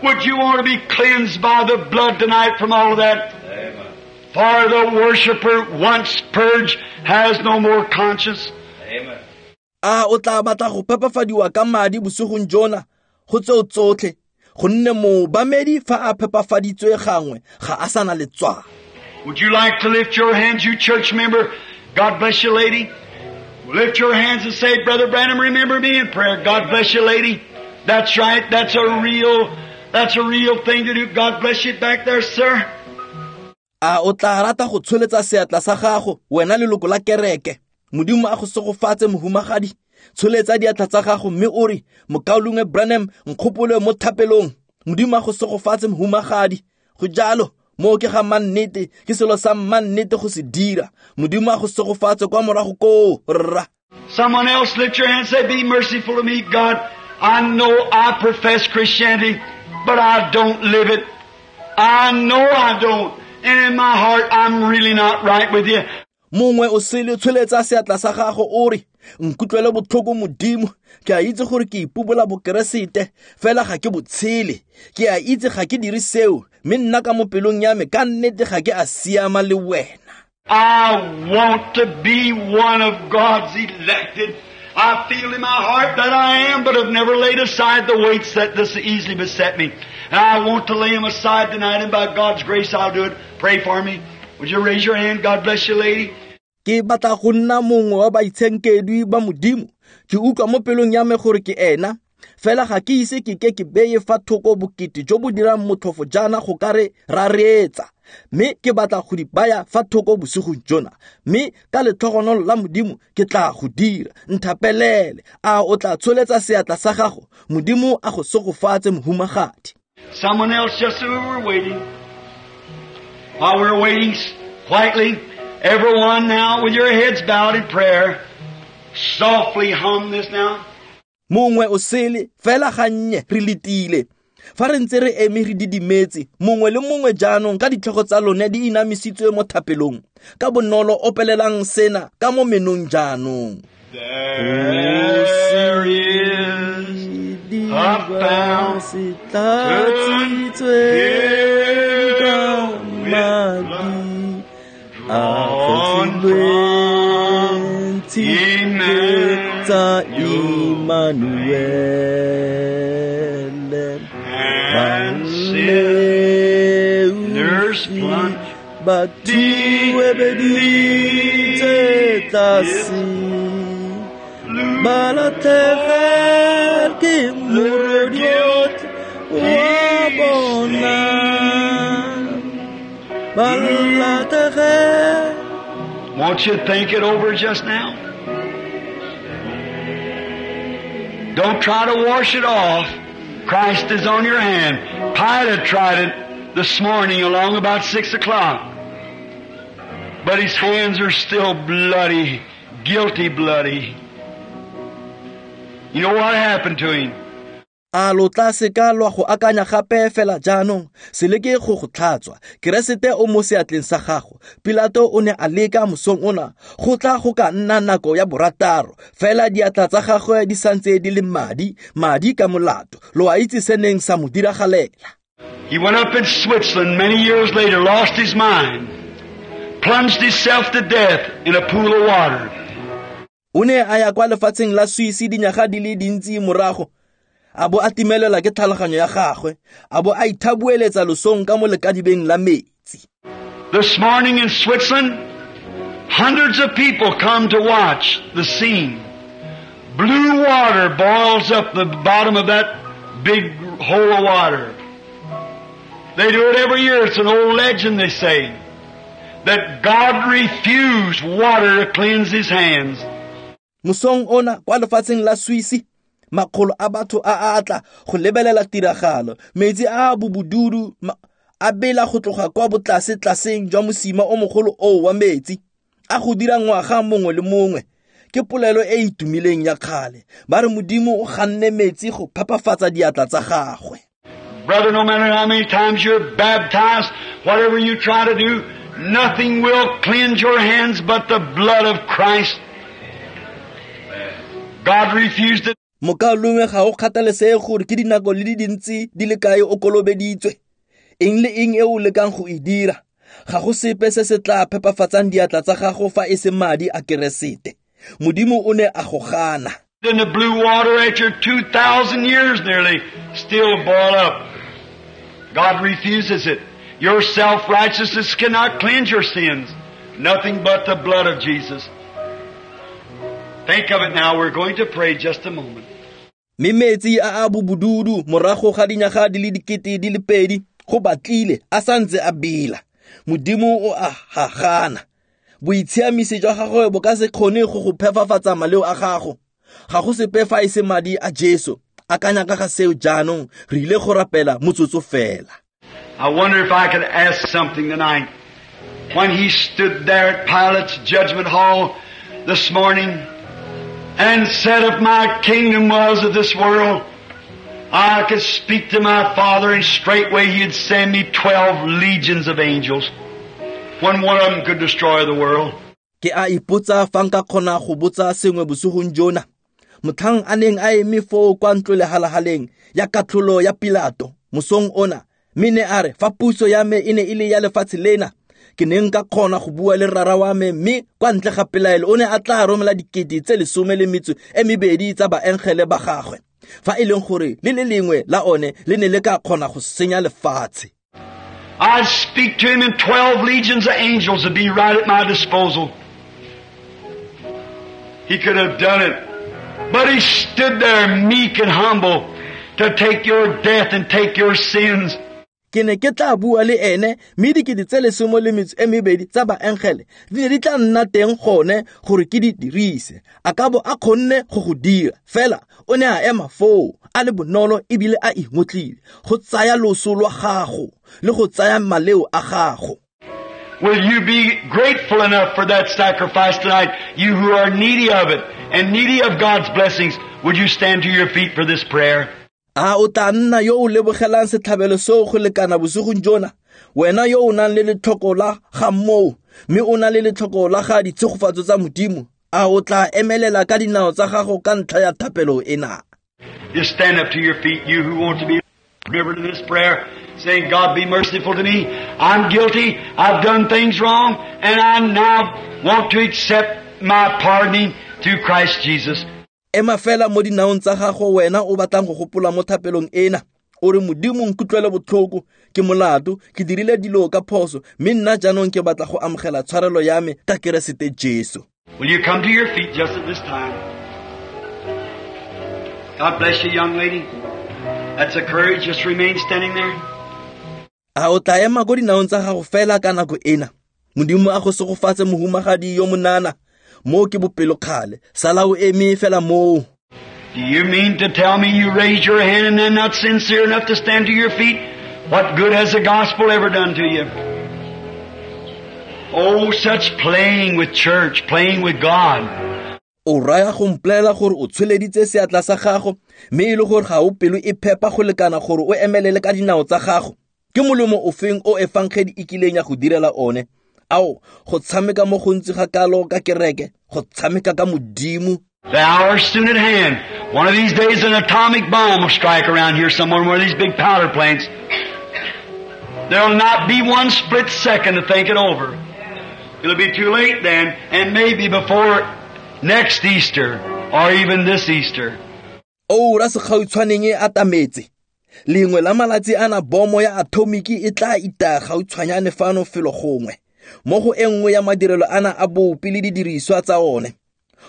Would you want to be cleansed by the blood tonight from all of that? Amen. For the worshiper once purged has no more conscience. Amen. A o tla batla go phepafadiwa ka madi bosigong jona go tseo tsotlhe, gonne moobamedi fa a phepafaditswe gangwe ga a sana letswalo. Would you like to lift your hands, you church member? God bless you, lady. Lift your hands and say, "Brother Branham, remember me in prayer." God bless you, lady. That's right. That's a real thing to do. God bless you back there, sir. A o tla rata go tsholetsa seatla sa gago, wena leloko la kereke. Modimo a go segofatse mohumagadi. Tsholetsa diatla tsa gago mme o re, "Mokaulengwe Branham, nkgopole mo thapelong." Modimo a go segofatse mohumagadi. Go jalo, mo ke ga mannete, ke selo sa mannete go se dira. Modimo a go segofatse kwa morago koo, rra. Someone else lift your hand and say, "Be merciful to me, God. I know I profess Christianity, but I don't live it. I know I don't. And in my heart, I'm really not right with you." Mongwe o sele tsholetsa seatla sa gago o re, "Nkutlwele botlhoko Modimo, ke a itse gore ke ipobola bokeresete, fela ga ke botshele. Ke a itse ga ke dire seo, mme nna ka mo pelong ya me ka nnete ga ke a siama le wena." I want to be one of God's elected. I feel in my heart that I am, but I've never laid aside the weights that this easily beset me. And I want to lay them aside tonight, and by God's grace I'll do it. Pray for me. Would you raise your hand? God bless you, lady. Ke batla go nna mongwe wa baitshenkedwi ba Modimo. Ke utlwa mo pelong ya me gore ke ena, fela ga ke ise ke ke ke beye fa thoko bokete jo bo dirang motlhofo jaana go ka re ra reetsa. Mme ke batla go di baya fa thoko bosigong jona, mme ka letlhogonolo la Modimo ke tla go dira. Nthapelele. A o tla tsholetsa seatla sa gago? Modimo a go segofatse mohumagadi. Someone else, just as we were waiting. While we're waiting quietly, everyone now with your heads bowed in prayer, softly hum this now. Mongwe o sele fela gannye re letile. Fa re ntse re eme re didimetse, mongwe le mongwe jaanong ka ditlhogo tsa lone di inamisitswe mo thapelong. Ka bonolo opelelang sena ka mo menong jaanong. There is a fountain filled with drawn from Emmanuel, and sinners plunge deep their guilt Won't you think it over just now? Don't try to wash it off. Christ is on your hand. Pilate tried it this morning along about 6 o'clock. But his hands are still bloody, guilty bloody. You know what happened to him? A lo tla seka lwa go akanya gape fela jaanong, se leke go go tlhatswa. Keresete o mo seatleng sa gago. Pilato o ne a leka mosong ona, go tla go ka nna nako ya 6, fela diatla tsa gagwe di santse di le madi, madi ka molato. Lo a itse se neng sa mo diragalela. He went up in Switzerland many years later, lost his mind, plunged himself to death in a pool of water. O ne a ya kwa lefatsheng la Swiss dinyaga di le dintsi morago, a bo a timelela ke tlhaloganyo ya gagwe, a bo a ithabueletsa losong ka mo lekadibeng la metsi. This morning in Switzerland, hundreds of people come to watch the scene. Blue water boils up the bottom of that big hole of water. They do it every year. It's an old legend, they say, that God refused water to cleanse His hands. Mosong ona kwa lefatsheng la Swiss, makgolo a batho a atla go lebelela tiragalo. Metsi a bobududu a bela go tloga kwa botlase tlaseng jwa mosima o mogolo o wa metsi, a go dira ngwaga mongwe le mongwe. Ke polelo e e itumileng ya kgale. Ba re Modimo o ganne metsi go phapafatsa diatla tsa gagwe. Brother, no matter how many times you're baptized, whatever you try to do, nothing will cleanse your hands but the blood of Christ. God refused it. Mokaulengwe, ga o kgathalesege gore ke dinako le di dintsi di le kae o kolobeditswe. Eng le eng e o lekang go e dira, ga go sepe se se tla phepafatsang diatla tsa gago fa e se madi a Keresete. Modimo o ne a go gana. In the blue water after 2,000 years nearly still boil up. God refuses it. Your self-righteousness cannot cleanse your sins. Nothing but the blood of Jesus. Think of it now. We're going to pray just a moment. Mme metsi a a bobududu morago ga dinyaga di le 2000 go batlile a santse a bela. Modimo o a gagana. Boitshiamisi jwa gagwe bo ka se kgone go go phepafatsa maleo a gago. Ga go sepe fa e se madi a Jesu. Akanya ka ga seo jaanong, re ile go rapela motsotso fela. I wonder if I could ask something tonight. When he stood there at Pilate's judgment hall this morning and said, if my kingdom was of this world, I could speak to my Father and straightway he'd send me 12 legions of angels when one of them could destroy the world. Ke a ipotsa fa nka kgona go botsa sengwe bosigong jona. Motlhang a neng a eme foo kwa ntlo lehalahaleng ya katlholo ya Pilato mosong ona, mme ne a re fa puso ya me e ne e le ya lefatshe lena, ke ne nka kgona go bua le rara wa me, mme kwa ntle ga pelaelo o ne a tla romela 12,000 tsa baengele ba gagwe, fa e leng gore le le lengwe la one le ne le ka kgona go senya lefatshe. I'd speak to him and 12 legions of angels would be right at my disposal. He could have done it. But he stood there meek and humble to take your death and take your sins. Ke ne ke tla bua le ene, mme 12,000 tsa baengele di ne di tla nna teng gone gore ke di dirise. A ka bo a kgonne go go dira, fela o ne a ema foo a le bonolo ebile a ingotlile go tsaya loso lwa gago le go tsaya maleo a gago. Will you be grateful enough for that sacrifice tonight, you who are needy of it and needy of God's blessings? Would you stand to your feet for this prayer? A o tla nna yo o lebogelang setlhabelo seo go lekana bosigong jona, wena yo o nang le letlhoko la ga moo, mme o na le letlhoko la ga ditshegofatso tsa Modimo, a o tla emelela ka dinao tsa gago ka ntlha ya thapelo ena? Just stand up to your feet, you who want to be remembered in this prayer, saying, God, be merciful to me. I'm guilty. I've done things wrong, and I now want to accept my pardoning through Christ Jesus. Ema fela mo dinaong tsa gago wena o batlang go gopola mo thapelong ena. O re, Modimo nkutlwele botlhoko, ke molato, ke dirile dilo ka phoso, mme nna jaanong ke batla go amogela tshwarelo ya me ka Keresete Jesu. Will you come to your feet just at this time? God bless you, young lady. That's a courage. Just remain standing there. A o tla ema ko dinaong tsa gago fela ka nako ena. Modimo a go segofatse mohumagadi yo monana. Mo ke bopelokgale, sala o eme fela moo. Do you mean to tell me you raised your hand and then not sincere enough to stand to your feet? What good has the gospel ever done to you? Oh, such playing with church, playing with God. O raya go mpolelela gore o tsholeditse seatla sa gago mme e le gore ga o pelo e phepa go lekana gore o emelele ka dinao tsa gago. Ke molemo ofeng o efangedi e kileng ya go direla one? Ao, go tshameka mo gontsi ga kalo ka kereke, go tshameka ka Modimo. The hour's soon at hand. One of these days an atomic bomb will strike around here somewhere in one of these big powder plants. There'll not be one split second to think it over. It'll be too late then, and maybe before next Easter, or even this Easter. Oura segautshwaneng e atametse. Lengwe la malatsi ana bomo ya atomiki e tla itaya gautshwanyane fano felo gongwe. Mo go e nngwe ya madirelo ana a bopi le didiriswa tsa one.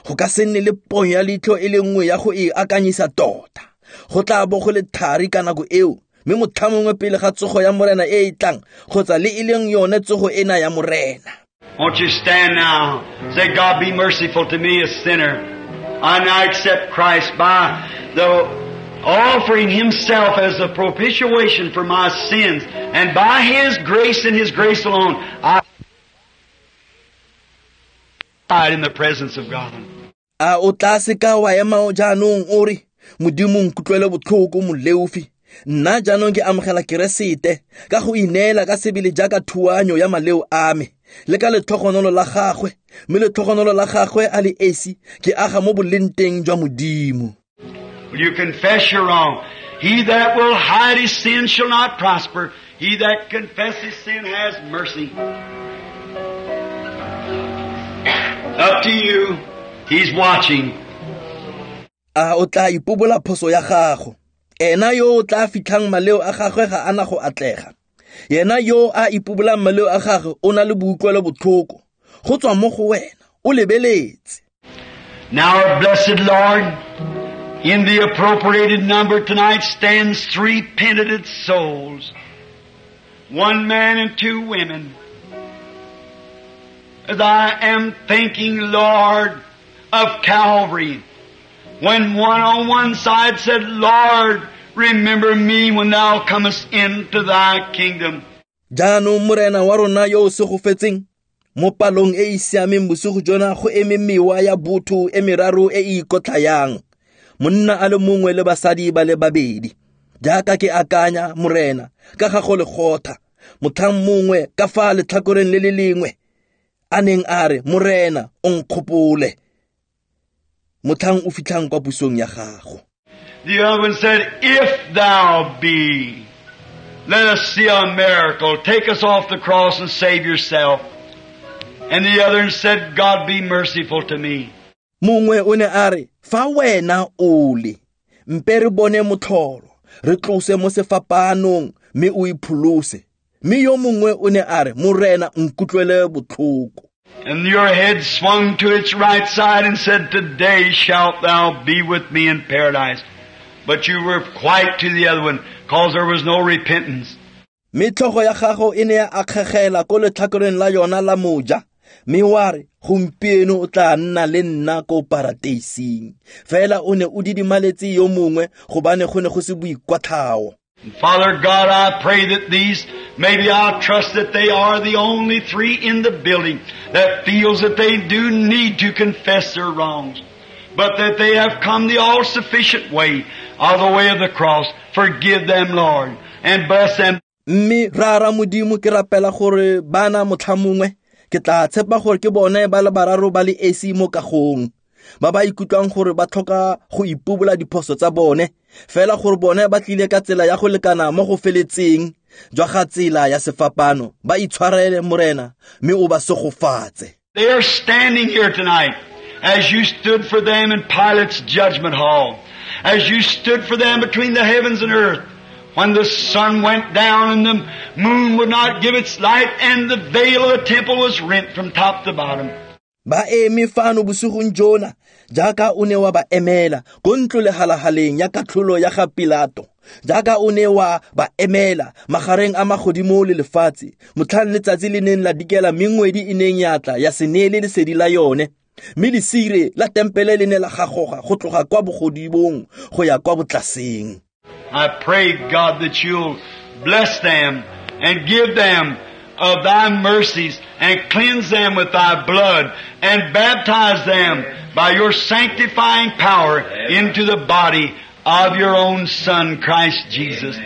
Go ka se nne le ponyo ya leitlho e le nngwe ya go e akanyisa tota. Go tla bo go le thari ka nako eo, mme motlha mongwe pele ga tsogo ya Morena e e tlang, kgotsa le e leng yone tsogo ena ya Morena. Won't you stand now? Say, God, be merciful to me, a sinner. I now accept Christ by the offering Himself as the propitiation for my sins. And by His grace and His grace alone, I died in the presence of God. A o tla seka wa ema jaanong o re, Modimo nkutlwele botlhoko moleofi. Nna jaanong ke amogela Keresete ka go ineela ka sebele jaaka thuanyo ya maleo a me, le ka letlhogonolo la gagwe, mme letlhogonolo la gagwe a le esi ke aga mo bolenteng jwa Modimo. Will you confess your wrong? He that will hide his sin shall not prosper. He that confesses sin has mercy. Up to you. He's watching. A o tla ipobola phoso ya gago. Ena yo o tla fitlhang maleo a gagwe ga ana go atlega. Yena yo a ipobolang maleo a gagwe o na le boutlwelo botlhoko. Go tswa mo go wena, o lebeletse. Now, our blessed Lord, in the appropriated number tonight stands three penitent souls, one man and two women. As I am thinking, Lord, of Calvary, when one on one side said, Lord, remember me when thou comest into thy kingdom. Jaanong Morena wa rona yo o segofetseng, mo palong e e siameng bosigo jona go eme mewa ya botho e meraro e e ikotlhayang, monna a le mongwe le basadi ba le babedi. Jaaka ke akanya, Morena, ka ga go Legotha, motlhang mongwe ka fa letlhakoreng le le lengwe a neng a re, Morena, o nkgopole, motlhang o fitlhang kwa pusong ya gago. The other one said, if thou be, let us see a miracle. Take us off the cross and save yourself. And the other one said, God be merciful to me. Mongwe o ne a re, fa wena o le, mpe re bone motlholo, re tlose mo sefapanong mme o ipholose. Mme yo mongwe o ne a re, Morena nkutlwele botlhoko. And your head swung to its right side and said, today shalt thou be with me in paradise. But you were quite to the other one, cause there was no repentance. Mme tlhogo ya gago e ne ya akgegela ko letlhakoreng la yona la moja, mme wa re, gompieno o tla nna le nna ko parateising. Fela o ne o didimaletse yo mongwe gobane go ne go se boikwatlhao. Father God, I pray that these, maybe I trust that they are the only three in the building that feels that they do need to confess their wrongs, but that they have come the all-sufficient way, of the way of the cross. Forgive them, Lord, and bless them. Mme rara Modimo, ke rapela gore bana motlha mongwe ke tla tshepa gore ke bone ba le bararo ba le esi mo kagong, ba ba ikutlwang gore ba tlhoka go ipobola diphoso tsa bone, fela gore bone ba tlile ka tsela ya go lekana mo go feletseng jwa ga tsela ya sefapano. Ba itshwarele, Morena, mme o ba segofatse. They are standing here tonight as you stood for them in Pilate's judgment hall, as you stood for them between the heavens and earth, when the sun went down and the moon would not give its light and the veil of the temple was rent from top to bottom. Ba eme fano bosigong jona jaaka o ne wa ba emela ko ntlo lehalahaleng ya katlholo ya ga Pilato, jaaka o ne wa ba emela magareng a magodimo le lefatshe, motlhang letsatsi le neng la dikela mme ngwedi e neng ya tla ya se neele lesedi la yone, mme lesire la tempele le ne la gagoga go tloga kwa bogodimong go ya kwa botlaseng. I pray, God, that you'll bless them and give them of Thy mercies and cleanse them with Thy blood and baptize them by Your sanctifying power into the body of Your own Son, Christ Jesus.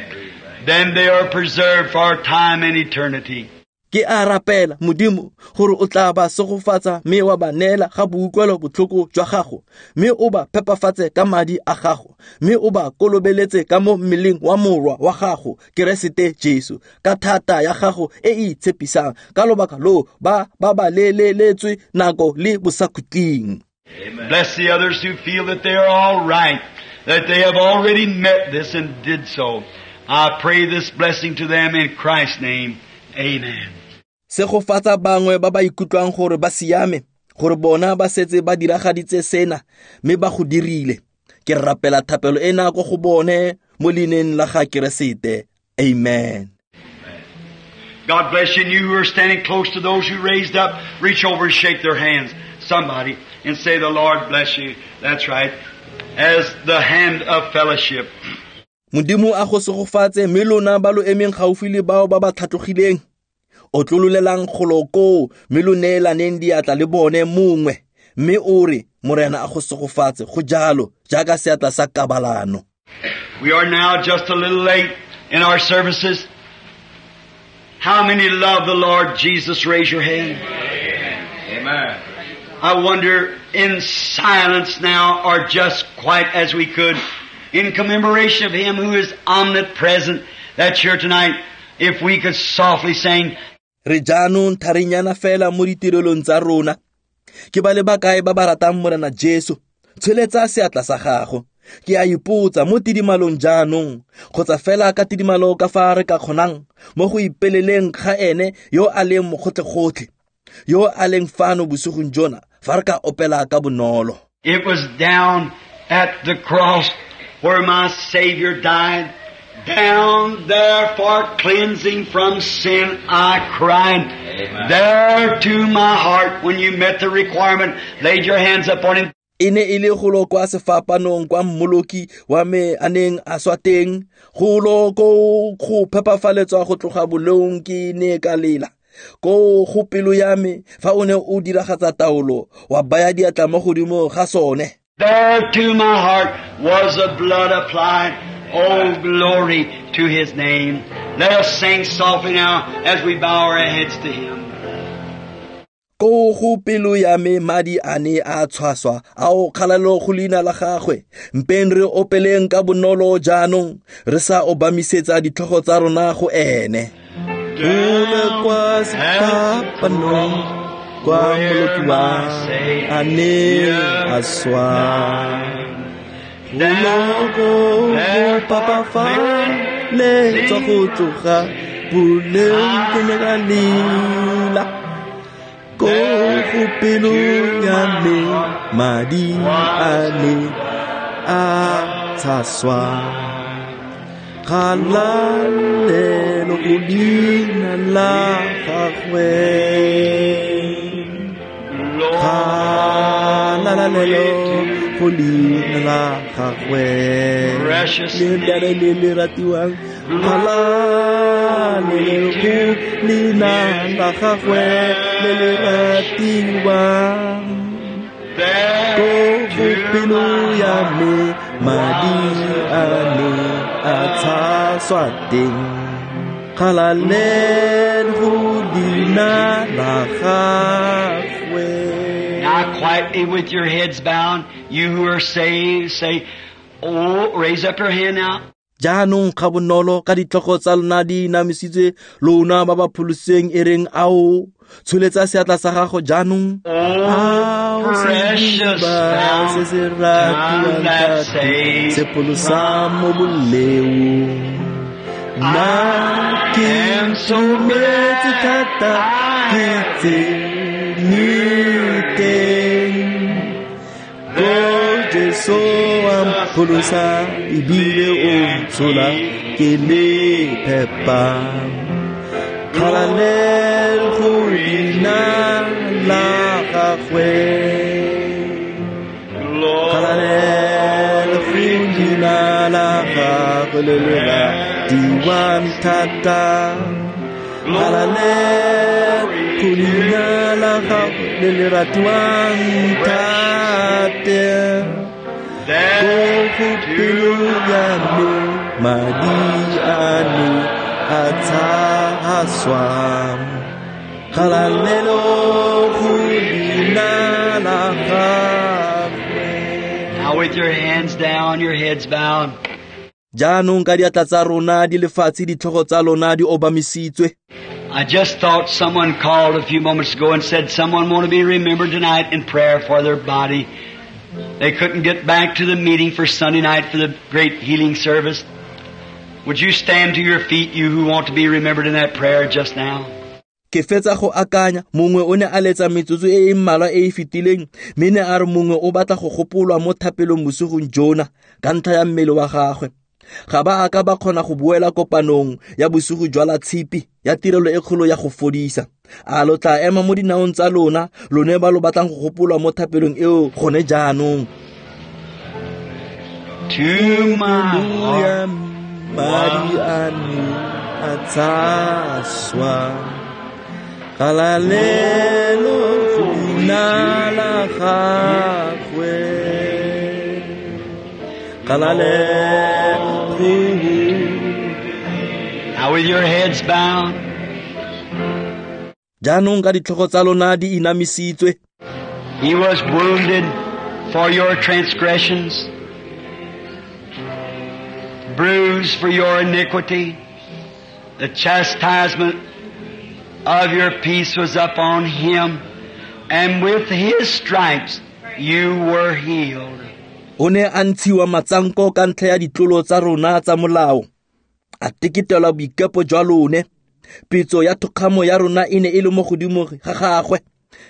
Then they are preserved for time and eternity. Ke a rapela Modimo gore o tla ba segofatsa mme wa ba neela ga boutlwelo botlhoko jwa gago, mme o ba phepafatse ka madi a gago, mme o ba kolobeletse ka mo mmeleng wa morwa wa gago Keresete Jesu ka thata ya gago e e itshepisang, ka lobaka lo ba babaleletswe nako le bosakhutleng. Bless the others who feel that they are all right, that they have already met this and did so. I pray this blessing to them in Christ's name. Amen. Segofatsa bangwe ba ba ikutlwang gore ba siame, gore bona ba setse ba diragaditse sena mme ba go dirile. Ke rapela thapelo ena ko go bone mo leineng la ga Keresete. Amen. God bless you, and you who are standing close to those who raised up, reach over and shake their hands, somebody, and say, the Lord bless you. That's right. As the hand of fellowship. Modimo a go segofatse mme lona ba lo emeng gaufi le bao ba ba tlhatlogileng. O tlololelang golo koo mme lo neelaneng diatla le bone mongwe, mme o re Morena a go segofatse, go jalo jaaka seatla sa kabalano. We are now just a little late in our services. How many love the Lord Jesus? Raise your hand. Amen. I wonder in silence now, or just quite as we could, in commemoration of Him who is omnipresent that's here tonight, if we could softly sing. Re jaanong tharinyana fela mo ditirelong tsa rona. Ke ba le bakae ba ba ratang Morena Jesu? Tsholetsa seatla sa gago. Ke a ipotsa mo tidimalong jaanong, kgotsa fela ka tidimalo ka fa re ka kgonang mo go ipeleleng ga ene yo a leng mogotlhe-gotlhe, yo a leng fano bosigong jona, fa re ka opela ka bonolo. It was down at the cross where my Savior died. Down there for cleansing from sin I cried. Amen. There to my heart when you met the requirement, laid your hands upon Him. E ne e le golo kwa sefapanong kwa mmoloki wa me a neng a swa teng, golo ko go phepafaletswa go tloga boleong ke ne ka lela. Ko go pelo ya me fa o ne o diragatsa taolo wa baya diatla mo godimo ga sone. There to my heart was the blood applied. Oh, glory to His name. Let us sing softly now as we bow our heads to Him. Ko go pelo ya me madi a ne a tshwaswa, ao kgalalelo go leina la gagwe. Mpeng re opeleng ka bonolo jaanong, re sa obamisetsa ditlhogo tsa rona go ene. Gole kwa sefapanong kwa mmoloki wa a ne a swa. Golo go papafaletswa go tloga boleng ke ne ka lela. Ko go pelo ya me madi a ne a tshaswa. Kgalalelo go leina la gagwe. Kgalalelo go leina la gagwe. Le le le ratiwang. Kgalalelo go leina la gagwe le le ratiwang. Ko go pelo ya me madi a ne a tshaswa teng. Kgalalelo go leina la gagwe. Now quietly with your heads bowed, you who are saved, say, oh, raise up your hand now. Jaanong ga bonolo ka ditlhogo tsa lona di inamisitswe, lona ba ba pholositsweng e reng ao, tsholetsa seatla sa gago jaanong. Ao, sediba se se ratiwang thata, se pholosa mo boleong. Nna ke itumetse thata, ke tsene teng. Ko Jesu a mpholosa ebile o ntshola ke le phepa. Kgalalelo go leina la gagwe. Kgalalelo go leina la gagwe le le ratiwang thata. Galalelo go leina la gagwe le le ratiwang thata. Ko go pelo ya me madi a ne a tshaswa. Galalelo go leina la gagwe. Now with your hands down, your heads bowed. Jaanong ka diatla tsa rona di lefatshe, ditlhogo tsa lona di obamisitswe. I just thought someone called a few moments ago and said someone want to be remembered tonight in prayer for their body. They couldn't get back to the meeting for Sunday night for the great healing service. Would you stand to your feet, you who want to be remembered in that prayer just now? Ke fetsa go akanya mongwe o ne a letsa metsotso e e mmalwa e e fetileng, mme ne a re mongwe o batla go gopolwa mo thapelong bosigong jona ka ntlha ya mmele wa gagwe. Ga ba a ka ba kgona go boela kopanong ya bosigo jwa la tshipi ya tirelo e kgolo ya go fodisa. A lo tla ema mo dinaong tsa lona, lone ba lo batlang go gopolwa mo thapelong eo gone jaanong. To my heart, madi a ne a tshaswa. Galalelo go leina la gagwe. Galalelo. Now with your heads bowed. Jaanong ka ditlhogo tsa lona di inamisitswe. He was wounded for your transgressions, bruised for your iniquity. The chastisement of your peace was upon him, and with his stripes you were healed. O ne a ntshiwa matsanko ka ntlha ya ditlolo tsa rona tsa molao, a teketelwa boikepo jwa lone. Pitso ya thokgamo ya rona e ne e le mo godimo ga gagwe,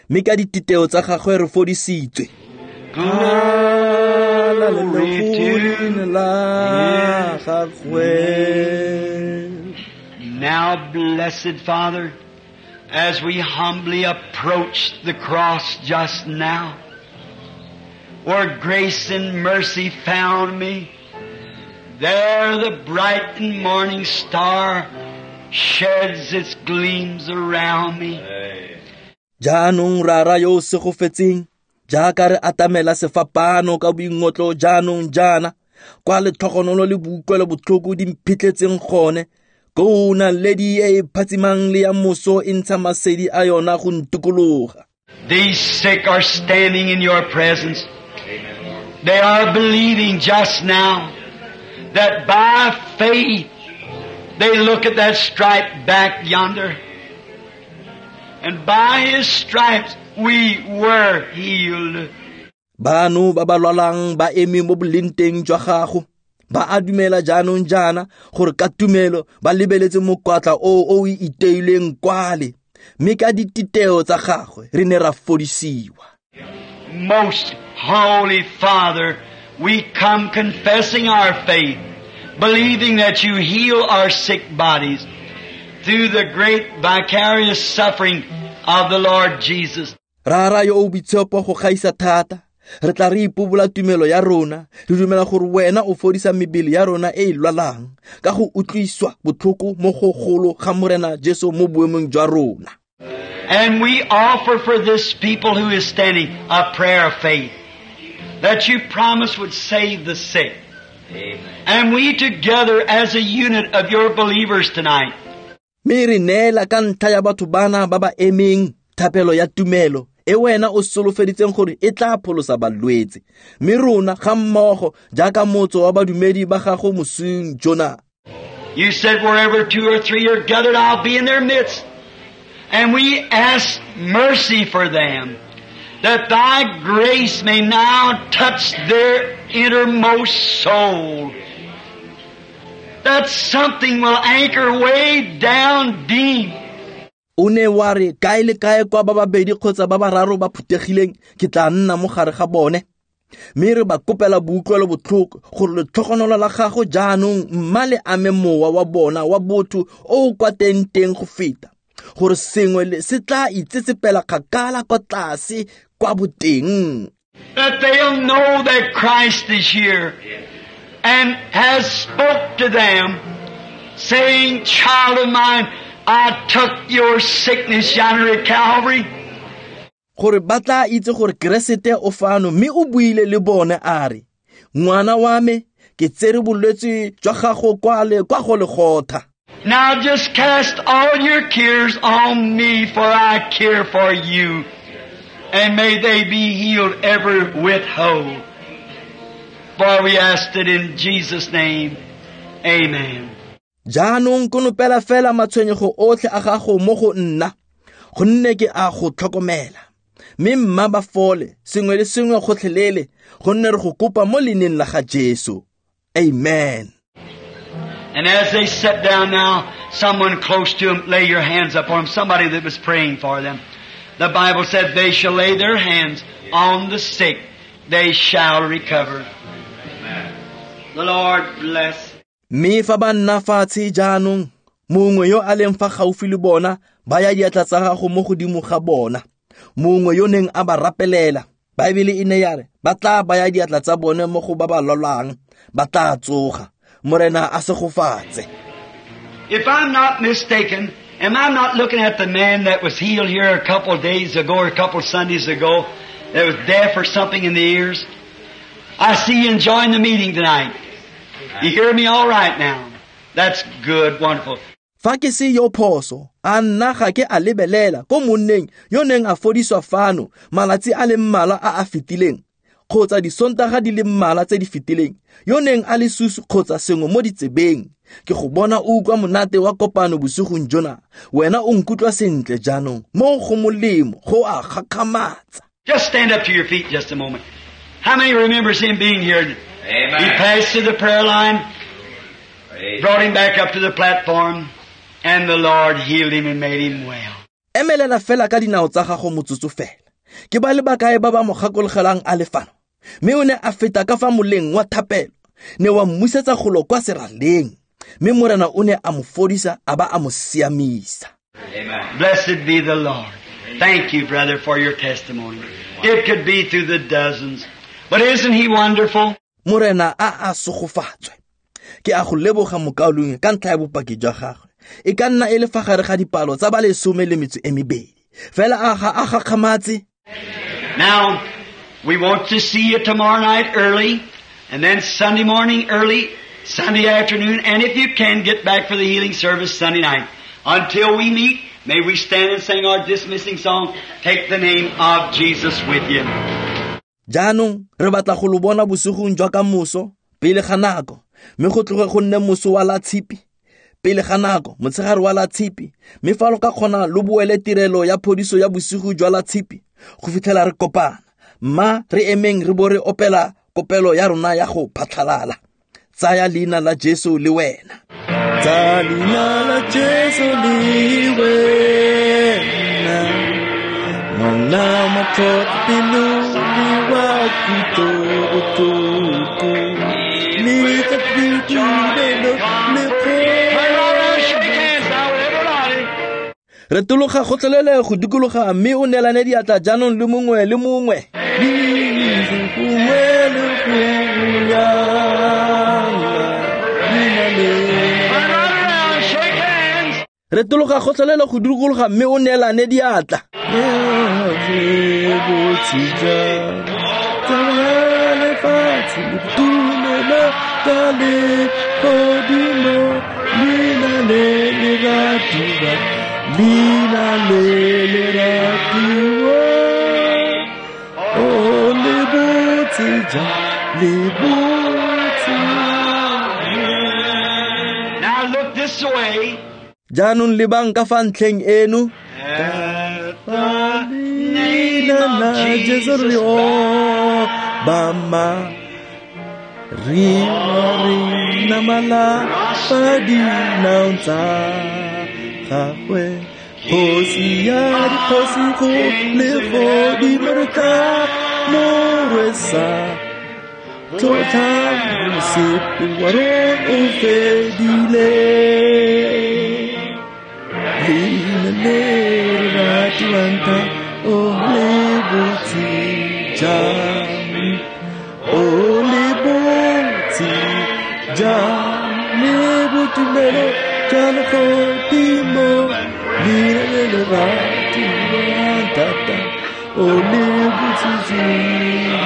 mme ka dititeo tsa gagwe re fodisitswe. Glory to la gagwe. Now, blessed Father, as we humbly approach the cross just now, where grace and mercy found me, there the bright and morning star sheds its gleams around me. Jaanong rara yo o segofetseng, jaaka re atamela sefapano ka boingotlo jaanong jaana, kwa letlhogonolo le boutlwelo botlhoko di mphitlhetseng gone, koo naledi e e phatsimang le ya moso e ntsha masedi a yona go ntikologa. These sick are standing in your presence. They are believing just now that by faith they look at that stripe back yonder, and by his stripes we were healed. Bano ba ba lwalang ba eme mo bolenteng jwa gago, ba a dumela jaanong jaana gore ka tumelo ba lebeletse mokwatla o o iteileng kwale, mme ka dititeo tsa gagwe re ne ra fodisiwa. Most Holy Father, we come confessing our faith, believing that you heal our sick bodies through the great vicarious suffering of the Lord Jesus. Rara yo o boitshepo go gaisa thata, re tla re ipobola tumelo ya rona, re dumela gore wena o fodisa mebele ya rona e e lwalang ka go utlwiswa botlhoko mo go golo ga Morena Jesu mo boemong jwa rona. And we offer for this people who is standing a prayer of faith that you promise would save the sick. Amen. And we together as a unit of your believers tonight. Mme re neela ka ntlha ya batho bana ba ba emeng thapelo ya tumelo e wena o solofeditseng gore e tla pholosa balwetse, mme rona ga mmogo jaaka motso wa badumedi ba gago mosing jona. You said wherever two or three are gathered, I'll be in their midst. And we ask mercy for them, that thy grace may now touch their innermost soul. That something will anchor way down deep. O ne wa re kae le kae kwa ba babedi kgotsa ba bararo ba phuthegileng, ke tla nna mo gare ga bone. Mme re ba kopela boutlwelo botlhoko gore letlhogonolo la gago jaanong mma le ame mowa wa bona wa botho o o kwa teng-teng go feta, gore sengwe se tla itsetsepela kgakala kwa tlase kwa boteng. That they'll know that Christ is here and has spoke to them, saying, Child of mine, I took your sickness yonder at Calvary. Gore ba tla itse gore Keresete o fano mme o buile le bone a re, ngwana wa me, ke tsere bolwetse jwa gago kwale kwa go Golgotha. Now just cast all your cares on me, for I care for you. And may they be healed every whit whole. For we asked it in Jesus' name. Amen. Jaanong konopela fela matshwenyego otlhe a gago mo go nna, gonne ke a go tlhokomela. Mme mma ba fole sengwe le sengwe gotlhelele, gonne re go kopa mo leineng la ga Jesu. Amen. And as they sit down now, someone close to them, lay your hands upon them, somebody that was praying for them. The Bible said they shall lay their hands on the sick, they shall recover. Amen. The Lord bless. Mme fa ba nna fatshe jaanong, mongwe yo a leng fa gaufi le bona, ba ya diatla tsa gago mo godimo ga bona. Mongwe yo neng a ba rapelela, Baebele e ne ya re, ba tla baya diatla tsa bone mo go ba ba lwalang, ba tla tsoga. Morena a segofatse. If I'm not mistaken, am I not looking at the man that was healed here a couple of days ago or a couple of Sundays ago that was deaf or something in the ears? I see you enjoying the meeting tonight. You hear me all right now? That's good, wonderful. Fa ke se yo phoso, a nna ga ke a lebelela ko monneng yo neng a fodiswa fano malatsi a le mmalwa a a fetileng, kgotsa disontaga di le mmalwa tse di fetileng, yo neng a le susu kgotsa sengwe mo ditsebeng. Ke go bona o utlwa monate wa kopano bosigong jona. Wena o nkutlwa sentle jaanong, mo go molemo, go a gakgamatsa. Just stand up to your feet just a moment. How many remembers him being here? Amen. He passed through the prayer line, brought him back up to the platform, and the Lord healed him and made him well. Emelela fela ka dinao tsa gago motsotso fela. Ke ba le bakae ba ba mo gakologelang a le fano? Mme o ne a feta ka fa moleng wa thapelo, ne wa mmusetsa golo kwa seraleng. Mme Morena o ne a mo fodisa a ba a mo siamisa. Amen. Blessed be the Lord. Thank you, brother, for your testimony. It could be through the dozens. But isn't he wonderful? Morena a a segofatswe. Ke a go leboga mokaulengwe ka ntlha ya bopaki jwa gagwe. E ka nna e le fa gare ga dipalo tsa ba 12. Fela a ga a gakgamatse. Now, we want to see you tomorrow night early, and then Sunday morning early, Sunday afternoon, and if you can, get back for the healing service Sunday night. Until we meet, may we stand and sing our dismissing song, Take the Name of Jesus With You. Jaanong re batla go lo bona bosigong jwa ka moso pele ga nako, mme go tloge go nne moso wa la tshipi pele ga nako, motshegare wa la tshipi, mme fa lo ka kgona lo boele tirelo ya phodiso ya bosigo jwa la tshipi go fitlhela re kopana. Mma re emeng re bo re opela kopelo ya rona ya go phatlhalala. Tsaya leina la Jesu le wena. Tsaya leina la Jesu le wena. Ngwana matlhotlhapelo le wa kutlobotlhoko. Le tla boitumelo le Retologa gotlhelele go dikologa mme o neelane diatla jaanong le mongwe le mongwe. Retologa gotlhelele go dikologa mme o neelane diatla. Lina le le ratiwa, oh le botse ja, le botse. Now look this way. Jaanong lebang ka fa ntlheng eno. At the name of Jesu Jesus re obama, re namala fa dinaong tsa gagwe. Kgosi ya dikgosi go legodimo re tla mo rwesa tlotla, mosepele wa rona o fedile. Leina le re ratiwang thata, o le botse jang, o le botse jang, le boitumelo jwa legodimo. O le botsitsi,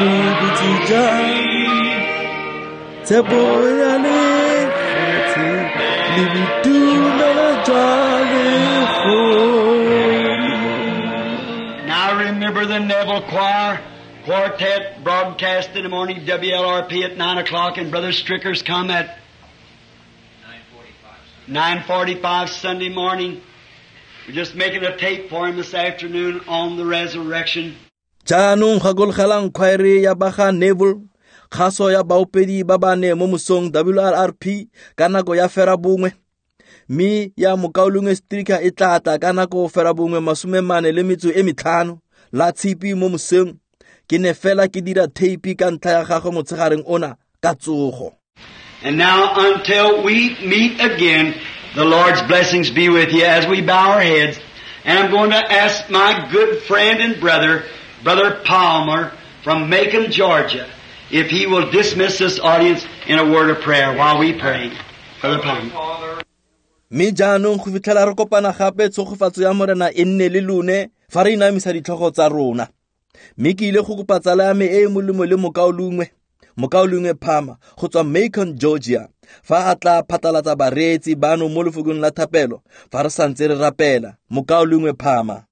le botse jang. Tshepo ya lefatshe le boitumelo jwa legodimo. Now remember the Neville Choir Quartet broadcast in the morning, WLRP at 9 o'clock, and Brother Stricker's come at 9:45 Sunday morning. We're just making a tape for him this afternoon on the resurrection. Jaanong gakologelang khwaere ya ba ga Neville, kgaso ya baopedi ba bane mo mosong WLRP ka nako ya 9:30. Mme ya mokaulengwe Stricker e tla tla ka nako 9:45 la tshipi mo mosong. Ke ne fela ke dira theipi ka ntlha ya gagwe motshegareng ona ka tsogo. And now until we meet again, the Lord's blessings be with you as we bow our heads. And I'm going to ask my good friend and brother, Brother Palmer from Macon, Georgia, if he will dismiss this audience in a word of prayer while we pray. Brother Palmer. Mme jaanong go fitlhela re kopana gape, tshegofatso ya Morena e nne le lone fa re inamisa ditlhogo tsa rona. Mme ke ile go kopa tsala ya me e e molemo le mokaulengwe, mokaulengwe Palmer go tswa Macon, Georgia, fa a tla phatlalatsa bareetsi bano mo lefokong la thapelo fa re santse re rapela. Mokaulengwe Palmer.